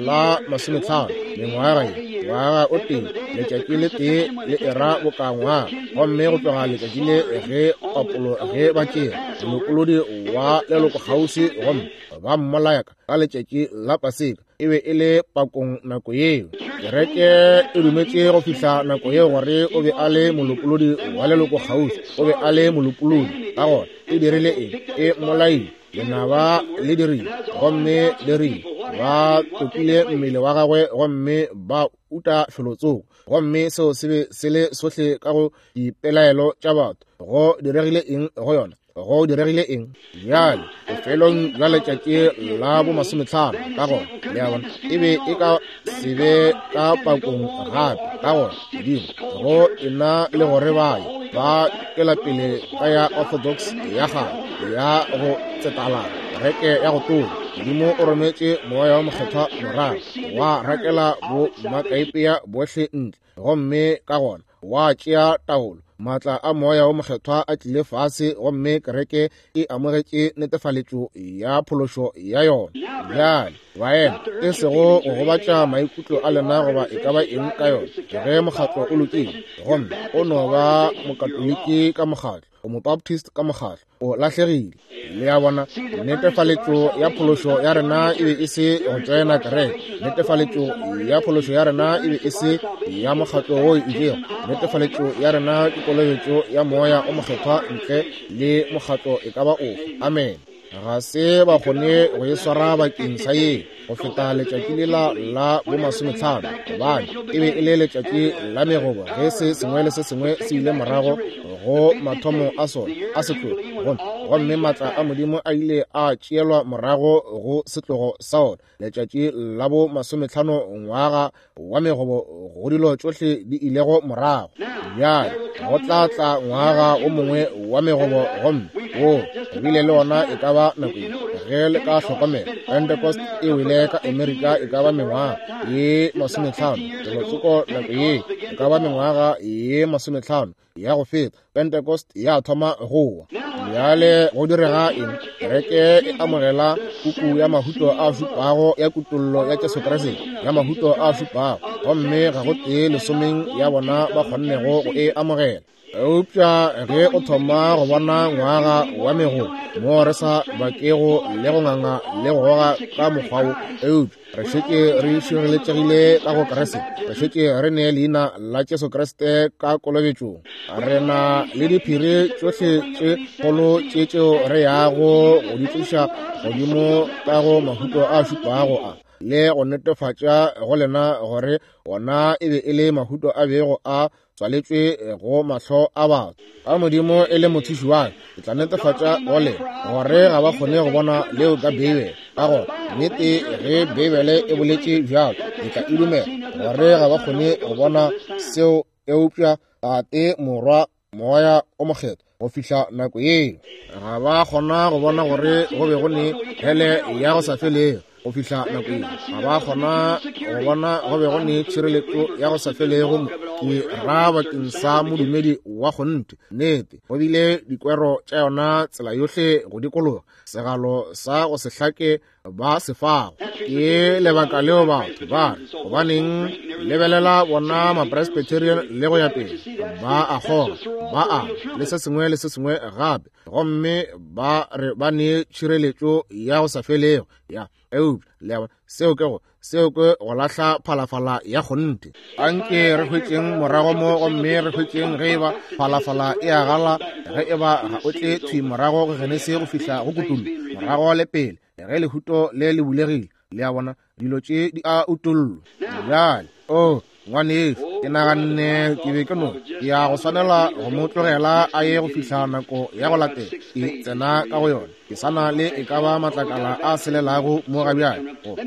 la masomehlano, mengwaga ye ngwaga o tee, letšatši le tee le era boka ngwaga. Gomme go tloga letšatši le ge papolo ge ba tšea molopolodi wa leloko kgauswi gomme ba mmolaya ka letšatši la Paseka, e be e le pakong nako yeo. Kereke e dumetše go fihla nako yeo gore o be a le molopolodi wa leloko kgauswi, o be a le molopolodi. Ka gona e dirile eng? E mmolaile. Lenaba le dirile, gomme le rile ba topile mmele wa gagwe gomme ba uta felotsoko. Gomme seo se be se le sohle ka go dipelaelo tša batho. Go diregile eng go yona? Go diregile eng? Bjale bofelong bja letšatši la bo masomehlano, ka gona le a bona, e be e ka se be ka pakong gape. Ka gona Modimo go ena le gore ba ye ba tšwela pele ka ya orthodox ya kgale ya go tsetalana, Kereke ya go tonya, Modimo o rometše Moya wo Mokgethwa morago, wa rakela bo makaipea bohle ntle, gomme ka gona wa tšea taolo. Maatla a Moya wo Mokgethwa a tlile fase, gomme kereke e amogetše netefaletšo ya phološo ya yona. Bjale baena, e sego go gobatša maikutlo a lena goba e ka ba eng ka yona, ge mokgatlo o lokile, gomme o no ba mokatoliki ka mokgatlo, o mobaptist ka mokgatlo, o lahlegile. Le a bona, netefaletšo ya phološo ya rena e be e se go tšoena kereke. Netefaletšo ya phološo ya rena e be e se ya mokgatlo wo itšego. Netefaletšo ya rena ke kolobetšo ya Moya o Mokgethwa ntle le mokgatlo e ka ba ofe. Amen. Ga se ba kgone go e swara bakeng sa ye go feta letšatši lela la bomasometlhano, gobane e be e le letšatši la megobo ge se sengwe le se sengwe se ile morago go mathomo a sona a setlogo, gomme gomme maatla a Modimo a ile a tšeelwa morago go setlogo sa ona. Letšatši la bo masometlhano, ngwaga wa megobo, go dilo tšohle di ilego morago. Bjale go tla tla ngwaga o mongwe wa megobo, gomme wo re bile le ona e ka ba nako ye. Ge le ka hlokomela, Pentecost e wele ka Amerika e ka ba mengwaga ye masometlhano, felotsoko nako ye e ka ba mengwaga ye masometlhano ya go feta, Pentecost ya thoma go wa. Bjale go direga eng? Kereke e amogela puku ya mahuto a šupago ya kutollo ya Jesu Kriste, ya mahuto a šupago, gomme ga go tee lesomeng ya bona ba kgonnego go e amogela. Eupša ge o thoma go bona ngwaga wa mego mo re sa bakego le go nganga le go goga ka mokgwa wo, eupša re šetše re šireletšegile ka go Kriste, re šetše re ne leina la Jesu Kriste ka kolobetšong. Re na le diphiri tšohle tše kgolo tše tšeo re yago go di tliša godimo ka go mahuto a šupago a, le go netefatša go lena gore ona e be e le mahuto a bego a tswaletšwe go mahlo a batho. Ka Modimo e le mothuši wa ka, ke tla netefatša go lena gore ga ba kgone go bona leo ka Beibele. Ka gona nnete ge Beibele e boletše bjalo, ke tla e dumela gore ga ba kgone go bona seo, eupša Tate, Morwa, Moya o Mokgethwa go fihla nako yeo ga ba kgona go bona gore go be go ne hele ya go sa felego. Go fihla nako yeo ga ba kgona go bona go be go ne tšhireletšo ya go sa felego. Mo ke ra bakeng sa modumedi wa kgonthe. Nnete go bile dikwero tša yona tsela yohle go dikologa, segalo sa go se hlake ba se fago. Ke lebaka leo batho ba re, gobaneng lebelela bona ma-Presbyterian le go ya pele, ba a kgoga, ba a le se sengwe le se sengwe gape, gomme ba re ba ne tšhireletšo ya go sa felego ya. Eupša le a bona, seo ke go seo ke go lahla phalafala ya kgonthe. Anke re hwetšeng morago mo, gomme re hwetšeng ge eba phalafala e a gala, ge eba ga o tle thwi morago go Genesi go fihla go Kutullo, morago le pele, ge lehuto le le bulegile. Le a bona, dilo tše di a utollwa. Bjale, o ngwanešu, ke naganne ke be ke no ke ya go swanela go mo tlogela a ye go fihla nako ya go latela ke tsena ka go yona. Ke sa na le e ka ba matlakala a selelago mo ga bjale. Goba,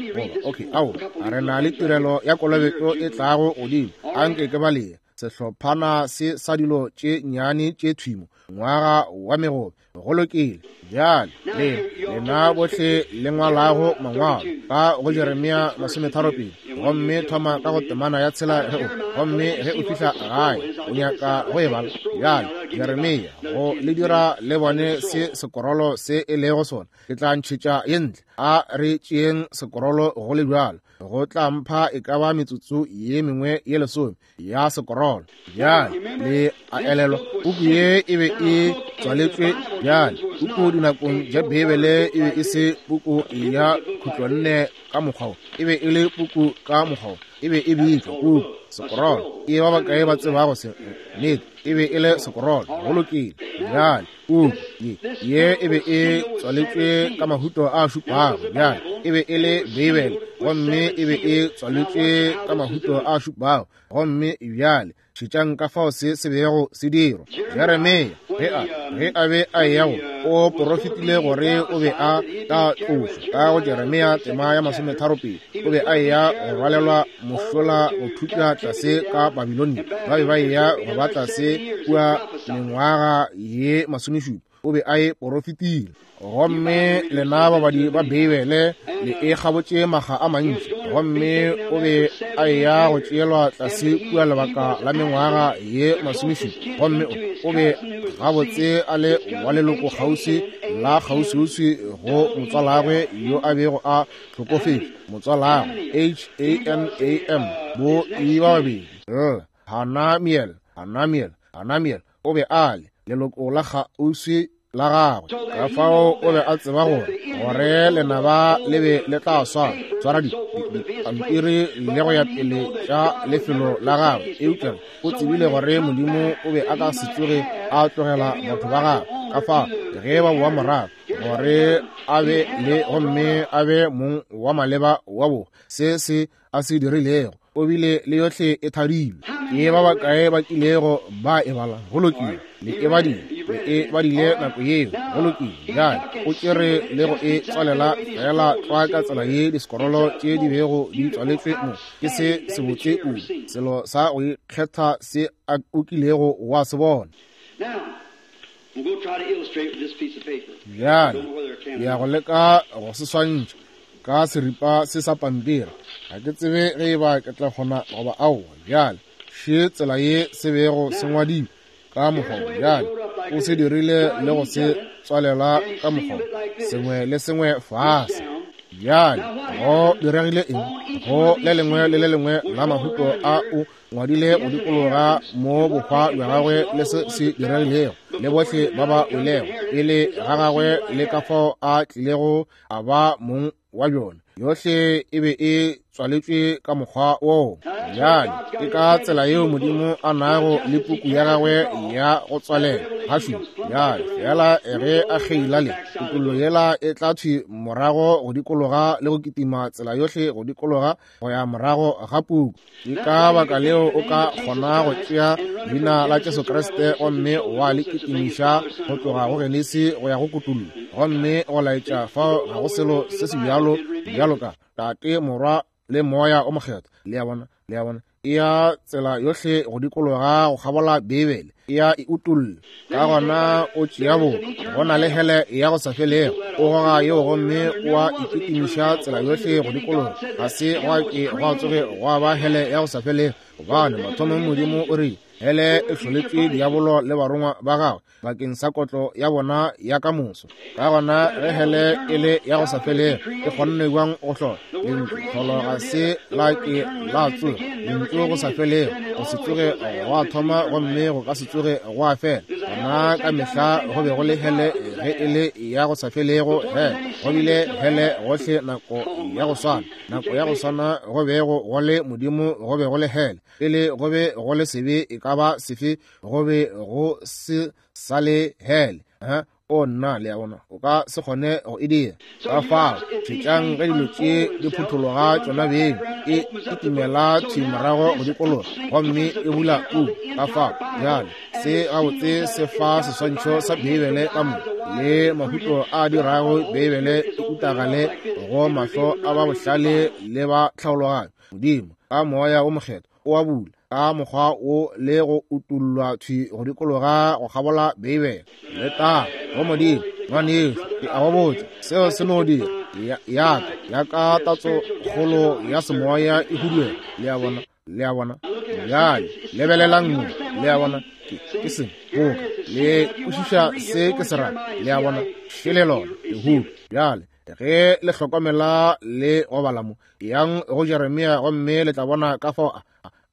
okay, ao, re na le tirelo ya kolobetšo e tlago godimo. Anke ke balea sehlophana se sa dilo tše nnyane tše thwimo, ngwaga wa megobe. Go lokile. Bjale le lena bohle le ngwalago mangwalo ka go Jeremia masometharopedi, gomme thoma ka go temana ya tshela ge o, gomme ge o fihla gae o nyaka go e bala. Bjale Jeremia, go le dira le bone se sekorolo se e lego sona, ke tla ntšhetša ye ntle. A re tšeeng sekorolo go le bjalo, go tla mpha e ka ba metsotso ye mengwe ye lesome ya sekorolo. Bjale le a elelwa, puku ye e be e tswaletšwe. Bjale puku dinakong tša Beibele e be e se puku ya khutlonne ka mokgwa wo, e be e le puku ka mokgwa wo, e be e bitšwa puku sekorolo. Ke ba bakae ba tsebago se? Nnete, e be e le sekorolo. Go lokile. Bjale puku ye ye e be e tswaletšwe ka mahuto a šupago. Bjale e be e le Beibele, gomme e be e tswaletšwe ka mahuto a šupago. Gomme bjale šetšang ka fao se se bego se dirwa. Jeremia ge a ge a be a eya go, o porofetile gore o be a tla tlošwa. Ka go Jeremia tema ya masometharopedi, o be a eya go rwalelwa mošola go thutwa tlase ka Babilonia. Ba be ba eya go ba tlase kua mengwaga ye masomešupa. o be a e porofetile. Gomme lena babadi ba Beibele le e kgabotše maga a mantši. Gomme o be a eya go tšeelwa tlase kua lebaka la mengwaga ye masomešupa. Gomme o be gabotse a le wa leloko kgauswi la kgauswiuswi go motswalagwe yo a bego a hlokofetše. Motswalagwe H A N A M bo e ba babedi L Hanamiel Hanamiel Hanamiel o be a le leloko la kgauswi la gagwe. Ka fao o be a tseba gore gore lenaba le be le tla swara swara dipampiri le go ya pele tša lefelo la gagwe, eupša o tsebile gore Modimo o be a ka se tsoge a tlogela batho ba gagwe. Ka fao ge ba boa morago gore a be le gomme a be mong wa maleba wa bo se se a se dirilego, o bile le yohle e thadilwe. Ke ba bakae ba kilego ba e bala? Go lokile, le e badile, le e badile nako yeo. Go lokile. Bjale o tšere le go e tswalela fela tlwa ka tsela ye disekorolo tše di bego di tswaletšwe mo. Ke se sebotse kudu, selo sa go ikgetha se a o kilego wa se bona. Bjale ke ya go leka go se swantšha ka seripa se sa pampiri. Ga ke tsebe ge e ba ke tla kgona goba aowa. Bjale še tsela ye se bego se ngwadilwe ka mokgwa. Bjale o se dirile le go se tswalela ka mokgwa, sengwe le sengwe fase. Bjale go diregile eng? Go le lengwe le le lengwe la mahuto a o ngwadile go dikologa mo bohwa bja gagwe le se se diregilego le bohle ba ba welego pele ga gagwe le ka fao a tlilego a ba mong wa bjona. Yohle e be e tswaletšwe ka mokgwa woo. Bjale ke ka tsela yeo Modimo a nago le puku ya gagwe ya go tswalela gašupa. Bjale fela ge a kgeila le kutollo yela e tla thwi morago go dikologa le go kitima tsela yohle go dikologa go ya morago ga puku. Ke ka baka leo o ka kgona go tšea leina la Jesu Kriste gomme wa le kitimiša go tloga go Genesi go ya go kutollo, gomme go laetša fao ga go selo se se bjalo bjalo ka Tate, Morwa le Moya o Mokgethwa. Le a bona, le a bona, e ya tsela yohle go dikologa go kgabola Beibele, e ya e utolla. Ka gona o tšea bo go na le hele ya go sa felego, o goga yeo gomme wa ikitimiša tsela yohle go dikologa. Ga se gwa ke gwa tsoge gwa ba hele ya go sa felego, gobane mathomong Modimo o rile hele e hloletšwe diabolo le barongwa ba gagwe bakeng sa kotlo ya bona ya ka moso. Ka gona ge hele e le ya go sa felego, e kgonne bjang go hlola? Lentšu tlholo ga se la ke la tsoga. Lentšu go sa felego, go se tsoge gwa thoma gomme go ka se tsoge gwa fela. Gona ka mehla go be go le hele ge e le ya go sa felego. Hele go bile hele gohle nako ya go swana, nako ya go swana go bego go le Modimo, go be go le hele. Pele go be go le sebe e ka ba sefe, go be go se sa le hele. Ha o nna, le a bona, o ka se kgone go e dira. Ka fao šetšang ge dilo tše di phuthologa tšona beng, e kitimela thwi morago go dikologa gomme e bula puku. Ka fao bjale se gabotse se fa seswantšho sa Beibele ka mo le mahuto a dirago Beibele e utagale go mahlo a ba bohlale le ba tlhaologanyo. Modimo ka Moya o Mokgethwa o a bula ka mokgwa wo le go utollwa thwi go dikologa go kgabola Beibele. Le ta go Modimo, ngwanešu, ke a go botša, seo se no dira ya ka ya ka tatso kgolo ya semoya e huduela. Le a bona, le a bona. Bjale lebelelang mo, le a bona, ke ke se boka le kwešiša se ke se ra. Le a bona, šele lona lehuto. Bjale ge le hlokomela le go bala mo, yang go Jeremia gomme le tla bona ka fao a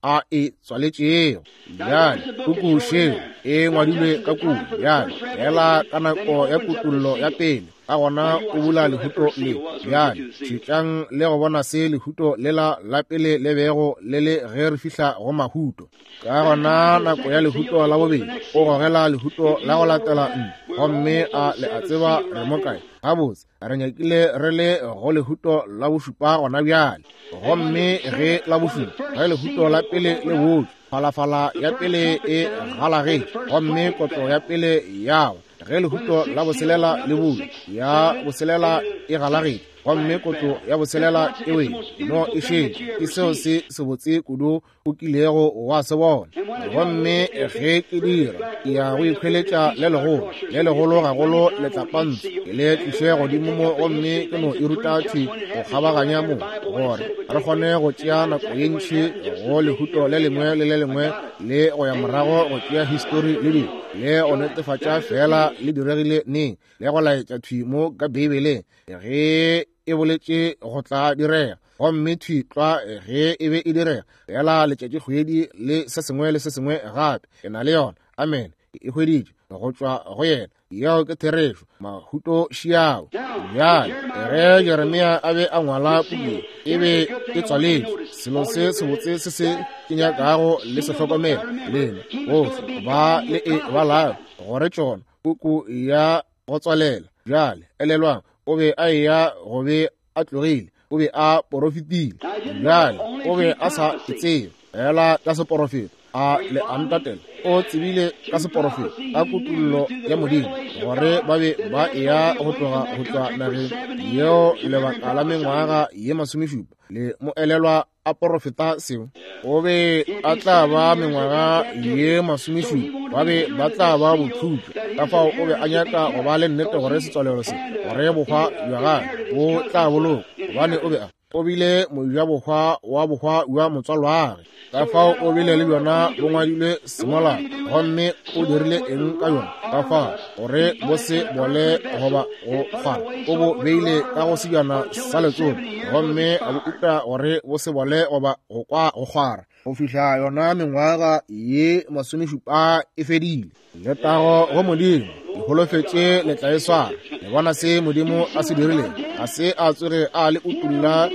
a e tswaletšego. Bjale puku šeo e ngwadilwe ka kudu. Bjale fela ka nako ya kutollo ya pele, ka gona o bula lehuto le. Bjale šetšang le go bona se lehuto lela la pele le bego le le ge re fihla go mahuto. Ka gona nako ya lehuto la bobedi, o gogela lehuto la go latela ntle, gomme a le a tseba re mo kae. Gabotse re nyakile re le go lehuto la bošupa gona bjale. Gomme ge la bošupa, ge lehuto la pele le botšwe, phalafala ya pele e galagetše gomme kotlo ya pele ya wa. Ge lehuto la boselela le bulwa, ya boselela e galagetše Gomme kotlo ya boselela e wele. No e šetše. Ke seo se sebotse kudu o kilego wa se bona. Gomme ge ke dira, ke ya go ikhweletša le legolo, le legolo gagolo letlapantsho, ke le tliše godimo mo gomme ke no e ruta thwi go kgabaganya mo, gore re kgone go tšea nako ye ntši go lehuto le lengwe le le lengwe le go ya morago go tšea histori le dilo, le go netefatša fela le diregile neng, le go laetša thwi mo ka Beibeleng ge e boletše go tla direga. Gomme thwi tlwa ge e be e direga fela letšatšikgwedi le se sengwe le se sengwe gape. Ke na le yona. Amen. E hweditše go tšwa go yena. Yeo ke therešo. Mahuto šiao. Bjale ge Jeremia a be a ngwala puku e be e tswaletšwe. Selo se sebotse se se ke nyakago le se hlokomela lena bohle ba le e balago gore tšona puku ya go tswalela. Bjale elelwang, o be a eya go be a tlogile, o be a porofetile. Bjale o be a sa e tsebe fela ka seporofeto, a le a ntatela. O tsebile ka seporofeto, ka kutullo ya Modimo, gore ba be ba eya go tloga go tšwa nageng yeo lebaka la mengwaga ye masomešupa. Le mo elelwa a porofeta seo. O be a tla ba mengwaga ye masomešupa, ba be ba tla ba bothutwa. Ka fao o be a nyaka go ba le nnete gore setswalelo se, gore bohwa bja gagwe bo tla bolokwa, gobane o be a o bile mojabohwa wa bohwa bja motswalwagwe. Ka fao o bile le bjona bo ngwadilwe semolao, gomme o dirile eng ka yona? Ka fao gore bo se bole goba go kgwara, o bo beile ka go sebjana sa letsopa, gomme a bo uta gore bo se bole goba go kwa go kgwara, go fihla yona mengwaga ye masomešupa e fedile. Letago go Modimo, le holofetše le tla e swara. Le bona se Modimo a se dirileng? Ga se a tsoge a le utulla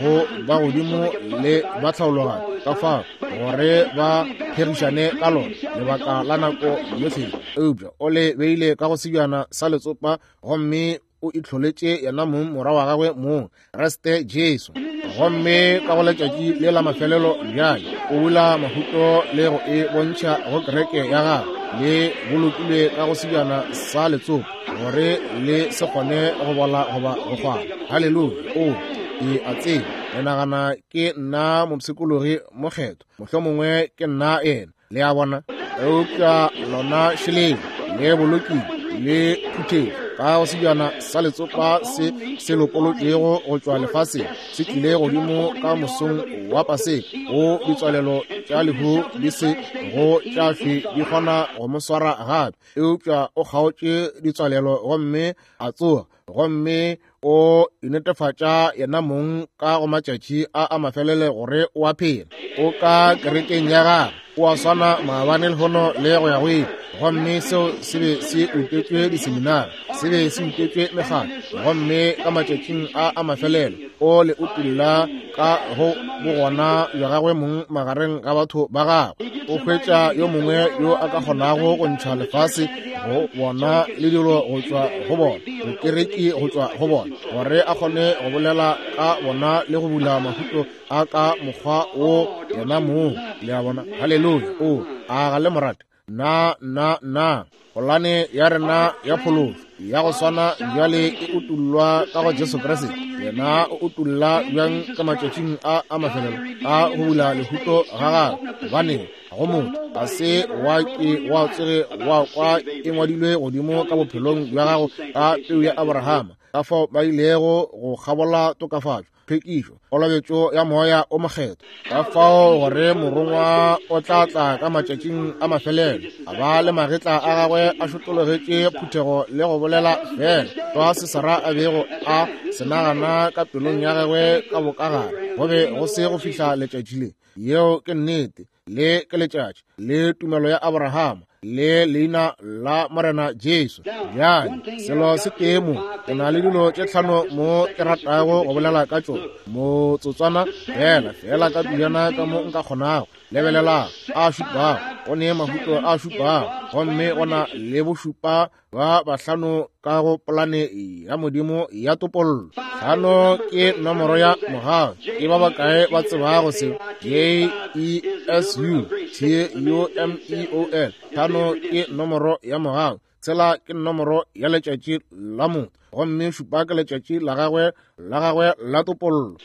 go ba godimo le ba tlhaologanyo, ka fao gore ba phegišane ka lona lebaka la nako yohle. Eupša o le beile ka go sebjana sa letsopa, gomme o itlholetše yena mong morwa wa gagwe mong, Kriste Jesu. Gomme ka go letšatši le la mafelelo bjale o bula mahuto le go e bontšha go kereke ya gagwe, le bolokilwe ka go sebjana sa letsopa gore le se kgone go bola goba go kgwara. Haleluya. O ke a tseba le nagana ke nna mopshikologi mokgethwa, mohlomongwe ke nna yena, le a bona. Eupša lona šeleng le bolokile le phuthetšwe ka go sebjana sa letsopa se se lopolotšwego go tšwa lefaseng, se tlile godimo ka mosong wa Paseka, go ditswalelo tša lehu di se go tša hlwe di kgona go mo swara gape. Eupša o kgaotše ditswalelo gomme a tsoga, gomme o inetefatša yena mong ka go matšatši a a mafelelo gore o a phela. O ka kerekeng ya gagwe, o a swana maabane lehono le go ya go ile. Gomme seo se be se utetšwe diseminari, se be se utetšwe mekgatlo. Gomme ka matšatšing a a mafelelo o le utulla ka go bogona bja gagwe mong magareng ga batho ba gagwe. O hwetša yo mongwe yo a ka kgonago go ntšha lefase go bona le dilo go tšwa go bona, bokereki go tšwa go bona, gore a kgone go bolela ka bona le go bula mahuto a ka mokgwa wo yena mong. Le a bona? Haleluya. O a ga le morate? Na na na polane ya rena ya phološo ya go swana bjale e utullwa ka go Jesu Kriste. Yena o utulla bjang ka matšatšing a a mafelelo a go bula lehuto ga gagwe, gobane go motho ga se wa ke wa tsoge wa kwa e ngwadilwe godimo ka bophelong bja gago ka peu ya Abrahama, ka fao ba ilego go kgabola tokafatšo, tlhwekišo, kolobetšo ya moya o mokgethwa. Ka fao gore morongwa o tla tla ka matšatšing a mafelelo, a ba le magetla a gagwe a šotologetše phuthego le go bolela fela tlwa se Sara a bego a se nagana ka pelong ya gagwe ka bokagare, go be go se go fihla letšatši le. Yeo ke nnete. Le ke letšatši le tumelo ya Abrahama le leina la Morena Jesu. Bjale selo se tee mo, ke na le dilo tše tlhano mo ke ratago go bolela ka tšona motsotswana fela, fela ka pejana ka mo nka kgonago. Lebelelang, a šupago, go ne mahuto a šupago, gomme go na le bošupa ba bahlano ka go polane ya Modimo ya topollo. Hlano ke nomoro ya mogau. Ke ba bakae ba tsebago seo? J E S U T U M E O L. Hlano ke nomoro ya mogau. Tshela ke nomoro ya letšatši la motho, gomme šupa ke letšatši la gagwe la gagwe la topollo.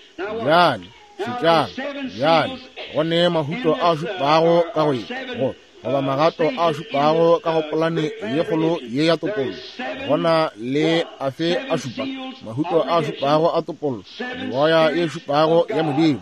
Bjale šetšang, bjale go ne mahuto a šupago ka go ye, go goba magato a šupago ka go polane ye kgolo ye ya topollo. Gona le afe a šupa, mahuto a šupago a topollo, meboya ye šupago ya Modimo.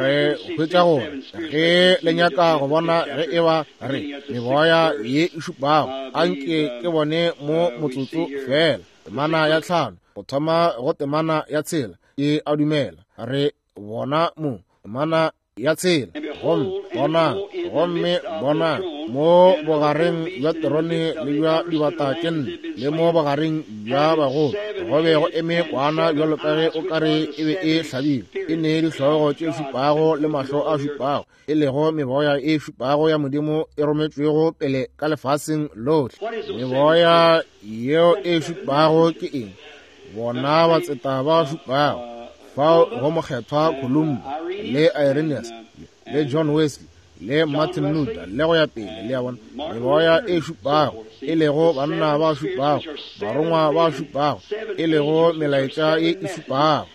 Re hwetša gore ge le nyaka go bona ge e ba re meboya ye e šupago, anke ke bone mo motsotso fela. Temana ya tlhano go thoma go temana ya tshela, ke a dumela re bona mo temana ya tshela. Gomme bona, gomme bona mo bogareng bja terone le bja dibata tše nne, le mo bogareng bja bagolo, go be go eme kwana bjalo ka ge o kare e be e hlabile, e ne dihlogo tše šupago le mahlo a šupago, e lego meboya e šupago ya Modimo e rometšwego pele ka lefaseng lohle. Meboya yeo e šupago ke eng? Bona batseta ba šupago, fao go mokgethwa Columba le Irenaeus le John Wesley le Martin Luther le go ya pele. Le a bona, meboya e šupago, e lego banna ba šupago, barongwa ba šupago, e lego melaetša ye e šupago,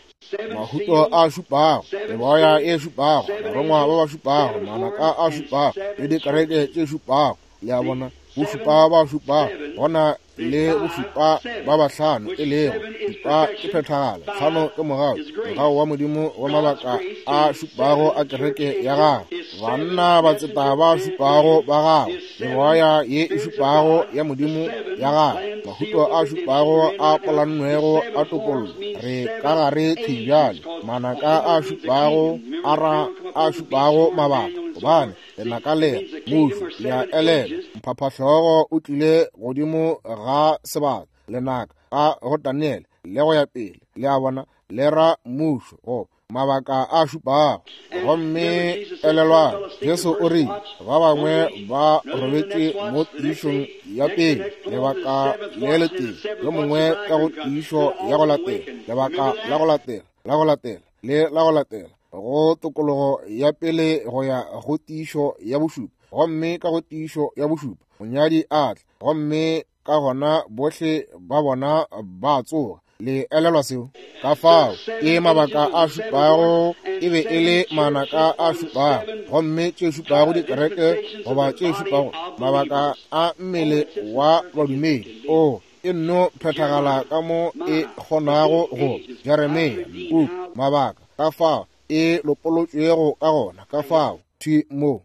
mahuto a šupago, meboya e šupago, barongwa ba ba šupago, manaka a šupago, le dikereke tše šupago. Le a bona, bošupa ba šupago, gona le bošupa ba bahlano, e lego šupa ke phethagalo, tlhano ke mogau, mogau wa Modimo wa mabaka a šupago a kereke ya gagwe, banna batseta ba šupago ba gagwe, meboya ye e šupago ya Modimo ya gagwe, mahuto a šupago a polannwego a topollo. Re ka gare thwi bjale, manaka a šupago a ra a šupago mabaka, gobane lenaka le mušo le a elela. Mphaphahlogo o tlile godimo ga sebaka, lenaka a go Daniel le go ya pele. Le a bona, le ra mušo go mabaka a šupago. Gomme elelwang, Jesu o rile ba bangwe ba robetše mo tiišong ya pele, lebaka le letee, yo mongwe ka go tiišo ya go latela, lebaka la go latela, la go latela, le la go latela, go tokologo ya pele go ya go tiišo ya bošupa. Gomme ka go tiišo ya bošupa monyadi a tla, gomme ka gona bohle ba bona ba tsoga. Le elelwa seo? Ka fao ke mabaka a šupago, e be e le manaka a šupago, gomme tše šupago dikereke goba tše šupago mabaka a mmele wa badumedi. O e nno phethagala ka mo e kgonago go Jeremia puku mabaka, ka fao e lopolotšwego ka gona, ka fao thwi mo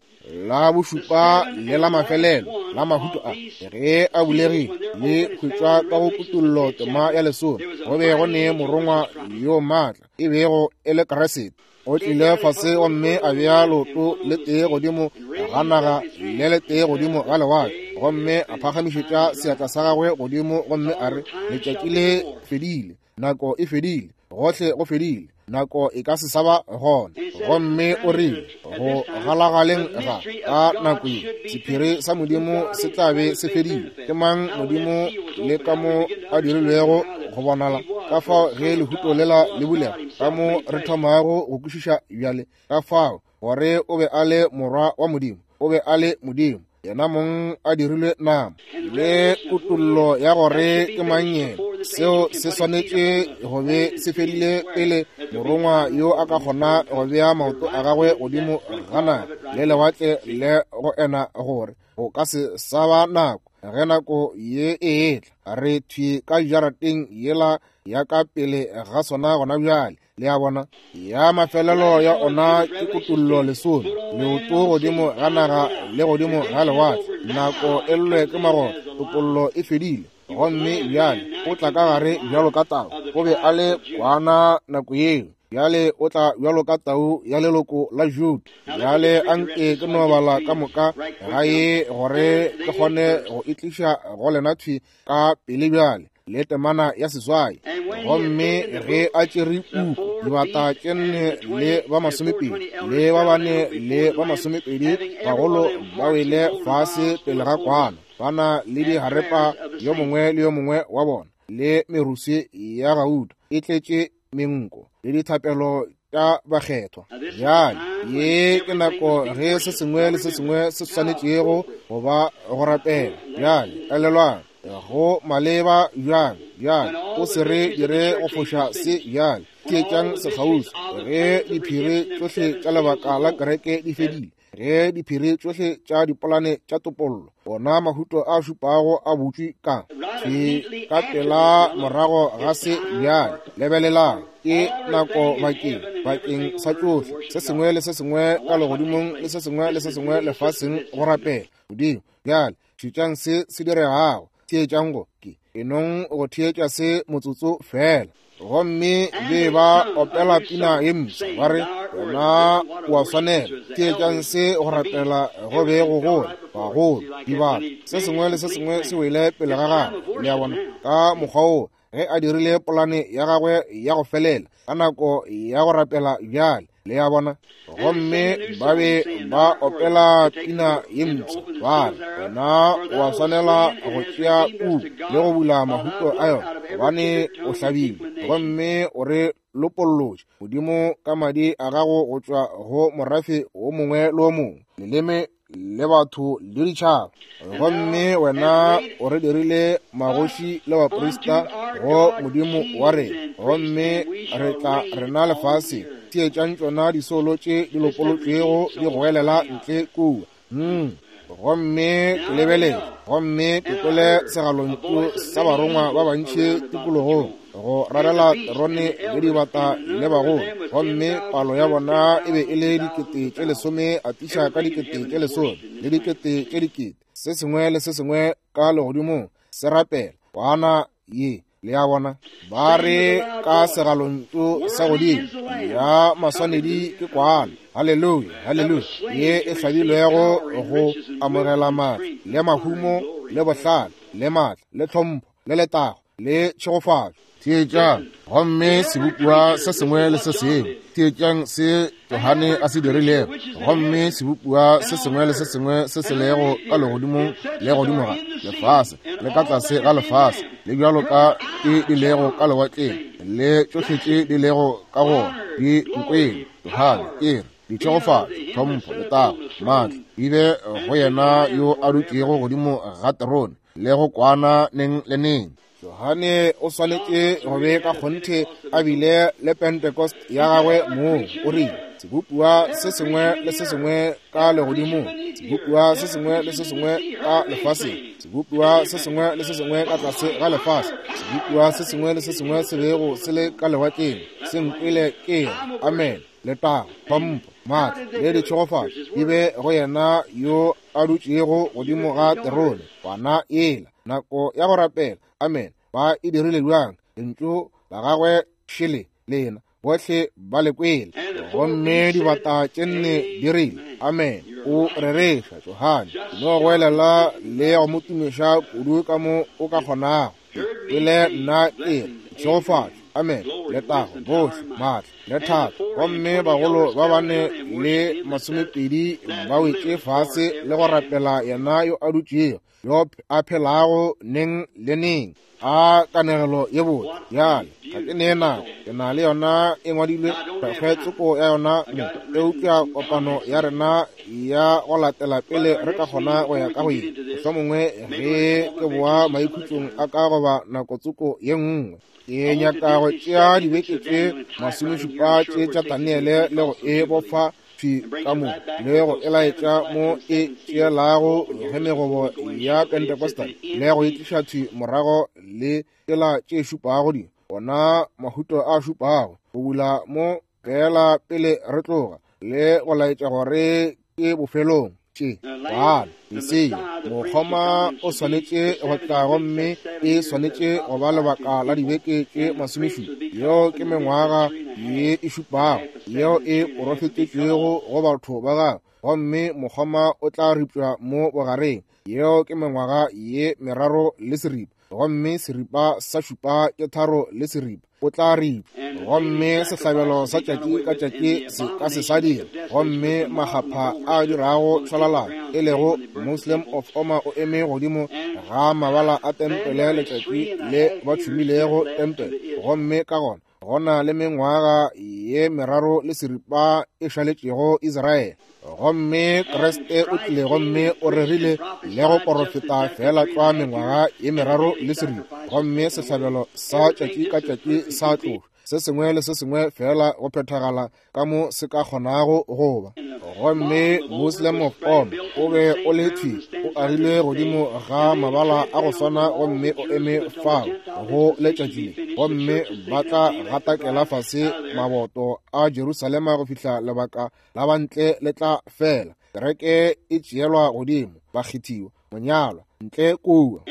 la bošupa le la mafelelo la mahuto a ge a bulegile le hwetšwa ka go kutullo tema ya lesome. Go be go ne morongwa yo maatla e bego e le Kriste, o tlile fase gomme a bea leoto le tee godimo ga naga le le tee godimo ga lewatle, gomme a phagamišetša seatla sa gagwe godimo gomme a re, letšatši le fedile, nako e fedile, gohle go fedile, nako e ka se sa ba gona. Gomme o rile go galagaleng ga ka nako ye sephiri sa Modimo se tla be se fedile. Ke mang Modimo le ka mo a dirilwego go bonala? Ka fao ge lehuto lela le bulega, ka mo re thomago go kwešiša bjale, ka fao gore o be a le morwa wa Modimo, o be a le Modimo yena mong a dirilwe nama, le kutollo ya gore ke mang yena. Seo se swanetše go be se fedile pele morongwa yo a ka kgona go bea maoto a gagwe godimo ga naga le lewatle le go ena gore go ka se sa ba nako. Ge nako ye e etla, re thwi ka jarateng yela ya ka pele ga sona gona bjale. Le a bona, ya mafelelo ya ona ke kutullo lesome, leoto godimo ga naga le godimo ga lewatle, nako e llwe ke magotlo, topollo e fedile. Gomme bjale o tla ka gare bjalo ka tau, o be a le kwana nako yeo, bjale o tla bjalo ka tau ya leloko la Juda. Bjale anke ke no bala ka moka ga ye gore ke kgone go e tliša go lena thwi ka pele bjale, le temana ya seswai. Gomme ge a tšere puku, dibata tše nne le ba masomepedi le ba bane le ba masomepedi bagolo ba wele fase pele ga kwana, ba na le diharepa yo mongwe le yo mongwe wa bona, le meruswi ya gauta e tletše menko le dithapelo tša bakgethwa. Bjale ye ke nako ge se sengwe le se sengwe se swanetšego go ba go rapela. Bjale elelwang, Go maleba bjang, bjang, o se re dire go foša se bjale. Theetšang sekgauswi. Ge diphiri tšohle tša lebaka la kereke di fedile, ge diphiri tšohle tša dipolane tša topollo, ona mahuto a šupago a butšwe ka ke ka pela morago ga se bjale. Lebelelang, ke nako bakeng bakeng sa tšohle, se sengwe le se sengwe ka legodimong le se sengwe le se sengwe lefaseng go rapela Modimo. Bjale šetšang se se diregago. Theetšang go ke enong go theetša se motsotso fela. Gomme be ba opela pina ye mpsha ba re, wena o a swanela. Theetšang se go rapela go be go gola, bagolo, dibata, se sengwe le se sengwe se wele pele ga gagwe. Le a bona, ka mokgwa wo ge a dirile polane ya gagwe ya go felela ka nako ya go rapela bjale. Le a bona. Gomme ba be ba opela pina ye mpsha ba re, wena o a swanela go tšea puku le go bula mahuto a yona, gobane o hlabilwe gomme o re lopollotše Modimo ka madi a gago go tšwa go morafe o mongwe le o mongwe, leleme le batho le ditšhaba. Gomme wena o re dirile magoši le baprista go Modimo wa rena, gomme re tla rena lefase. Theetšang tšona disolo tše di lopolotšwego di goelela ntle kua. Mm. Gomme ke lebeletše, gomme ke kwele segalontšu sa barongwa ba bantši tikologong go rarela terone le dibata le bagolo, gomme palo ya bona e be e le dikete tše lesome atiša ka dikete tše lesome le dikete tše dikete, se sengwe le se sengwe ka legodimong se rapela kwana ye. Le a bona, ba re ka segalontšu sa godimo, ya maswanedi ke kwana, haleluya, haleluya, ye e hlabilwego go amogela maatla le mahumo le bohlale le maatla le tlhompho le letago le tšhegofatšo. Theetšang, gomme sebopiwa se sengwe le se sengwe. Theetšang se Johane a se dirilego. Gomme sebopiwa se sengwe le se sengwe se se lego ka legodimong le godimo ga lefase le ka tlase ga lefase le bjalo ka tše di lego ka lewatleng le tšohle tše di lego ka gona di nkwele. Johane ke re, ditšhegofatšo, tlhompho, letago, maatla di be go yena yo a dutšego godimo ga terone le go kwana neng le neng. Johane o swanetše go be ka kgonthe a bile le Pentecost ya gagwe moo. O rile, sebopiwa se sengwe le se sengwe ka legodimong, sebopiwa se sengwe le se sengwe ka lefaseng, sebopiwa se sengwe le se sengwe ka tlase ga lefase, sebopiwa se sengwe le se sengwe se bego se le ka lewatleng, se nkwele ke re, amen. Letago, tlhompho, maatla le ditšhegofatšo di be go yena yo a dutšego godimo ga terone, kwana ela. Nako ya go rapela, amen. Ba e dirile bjang? Lentšu la gagwe šele lena, bohle ba le kwele. Gomme dibata tše nne di rile, amen. O rereša Johane, no goelela le go mo tumiša kudu ka mo o ka kgonago. Pele nna ke re, tšhegofatšo, amen, letago, bohle, maatla le thata. Gomme bagolo ba bane le masomepedi ba wetše fase le go rapela yena yo a dutšego, yo a phelago neng le neng. A kanegelo ye botse. Bjale ga ke ne nako, ke na le yona e ngwadilwe kgwetsoko ya yona mo, eupša kopano ya rena ya go latela pele re ka kgona go ya ka go ye, mohlomongwe ge ke boa maikhutšong a ka goba nako tsoko ye nngwe. Ke nyaka go tšea dibeke tše masomešupa tše tša Daniele le go e bofa thwi ka mo le go e laetša mo e tšeelago ge megobo ya Pentecostal le go e tliša thwi morago le tsela tše šupago di ona mahuto a šupago go bula mo fela pele re tloga le go laetša gore ke bofelong tše. Bana Mesia mokgoma o swanetše go tla, gomme e swanetše go ba lebaka la dibeke tše masomešupa. Yeo ke mengwaga ye e šupago yeo e porofetetšwego go batho ba gagwe, gomme mokgoma o tla ripša mo bogareng. Yeo ke mengwaga ye meraro le seripa, gomme seripa sa šupa ke tharo le seripa. O tla ripša, gomme sehlabelo sa tšatši ka tšatši se ka se sa dira, gomme makgapha a dirago šwalalana, e lego Muslim of Omar, o eme godimo ga mabala a tempele letšatši le ba tšhumilego tempele, gomme ka gona Go na le mengwaga ye meraro le seripa e šaletšego Israele. Gomme Kriste o tlile gomme o rerile le go porofeta fela tlwa mengwaga ye meraro le seripa. Gomme sehlabelo sa tšatši ka tšatši sa tlošwa. Se sengwe le se sengwe fela go phethagala ka mo se ka kgonago go ba. Gomme Muslim of Om o be o le thwi o agile godimo ga mabala a go swana gomme o eme fao go letšatši le. Gomme ba tla gatakela fase maboto a Jerusalema go fihla lebaka la bantle le tla fela. Kereke e tšeelwa godimo, bakgethiwa, monyalwa ntle kua.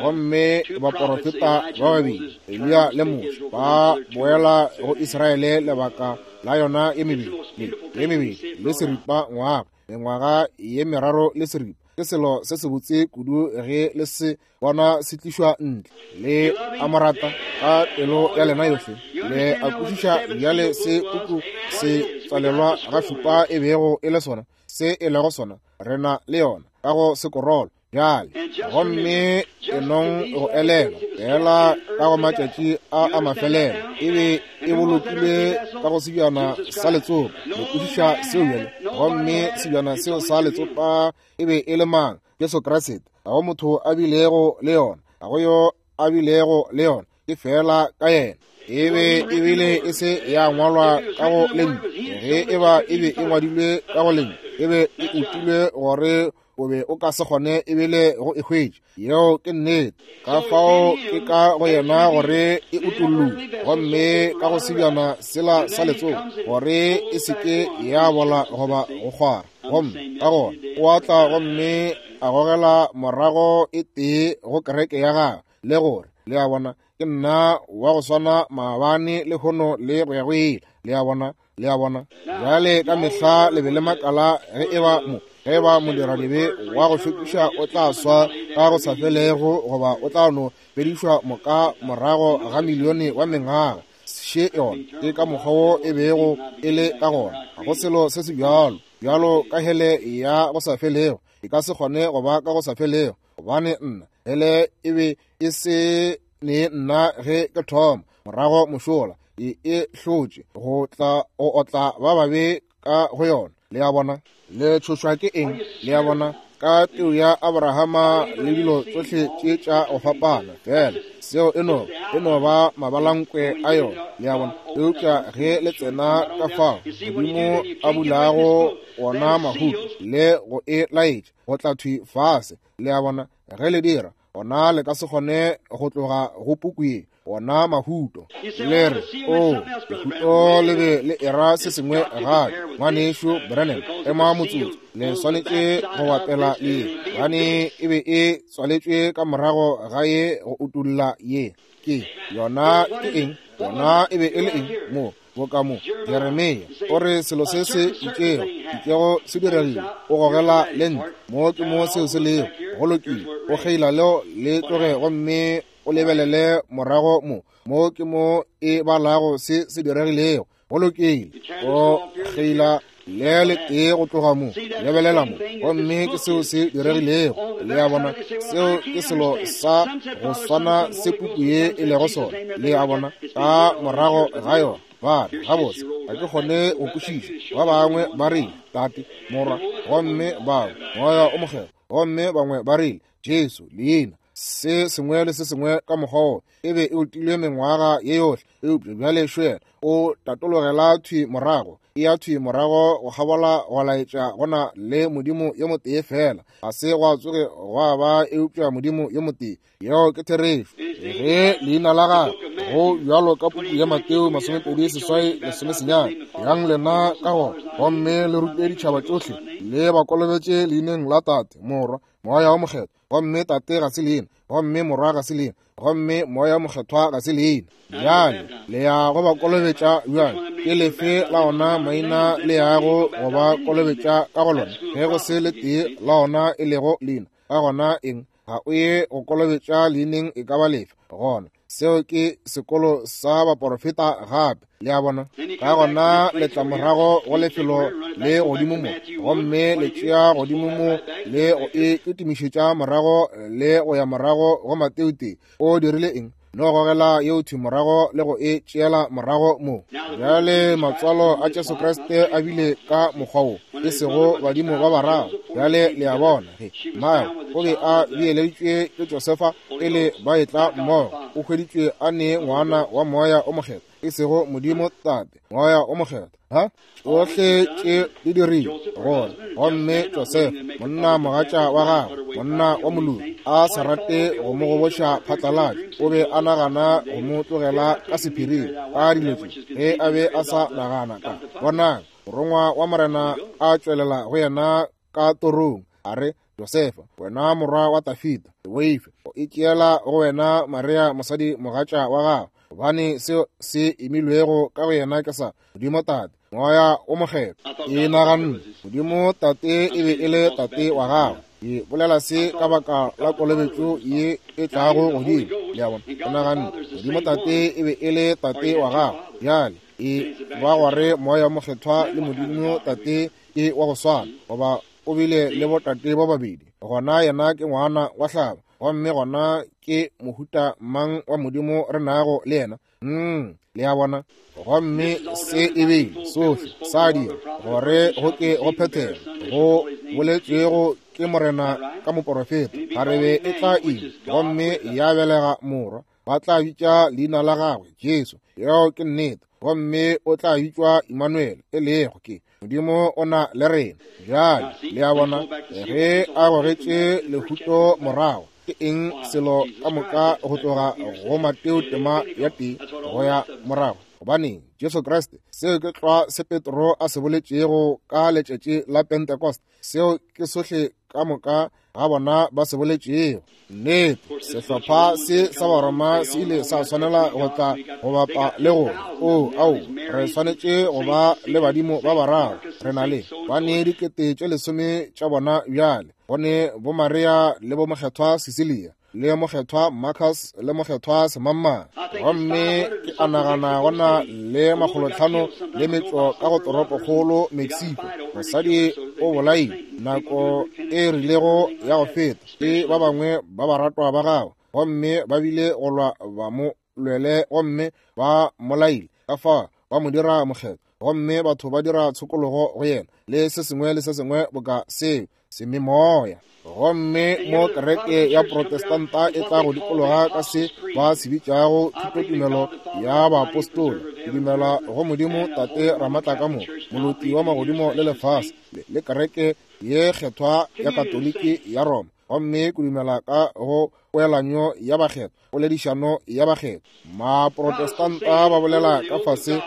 Gomme baporofeta ba babedi, Eliya le Moshe, ba boela go Israele lebaka la yona ye mebedi le ye mebedi le seripa ngwaga, mengwaga ye meraro le seripa. Ke selo se sebotse kudu ge le se bona se tlišwa ntle. Le a mo rata ka pelo ya lena yohle. Le a kwešiša bjale se puku se tswalelwa ga šupa e bego e le sona, se e lego sona. Re na le yona ka go sekorolo bjale. Gomme enong go elelwa fela ka go matšatši a a mafelelo e be e bolokilwe ka go sebjana sa letsopa. Le kwešiša seo bjale. Gomme sebjana seo sa letsopa e be e le mang? Jesu Kriste. Ga go motho a bilego le yona, ga go yo a bilego le yona, ke fela ka yena. E be e bile e se ya ngwalwa ka go lentšu. Ge e ba e be e ngwadilwe ka go lentšu, e be e utilwe gore o be o ka se kgone ebile go e hwetša. Yeo ke nnete. Ka fao ke ka go yena gore e utollwe, gomme ka go sebjana sela sa letsopa gore e se ke ya bola goba go kgwara. Gomme ka gona o a tla gomme a gogela morago e tee go kereke ya gagwe, le gore le a bona ke nna wa go swana maabane le hono le go ya go ile. Le a bona, le a bona. Bjale ka mehla le be le makala ge e ba mo ge ba modiradibe wa go šokiša o tla swa ka go sa felego goba o tla no fedišwa moka morago ga milione wa mengwaga. Še yona ke ka mokgwa wo e bego e le ka gona. Ga go selo se se bjalo bjalo ka hele ya go sa felego. E ka se kgone go ba ka go sa felego, gobane nna hele e be e se ne nna ge ke thoma morago mošola e e hlotše go tla go otla ba babe ka go yona. Le a bona, le tšhošwa ke eng? Le a bona, ka peu ya Abrahama le dilo tsohle tše tša go fapana fela seo e no e no ba mabalankwe a yona. Le a bona. Eupša ge le tsena ka fao Modimo a bulago ona mahuto le go e laetša go tla thwi fase. Le a bona, ge le dira ona le ka se kgone go tloga go puku ye, ona mahuto. Le re, o lehuto le be le era se sengwe gape. Ngwanešu Branham, ema motsotso, le swanetše go bapela le ye, gobane e be e tswaletšwe ka morago ga ye go utolla ye. Ke yona ke eng? Yona e be e le eng mo? Boka mo Jeremia o re selo se se itšego itšego se diregile, o gogela le ntle mo ke mo seo se lego. Go lokile, o kgeila leo le tloge gomme o lebelele morago mo mo ke mo e balago se se diregilego. Go lokile, o kgeila le le tee go tloga mo, lebelela mo, gomme ke seo se diregilego. Le a bona, seo ke selo sa go swana se puku ye e lego sona. Le a bona, ka morago ga yona ba re gabotse ga ke kgone go kwešiša. Ba bangwe ba rile Tate, Morwa, gomme bangwe Moya o Mokgethwa, gomme bangwe ba rile Jesu leina, se sengwe le se sengwe ka mokgwa wo. E be e utilwe mengwaga ye yohle, eupša bjale šwela o tatologela thwi morago, e ya thwi morago go kgabola go laetša go na le Modimo yo motee fela. Ga se gwa tsoge gwa ba eupša Modimo yo motee. Yeo ke therešo. Ge leina la gagwe go bjalo ka puku ya Mateo masomepedi seswai lesomesenyane, yang lena ka gona gomme le rute ditšhaba tšohle, le ba kolobetše leineng la Tate, Morwa, Moya o Mokgethwa. Gomme Tate ga se leina, gomme Morwa ga se leina, gomme Moya Mokgethwa ga se leina. Bjale le ya go ba kolobetša bjang? Ke lefe la ona maina le yago go ba kolobetša ka go lona? Ge go se le tee la ona e lego leina, ka gona eng? Ga o ye go kolobetša leineng e ka ba lefe gona. Seo ke sekolo sa baporofeta gape. Le a bona. Ka gona le tla morago go lefelo le godimo mo, gomme le tšea godimo mo le go e kitimišetša morago le go ya morago go Mateo tee. O dirile eng? No gogela yeo thwi morago le go e tšeela morago mo. Bjale matswalo a Jesu Kriste a bile ka mokgwa wo, e sego badimo ba bararo. Bjale le a bona ge mmago o be a beeleditšwe ke Josefa pele ba etla mmogo, o hweditšwe a ne ngwana wa Moya o Mokgethwa, e sego Modimo Tate, Moya o Mokgethwa. Ha tšohle tše di dirile gore gomme Josefa, monna mogatša wa gagwe, monna wa moloki, a sa rate go mo goboša phatlalatša, o be a nagana go mo tlogela ka sephiring ka dilo tše ge a be a sa nagana ka. Bonang, morongwa wa Morena a tšwelela go yena ka torong, a re, Josefa, wena morwa wa Dafida, se boife go itšeela go wena Maria mosadi mogatša wa gago, gobane seo se imilwego ka go yena ke sa Modimo Tate, Moya o Mokgethwa. Ke naganne Modimo Tate e be e le Tate wa gago. Ke bolela se ka baka la kolobetšo ye e tlago godimo. Le a bona? Ke naganne Modimo Tate e be e le Tate wa gago. Bjale e ba gore Moya o Mokgethwa le Modimo Tate ke wa go swana, goba o bile le botate ba babedi. Gona yena ke ngwana wa hlaba, gomme gona ke mohuta mang wa Modimo re nago le yena? Mm, le a bona? Gomme se e bile sohle sa dira gore go ke go phethega go boletšwego ke Morena ka moporofeta, kgarebe e tla ima gomme ya belega morwa, ba tla bitša leina la gagwe Jesu. Yeo ke nnete. Gomme o tla bitšwa Emmanuel, e lego ke Modimo o na le rena. Bjale le a bona, ge a gogetše lehuto morago, ke eng selo ka moka go tloga go Mateo tema ya tee go ya morago? Gobaneng Jesu Kriste, seo ke tlwa se Petro a se boletšego ka letšatši la Pentecost, seo ke sohle ka moka ga bona ba se boletšego. Nnete, sehlopha se sa Baroma se ile sa swanela go tla go bapa le go o ao, re swanetše go ba le badimo ba bararo. Re na le ba ne dikete tše lesome tša bona bjale, go ne bo Maria le bo Mokgethwa Cecilia le Mokgethwa Marcus le Mokgethwa Semangmang. Gomme ke a nagana go na le makgolotlhano le metšo ka go toropokgolo Mexico. Mosadi o bolaile nako e rilego ya go feta ke ba bangwe ba baratwa ba gagwe, gomme ba bile go lwa ba mo lwele gomme ba molaile, ka fa ba mo dira mokgethwa, gomme batho ba dira tshokologo go yena le se sengwe le se sengwe boka seo sememoya. Gomme mo kereke ya Protestanta e tla go dikologa ka se ba se bitšago thutotumelo ya baapostola. Ke dumela go Modimo Tate Ramatlakamoka, moloti wa magodimo le lefase, le kereke ye kgethwa ya Katoliki ya Roma, gomme ke dumela ka go poelanyo ya bakgethwa, poledišano ya bakgethwa. Maprotestanta ba bolela ka fase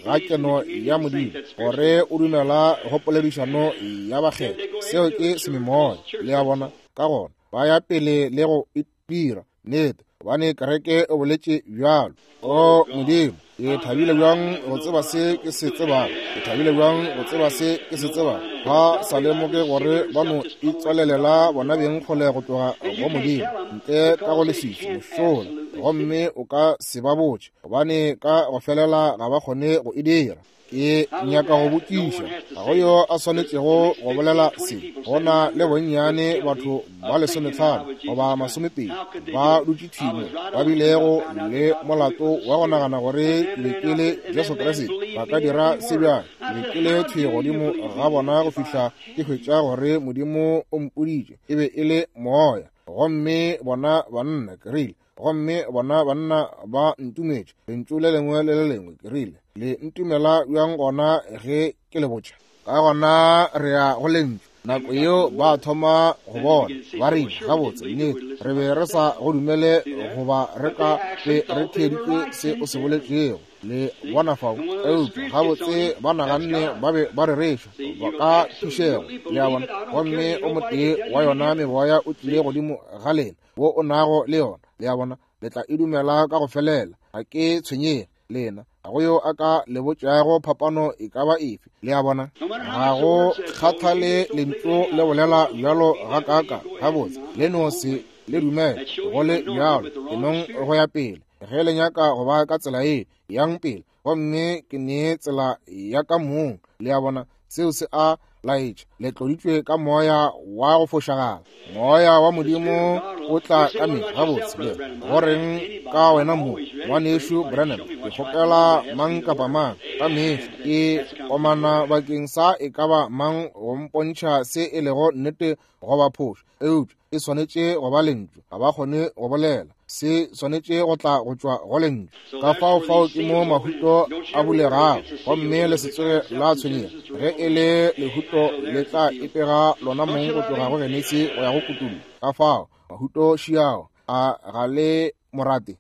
ga keno ya Modimo gore o dumela go poledišano ya bakgethwa. Seo ke sememoya, le a bona. Ka gona ba ya pele le go itira nnete, gobane kereke o boletše bjalo. O Modimo, ke thabile bjang go tseba se ke se tsebago, ke thabile bjang go tseba se ke se tsebago. Ba sa lemoge gore ba no itswalelela bona beng kgole go tloga go Modimo, ntle ka go leswiswi mošola, gomme o ka se ba botše, gobane ka go felela ga ba kgone go e dira. Ke nyaka go botšiša, ga go yo a swanetšego go bolela se. Go na le bonnyane batho ba lesometlhano goba masomepedi ba dutše thwi mo, ba bilego le molato wa go nagana gore ke be ke le Jesu Kriste. Ba ka dira se bjang? Ke be ke le thwi godimo ga bona go fihla ke hwetša gore Modimo o mpoditše e be e le moya. Gomme bona banna, ke rile, gomme bona banna ba ntumetše lentšu le lengwe le le lengwe. Ke rile, le ntumela bjang gona ge ke le botša? Ka gona re ya go lentšu. Nako yeo ba thoma go bona, ba rile, gabotse, nnete, re be re sa go dumele goba re ka be re theeditše se o se boletšego. Le bona fao? Eupša gabotse ba naganne ba be ba rereša ba ka phišego, le a bona. Gomme o motee wa yona meboya o tlile godimo ga lena wo o nago le yona, le a bona. Le tla e dumela ka go felela, ga ke tshwenyege lena, ga go yo a ka le botšago phapano e ka ba efe, le a bona. Ga go kgathale lentšu le bolela bjalo ga kaka, gabotse le no se le dumele go le bjalo, ke nong go ya pele. Ge le nyaka go ba ka tsela ye, yang pele, gomme ke nee tsela ya ka mong, le a bona. Seo se a laetša le tloditšwe ka moya wa go fošagala. Moya wa Modimo o tla ka mehla. Gabotse le goreng ka wena mo ngwanešu Branham, ke kgopela mang kapa mang ka mehla ke komana bakeng sa e ka ba mang go mpontšha se e lego nnete goba phošo, eupša e swanetše go ba lentšu. Ga ba kgone go bolela, se swanetše go tla go tšwa go lentšu. Ka fao fao ke mo mahuto a bulegago, gomme le se tsoge la tshwenyega. Ge e le lehuto le tla ipega lona mong go tloga go Genesi go ya go Kutullo. Ka fao mahuto šiao a ga le morate.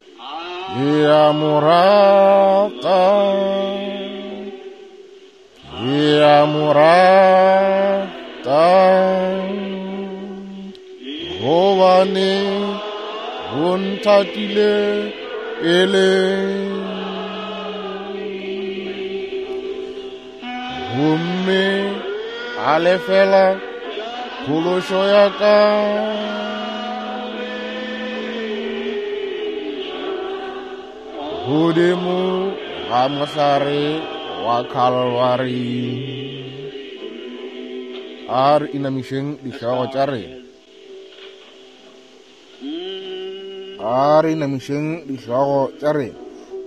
Ke a mo rata, ke a mo rata, gobane o nthatile pele. Gomme a lefela phološo ya ka. Godimo ga mohlare wa Kalvari. A re inamišeng dihlogo tša rena. A re inamišeng dihlogo tša rena.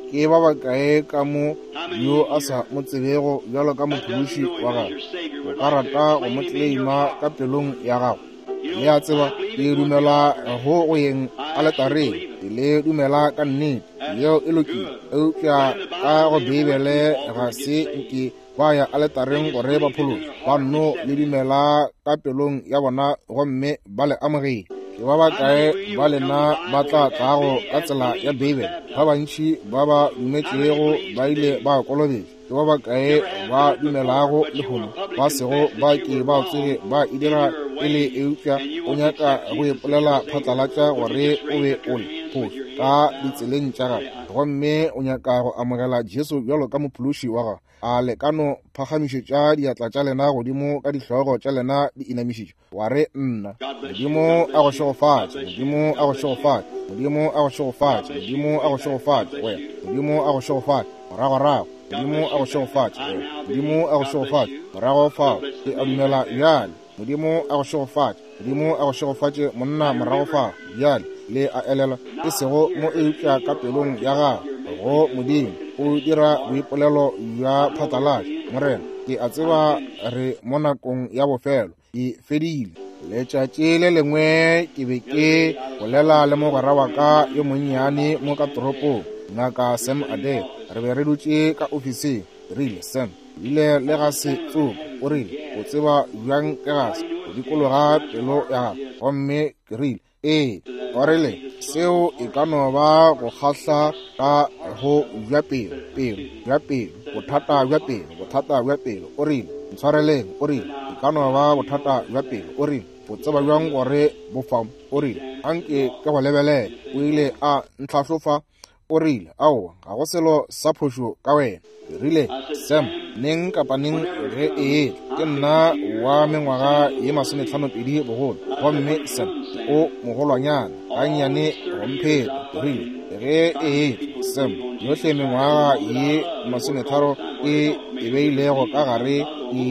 Ke ba bakae ka mo yo a sa mo tsebego bjalo ka mophološi wa gago? O ka rata go mo tleleima ka pelong ya gago? Le a tseba, ke dumela go go yeng aletareng, le dumela ka nnete, yeo e lokile. Eupša ka go Beibele ga se nke ba ya aletareng gore ba phološwe, ba nno le dumela ka pelong ya bona gomme ba le amogele. Ke ba bakae ba lena ba tla tlago ka tsela ya Beibele? Ba bantši ba ba dumetšego ba ile ba kolobetšwa. Ke ba bakae ba dumelago lehono ba sego ba ke ba tsoge ba e dira pele, eupša o nyaka go ipolela phatlalatša gore o be o le phošo ka ditseleng tša gago, gomme o nyaka go amogela Jesu bjalo ka mophološi wa gago? A le ka no phagamišetša diatla tša lena godimo ka dihlogo tša lena di inamišitšwe, wa re, nna Modimo a go šegofatše, Modimo a go šegofatše, Modimo a go šegofatše, Modimo a go šegofatše wena, Modimo a go šegofatše, moragorago, Modimo a go šegofatše wena, Modimo a go šegofatše, morago fao, ke a dumela bjale, Modimo a go šegofatše, Modimo a go šegofatše monna morago fao bjale. Le a elelwa, e sego mo eupša ka pelong ya gago go Modimo o dira boipolelo bja phatlalatša. Morena, ke a tseba re mo nakong ya bofelo, ke fedile. Letšatši le lengwe ke be ke bolela le mogwera wa ka yo monnyane mo ka toropong, Ngaka Sam Adair. Re be re dutše ka ofising. Rile, Sam, bile le ga se tsoko. O rile, o tseba bjang ke gase go dikologa pelo ya gago? Gomme ke rile, ee. O rile, seo e ka no ba go kgahla ka go bja pelo, pelo, bja pelo, bothata bja pelo, bothata bja pelo. O rile, ntshwareleng. O rile, e ka no ba bothata bja pelo. O rile, o tseba bjang gore bo fa? O rile, anke ke go lebelele. O ile a ntlhahlofa. O rile, aowa, ga go selo sa phošo ka wena. Ke rile, Sam, neng kapa neng ge e etla, ke nna wa mengwaga ye masometlhanopedi bogolo, gomme Sam o mogolwanyana gannyane go mpheta. Ke rile, ge e etla, Sam, yohle mengwaga ye masometharo e e beilego ka gare ke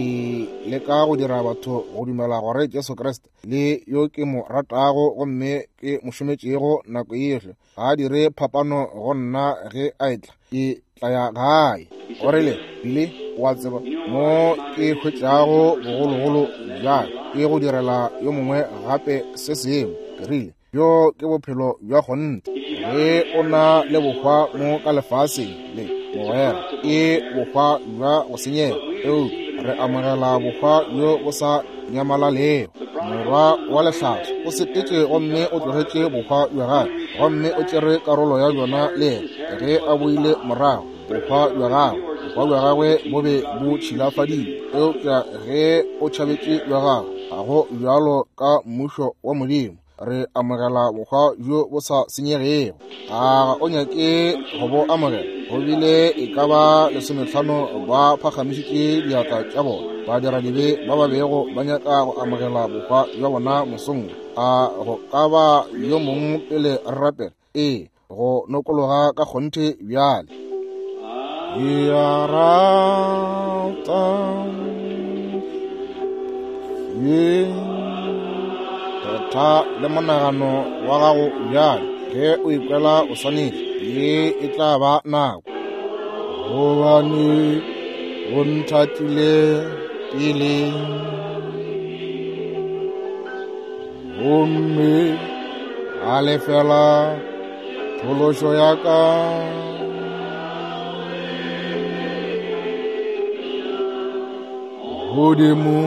leka go dira batho go dumela gore Jesu Kriste le yo ke mo ratago gomme ke mo šometšego nako yohle ga a dire phapano go nna ge a etla, ke tla ya gae. O rile, Billy, o a tseba mo ke hwetšago bogologolo bja ke go direla yo mongwe gape se sengwe. Ke rile, bjo ke bophelo bja kgonthe. Ge o na le bohwa mo ka lefaseng le, mogwera, ke bohwa bja go senyega, eupša re amogela bohwa bjo bo sa nyamalalego. Morwa wa lehlaso o sepetše gomme o tlogetše bohwa bja gagwe, gomme o tšere karolo ya bjona le yena. Ge a boile morago, bohwa bja gagwe, bohwa bja gagwe bo be bo tšhilafadile. Eupša ge o tšhabetše bja gago, ga go bjalo ka mmušo wa Modimo. Re amogela bohwa bjo bo sa senyegego. A o nyake go bo amogela? Go bile e ka ba lesometlhano ba phagamišitše diatla tša bona, ba dira dibe ba ba bego ba nyaka go amogela bohwa bja bona mosong. A go ka ba yo mongwe pele re rapela? Ee, go nokologa ka kgonthe bjale. Ke a rata, Phetha le monagano wa gago bjale, ge o ikwela o swanetše, ye e tla ba nako. Gobane o nthatile pele, gomme a lefela phološo ya ka. Godimo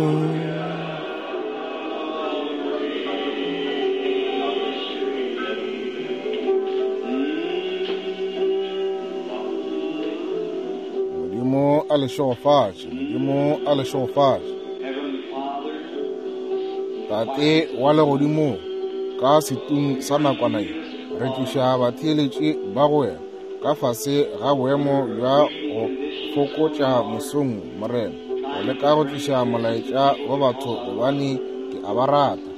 Modimo a le šegofatše, Modimo a le šegofatše. Tate wa legodimo, ka setung sa nakwana ye, re tliša batheeletši ba go wena ka fase ga boemo bja go fokotša mosong, Morena, go leka go tliša molaetša go batho, gobane ke a ba rata.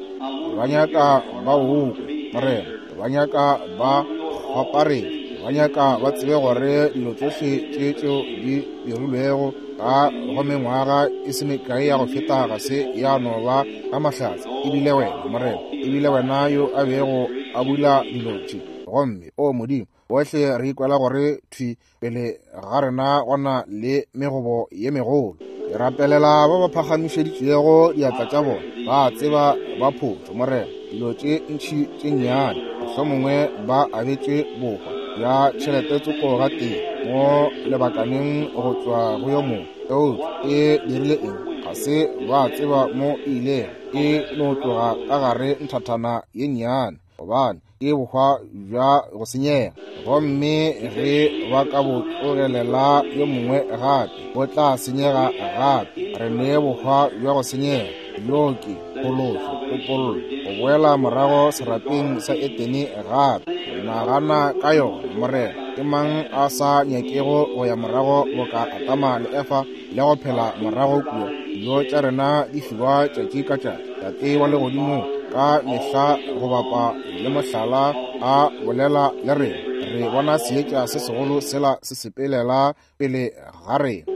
Ba nyaka ba o kwe, Morena, ba nyaka ba kgwaparetše, ba nyaka ba tsebe gore dilo tšohle tše tšeo di dirilwego ka go mengwaga e se mekae ya go feta ga se ya no ba ka mahlatse. Ebile wena, Morena, ebile wena yo a bego a bula dilo tše. Gomme, o Modimo, bohle re ikwela gore thwi pele ga rena gona le megobo ye megolo. Ke rapelela ba ba phagamišeditšego diatla tša bona, ba tseba ba photšo, Morena, dilo tše ntši tše nnyane, mohlomongwe ba abetše bohwa bja tšhelete tsoko ga tee mo lebakaneng go tšwa go yo mongwe. Eupša e dirile eng? Ga se ba tseba mo e ilego, e no tloga ka gare nthathana ye nnyane, gobane ke bohwa bja go senyega. Gomme ge ba ka bo tlogelela yo mongwe gape, bo tla senyega gape. Re ne bohwa bja go senyega, bjo ke phološo, topollo, go boela morago serapeng sa Etene gape. Nagana ka yona, Morena. Ke mang a sa nyakego go ya morago boka Adama le Efa le go phela morago kua? Dijo tša rena di fiwa tšatši ka tšatši. Tate wa legodimo ka mehla go bapa le mohlala a bolela le rena. Re bona seetša se segolo sela se sepelela pele ga rena.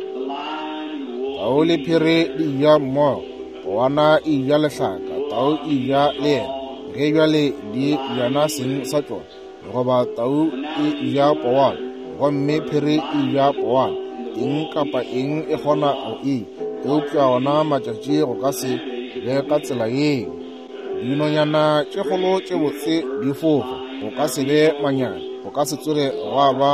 Tau le phiri di ja mmogo, powana e ja lehlaka, tau e ja le yena. Ge bjale di jana seng sa tšona, goba tau e ja powana gomme phiri e ja powana, eng kapa eng e kgona go e, eupša ona matšatši go ka se be ka tsela yeo. Dinonyana tše kgolo tše botse di fofa, go ka se be manyana, go ka se tsoge gwa ba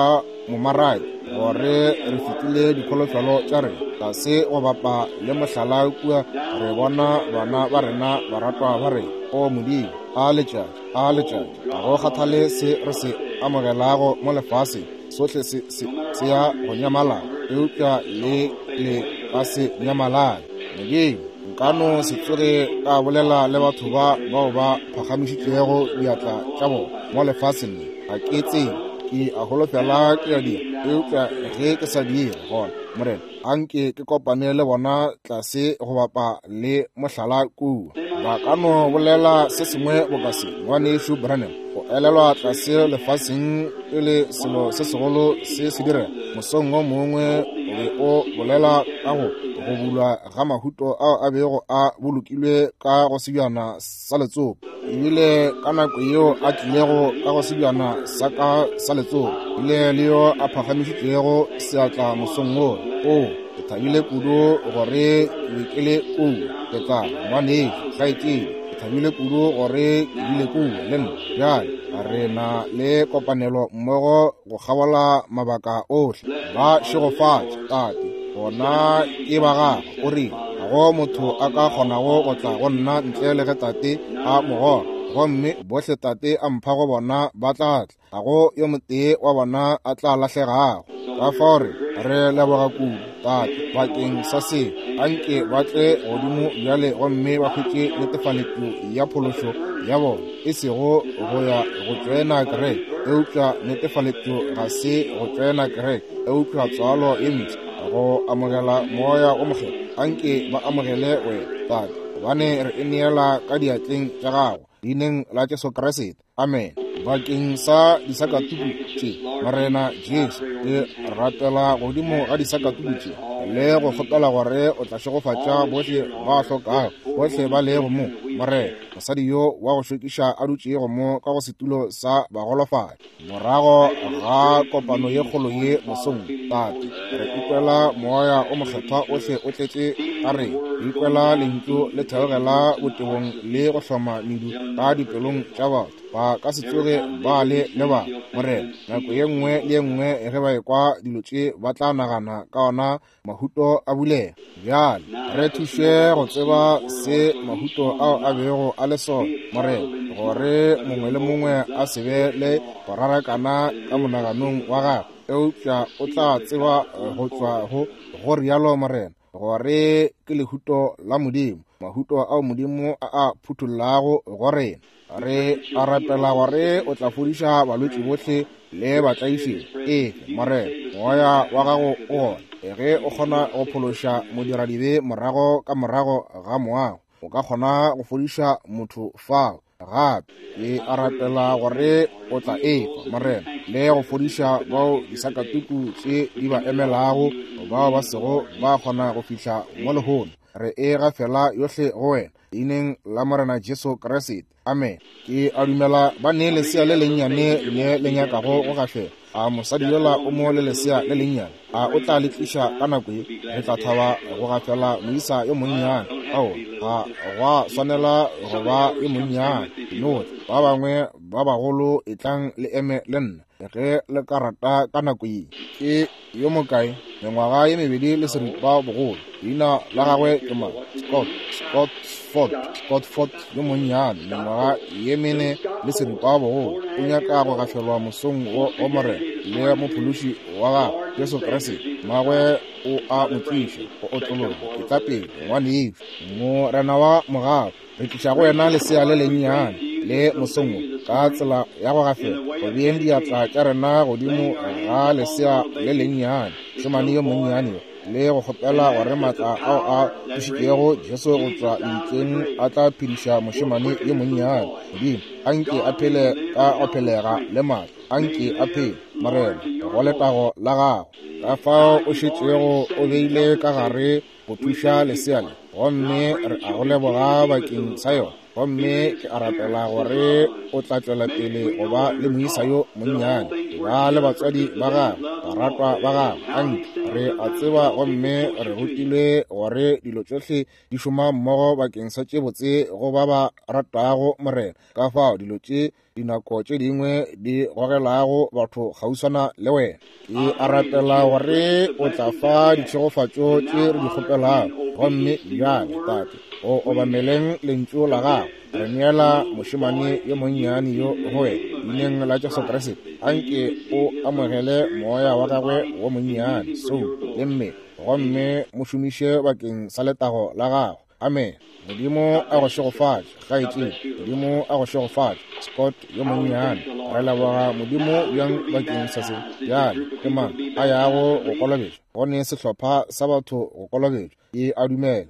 momaraki gore re fetile dikholofelo tša rena. Tlase go bapa le mohlala kua re bona bana ba rena, baratwa ba rena. O Modimo, a letšatši, a letšatši, ga go kgathale se re se amogelago mo lefaseng, sohle se se se ya go nyamalala, eupša le le ka se nyamalale. Modimo, nka no se tsoge ka bolela le batho ba bao ba phagamišitšego diatla tša bona mo lefaseng le. Ga ke tsebe, ke a holofela ke a dira, eupša ge ke sa dire gona, Morena, anke ke kopane le bona tlase go bapa le mohlala kua. Ba ka no bolela se sengwe boka se, ngwanešu Branham, go elelwa tlase lefaseng pele selo se segolo se se direga. Mosong o mongwe o be o bolela ka go go bulwa ga mahuto ao a bego a bolokilwe ka go sebjana sa letsopa. Ebile ka nako yeo a tlilego ka go sebjana sa ka sa letsopa, ebile le yo a phagamišitšego seatla mosong wo. O, ke thabile kudu gore ke be ke le kua. Ke tla, ngwanešu, kgaetšedi, ke thabile kudu gore ke bile kua le nna. Bjale re na le kopanelo mmogo go kgabola mabaka ohle. Ba šegofatše, Tate, bona ke ba gago. O rile, ga go motho a ka kgonago go tla go nna ntle le ge Tate a mo goga, gomme bohle Tate a mpha go bona ba tla tla. Ga go yo motee wa bona a tla lahlegago. Ka fao re re leboga kudu, Tate, bakeng sa se. Anke ba tle godimo bjale gomme ba hwetše netefaletšo ya phološo ya bona, e sego go ya go tšoena kereke, eupša netefaletšo ga se go tšoena kereke, eupša tswalo ye mpsha, go amogela moya o mokgethwa. Anke ba amogele wena, Tate, gobane re e neela ka diatleng tša gago, leineng la Jesu Kriste. Amen. Bakeng sa disakatuku tše, Morena Jesu, ke rapela godimo ga disakatuku tše le go kgopela gore o tla šegofatša bohle ba hlokago, bohle ba lego mo. Morena, mosadi yo wa go šokiša a dutšego mo ka go setulo sa bagolofadi, morago ga kopano ye kgolo ye mosong, Tate, re ikwela moya o mokgethwa ohle o tletše ka rena, re ikwela lentšu le theogela botebong le go hloma medu ka dipelong tša batho. Ba ka se tsoge ba le lebala, Morena. Nako ye nngwe le ye nngwe ge ba ekwa dilo tše, ba tla nagana ka ona mahuto a bulega. Bjale re thuše go tseba se mahuto ao a bego a le sona, Morena, gore mongwe le mongwe a se be le go rarakana ka monaganong wa gagwe, eupša o tla tseba go tšwa go go rialo, Morena, gore ke lehuto la Modimo, mahuto ao Modimo a a phuthullago go rena. Re a rapela gore o tla fodiša balwetši bohle le batlaišegi. Efe, Morena, moya wa gago o gona. Ge o kgona go phološa modiradibe morago ka morago ga moago, o ka kgona go fodiša motho fao gape. Ke a rapela gore o tla efa, Morena, le go fodiša bao disakatuku tše di ba emelago, bao ba sego ba kgona go fihla mo lehono. Re e gafela yohle go wena, leineng la Morena Jesu Kriste. Amen. Ke a dumela ba ne lesea le lennyane le le nyakago go gafela. A mosadi yola o mo le lesea le lennyane, a o tla le tliša ka nako ye? Re tla thaba go gafela moisa yo monnyane. Ao, ga gwa swanela go ba yo monnyane. No, ba bangwe ba bagolo etlang le eme le nna ge le ka rata ka nako ye. Ke yo mokae? Mengwaga ye mebedi le seripa bogolo. Leina la gagwe ke mang? Scott, Scott Ford, Scott Ford yo monnyane, mengwaga ye mene le seripa bogolo. O nyaka go gafelwa mosong wo wa Morena le mophološi wa gagwe Jesu Kriste. Mmagwe o a mo tliša go otlologa. Etla pele, ngwanešu. Morena wa mogau, re tliša go wena lesea le lennyane le mosong wo ka tsela ya go gafela, go beeng diatla tša rena godimo ga lesea le lennyane, mošemane yo monnyane yo, le go kgopela gore maatla ao a tsošitšego Jesu go tšwa lebitleng a tla phediša mošemane yo monnyane. Modimo, anke a phele ka go phelega le maatla, anke a phele, Morena, go letago la gago. Ka fao o šetšego o beile ka gare go thuša lesea le, gomme re a go leboga bakeng sa yona. Gomme ke a rapela gore o tla tšwela pele go ba le moisa yo monnyane, ba le batswadi ba gagwe, baratwa ba gagwe. Anke re a tseba gomme re rutilwe gore dilo tšohle di šoma mmogo bakeng sa tše botse go ba ba ratago Morena. Ka fao dilo tše dinako tše dingwe di gogelago batho kgauswana le wena. Ke a rapela gore o tla fa ditšhegofatšo tše re di kgopelago. Gomme bjale, Tate, o obameleng lentšu la gago, re neela mošemane yo monnyane yo go wena, leineng la Jesu Kriste. Anke o amogele moya wa gagwe wo monnyane, soulo le mmele, gomme mo šomiše bakeng sa letago la gago. Amen. Modimo a go šegofatše, kgaetšedi. Modimo a go šegofatše, Scott yo monnyane. Re leboga Modimo bjang bakeng sa se. Bjale ke mang a yago go kolobetšwa? Go ne sehlopha sa batho go kolobetšwa. Ke a dumela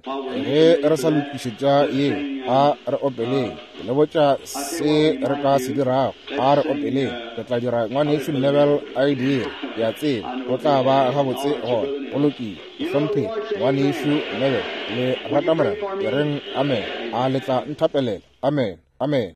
ge re sa lokišetša yeo, a re opeleng. Ke le botša se re ka se dirago. A re opeleng. Re tla dira ngwanešu Neville a e dire. Ke a tseba go tla ba gabotse gona. Go lokile. Hlompheng ngwanešu Neville. Le rata Morena? Ke reng amen. A le tla nthapelela? Amen. Amen.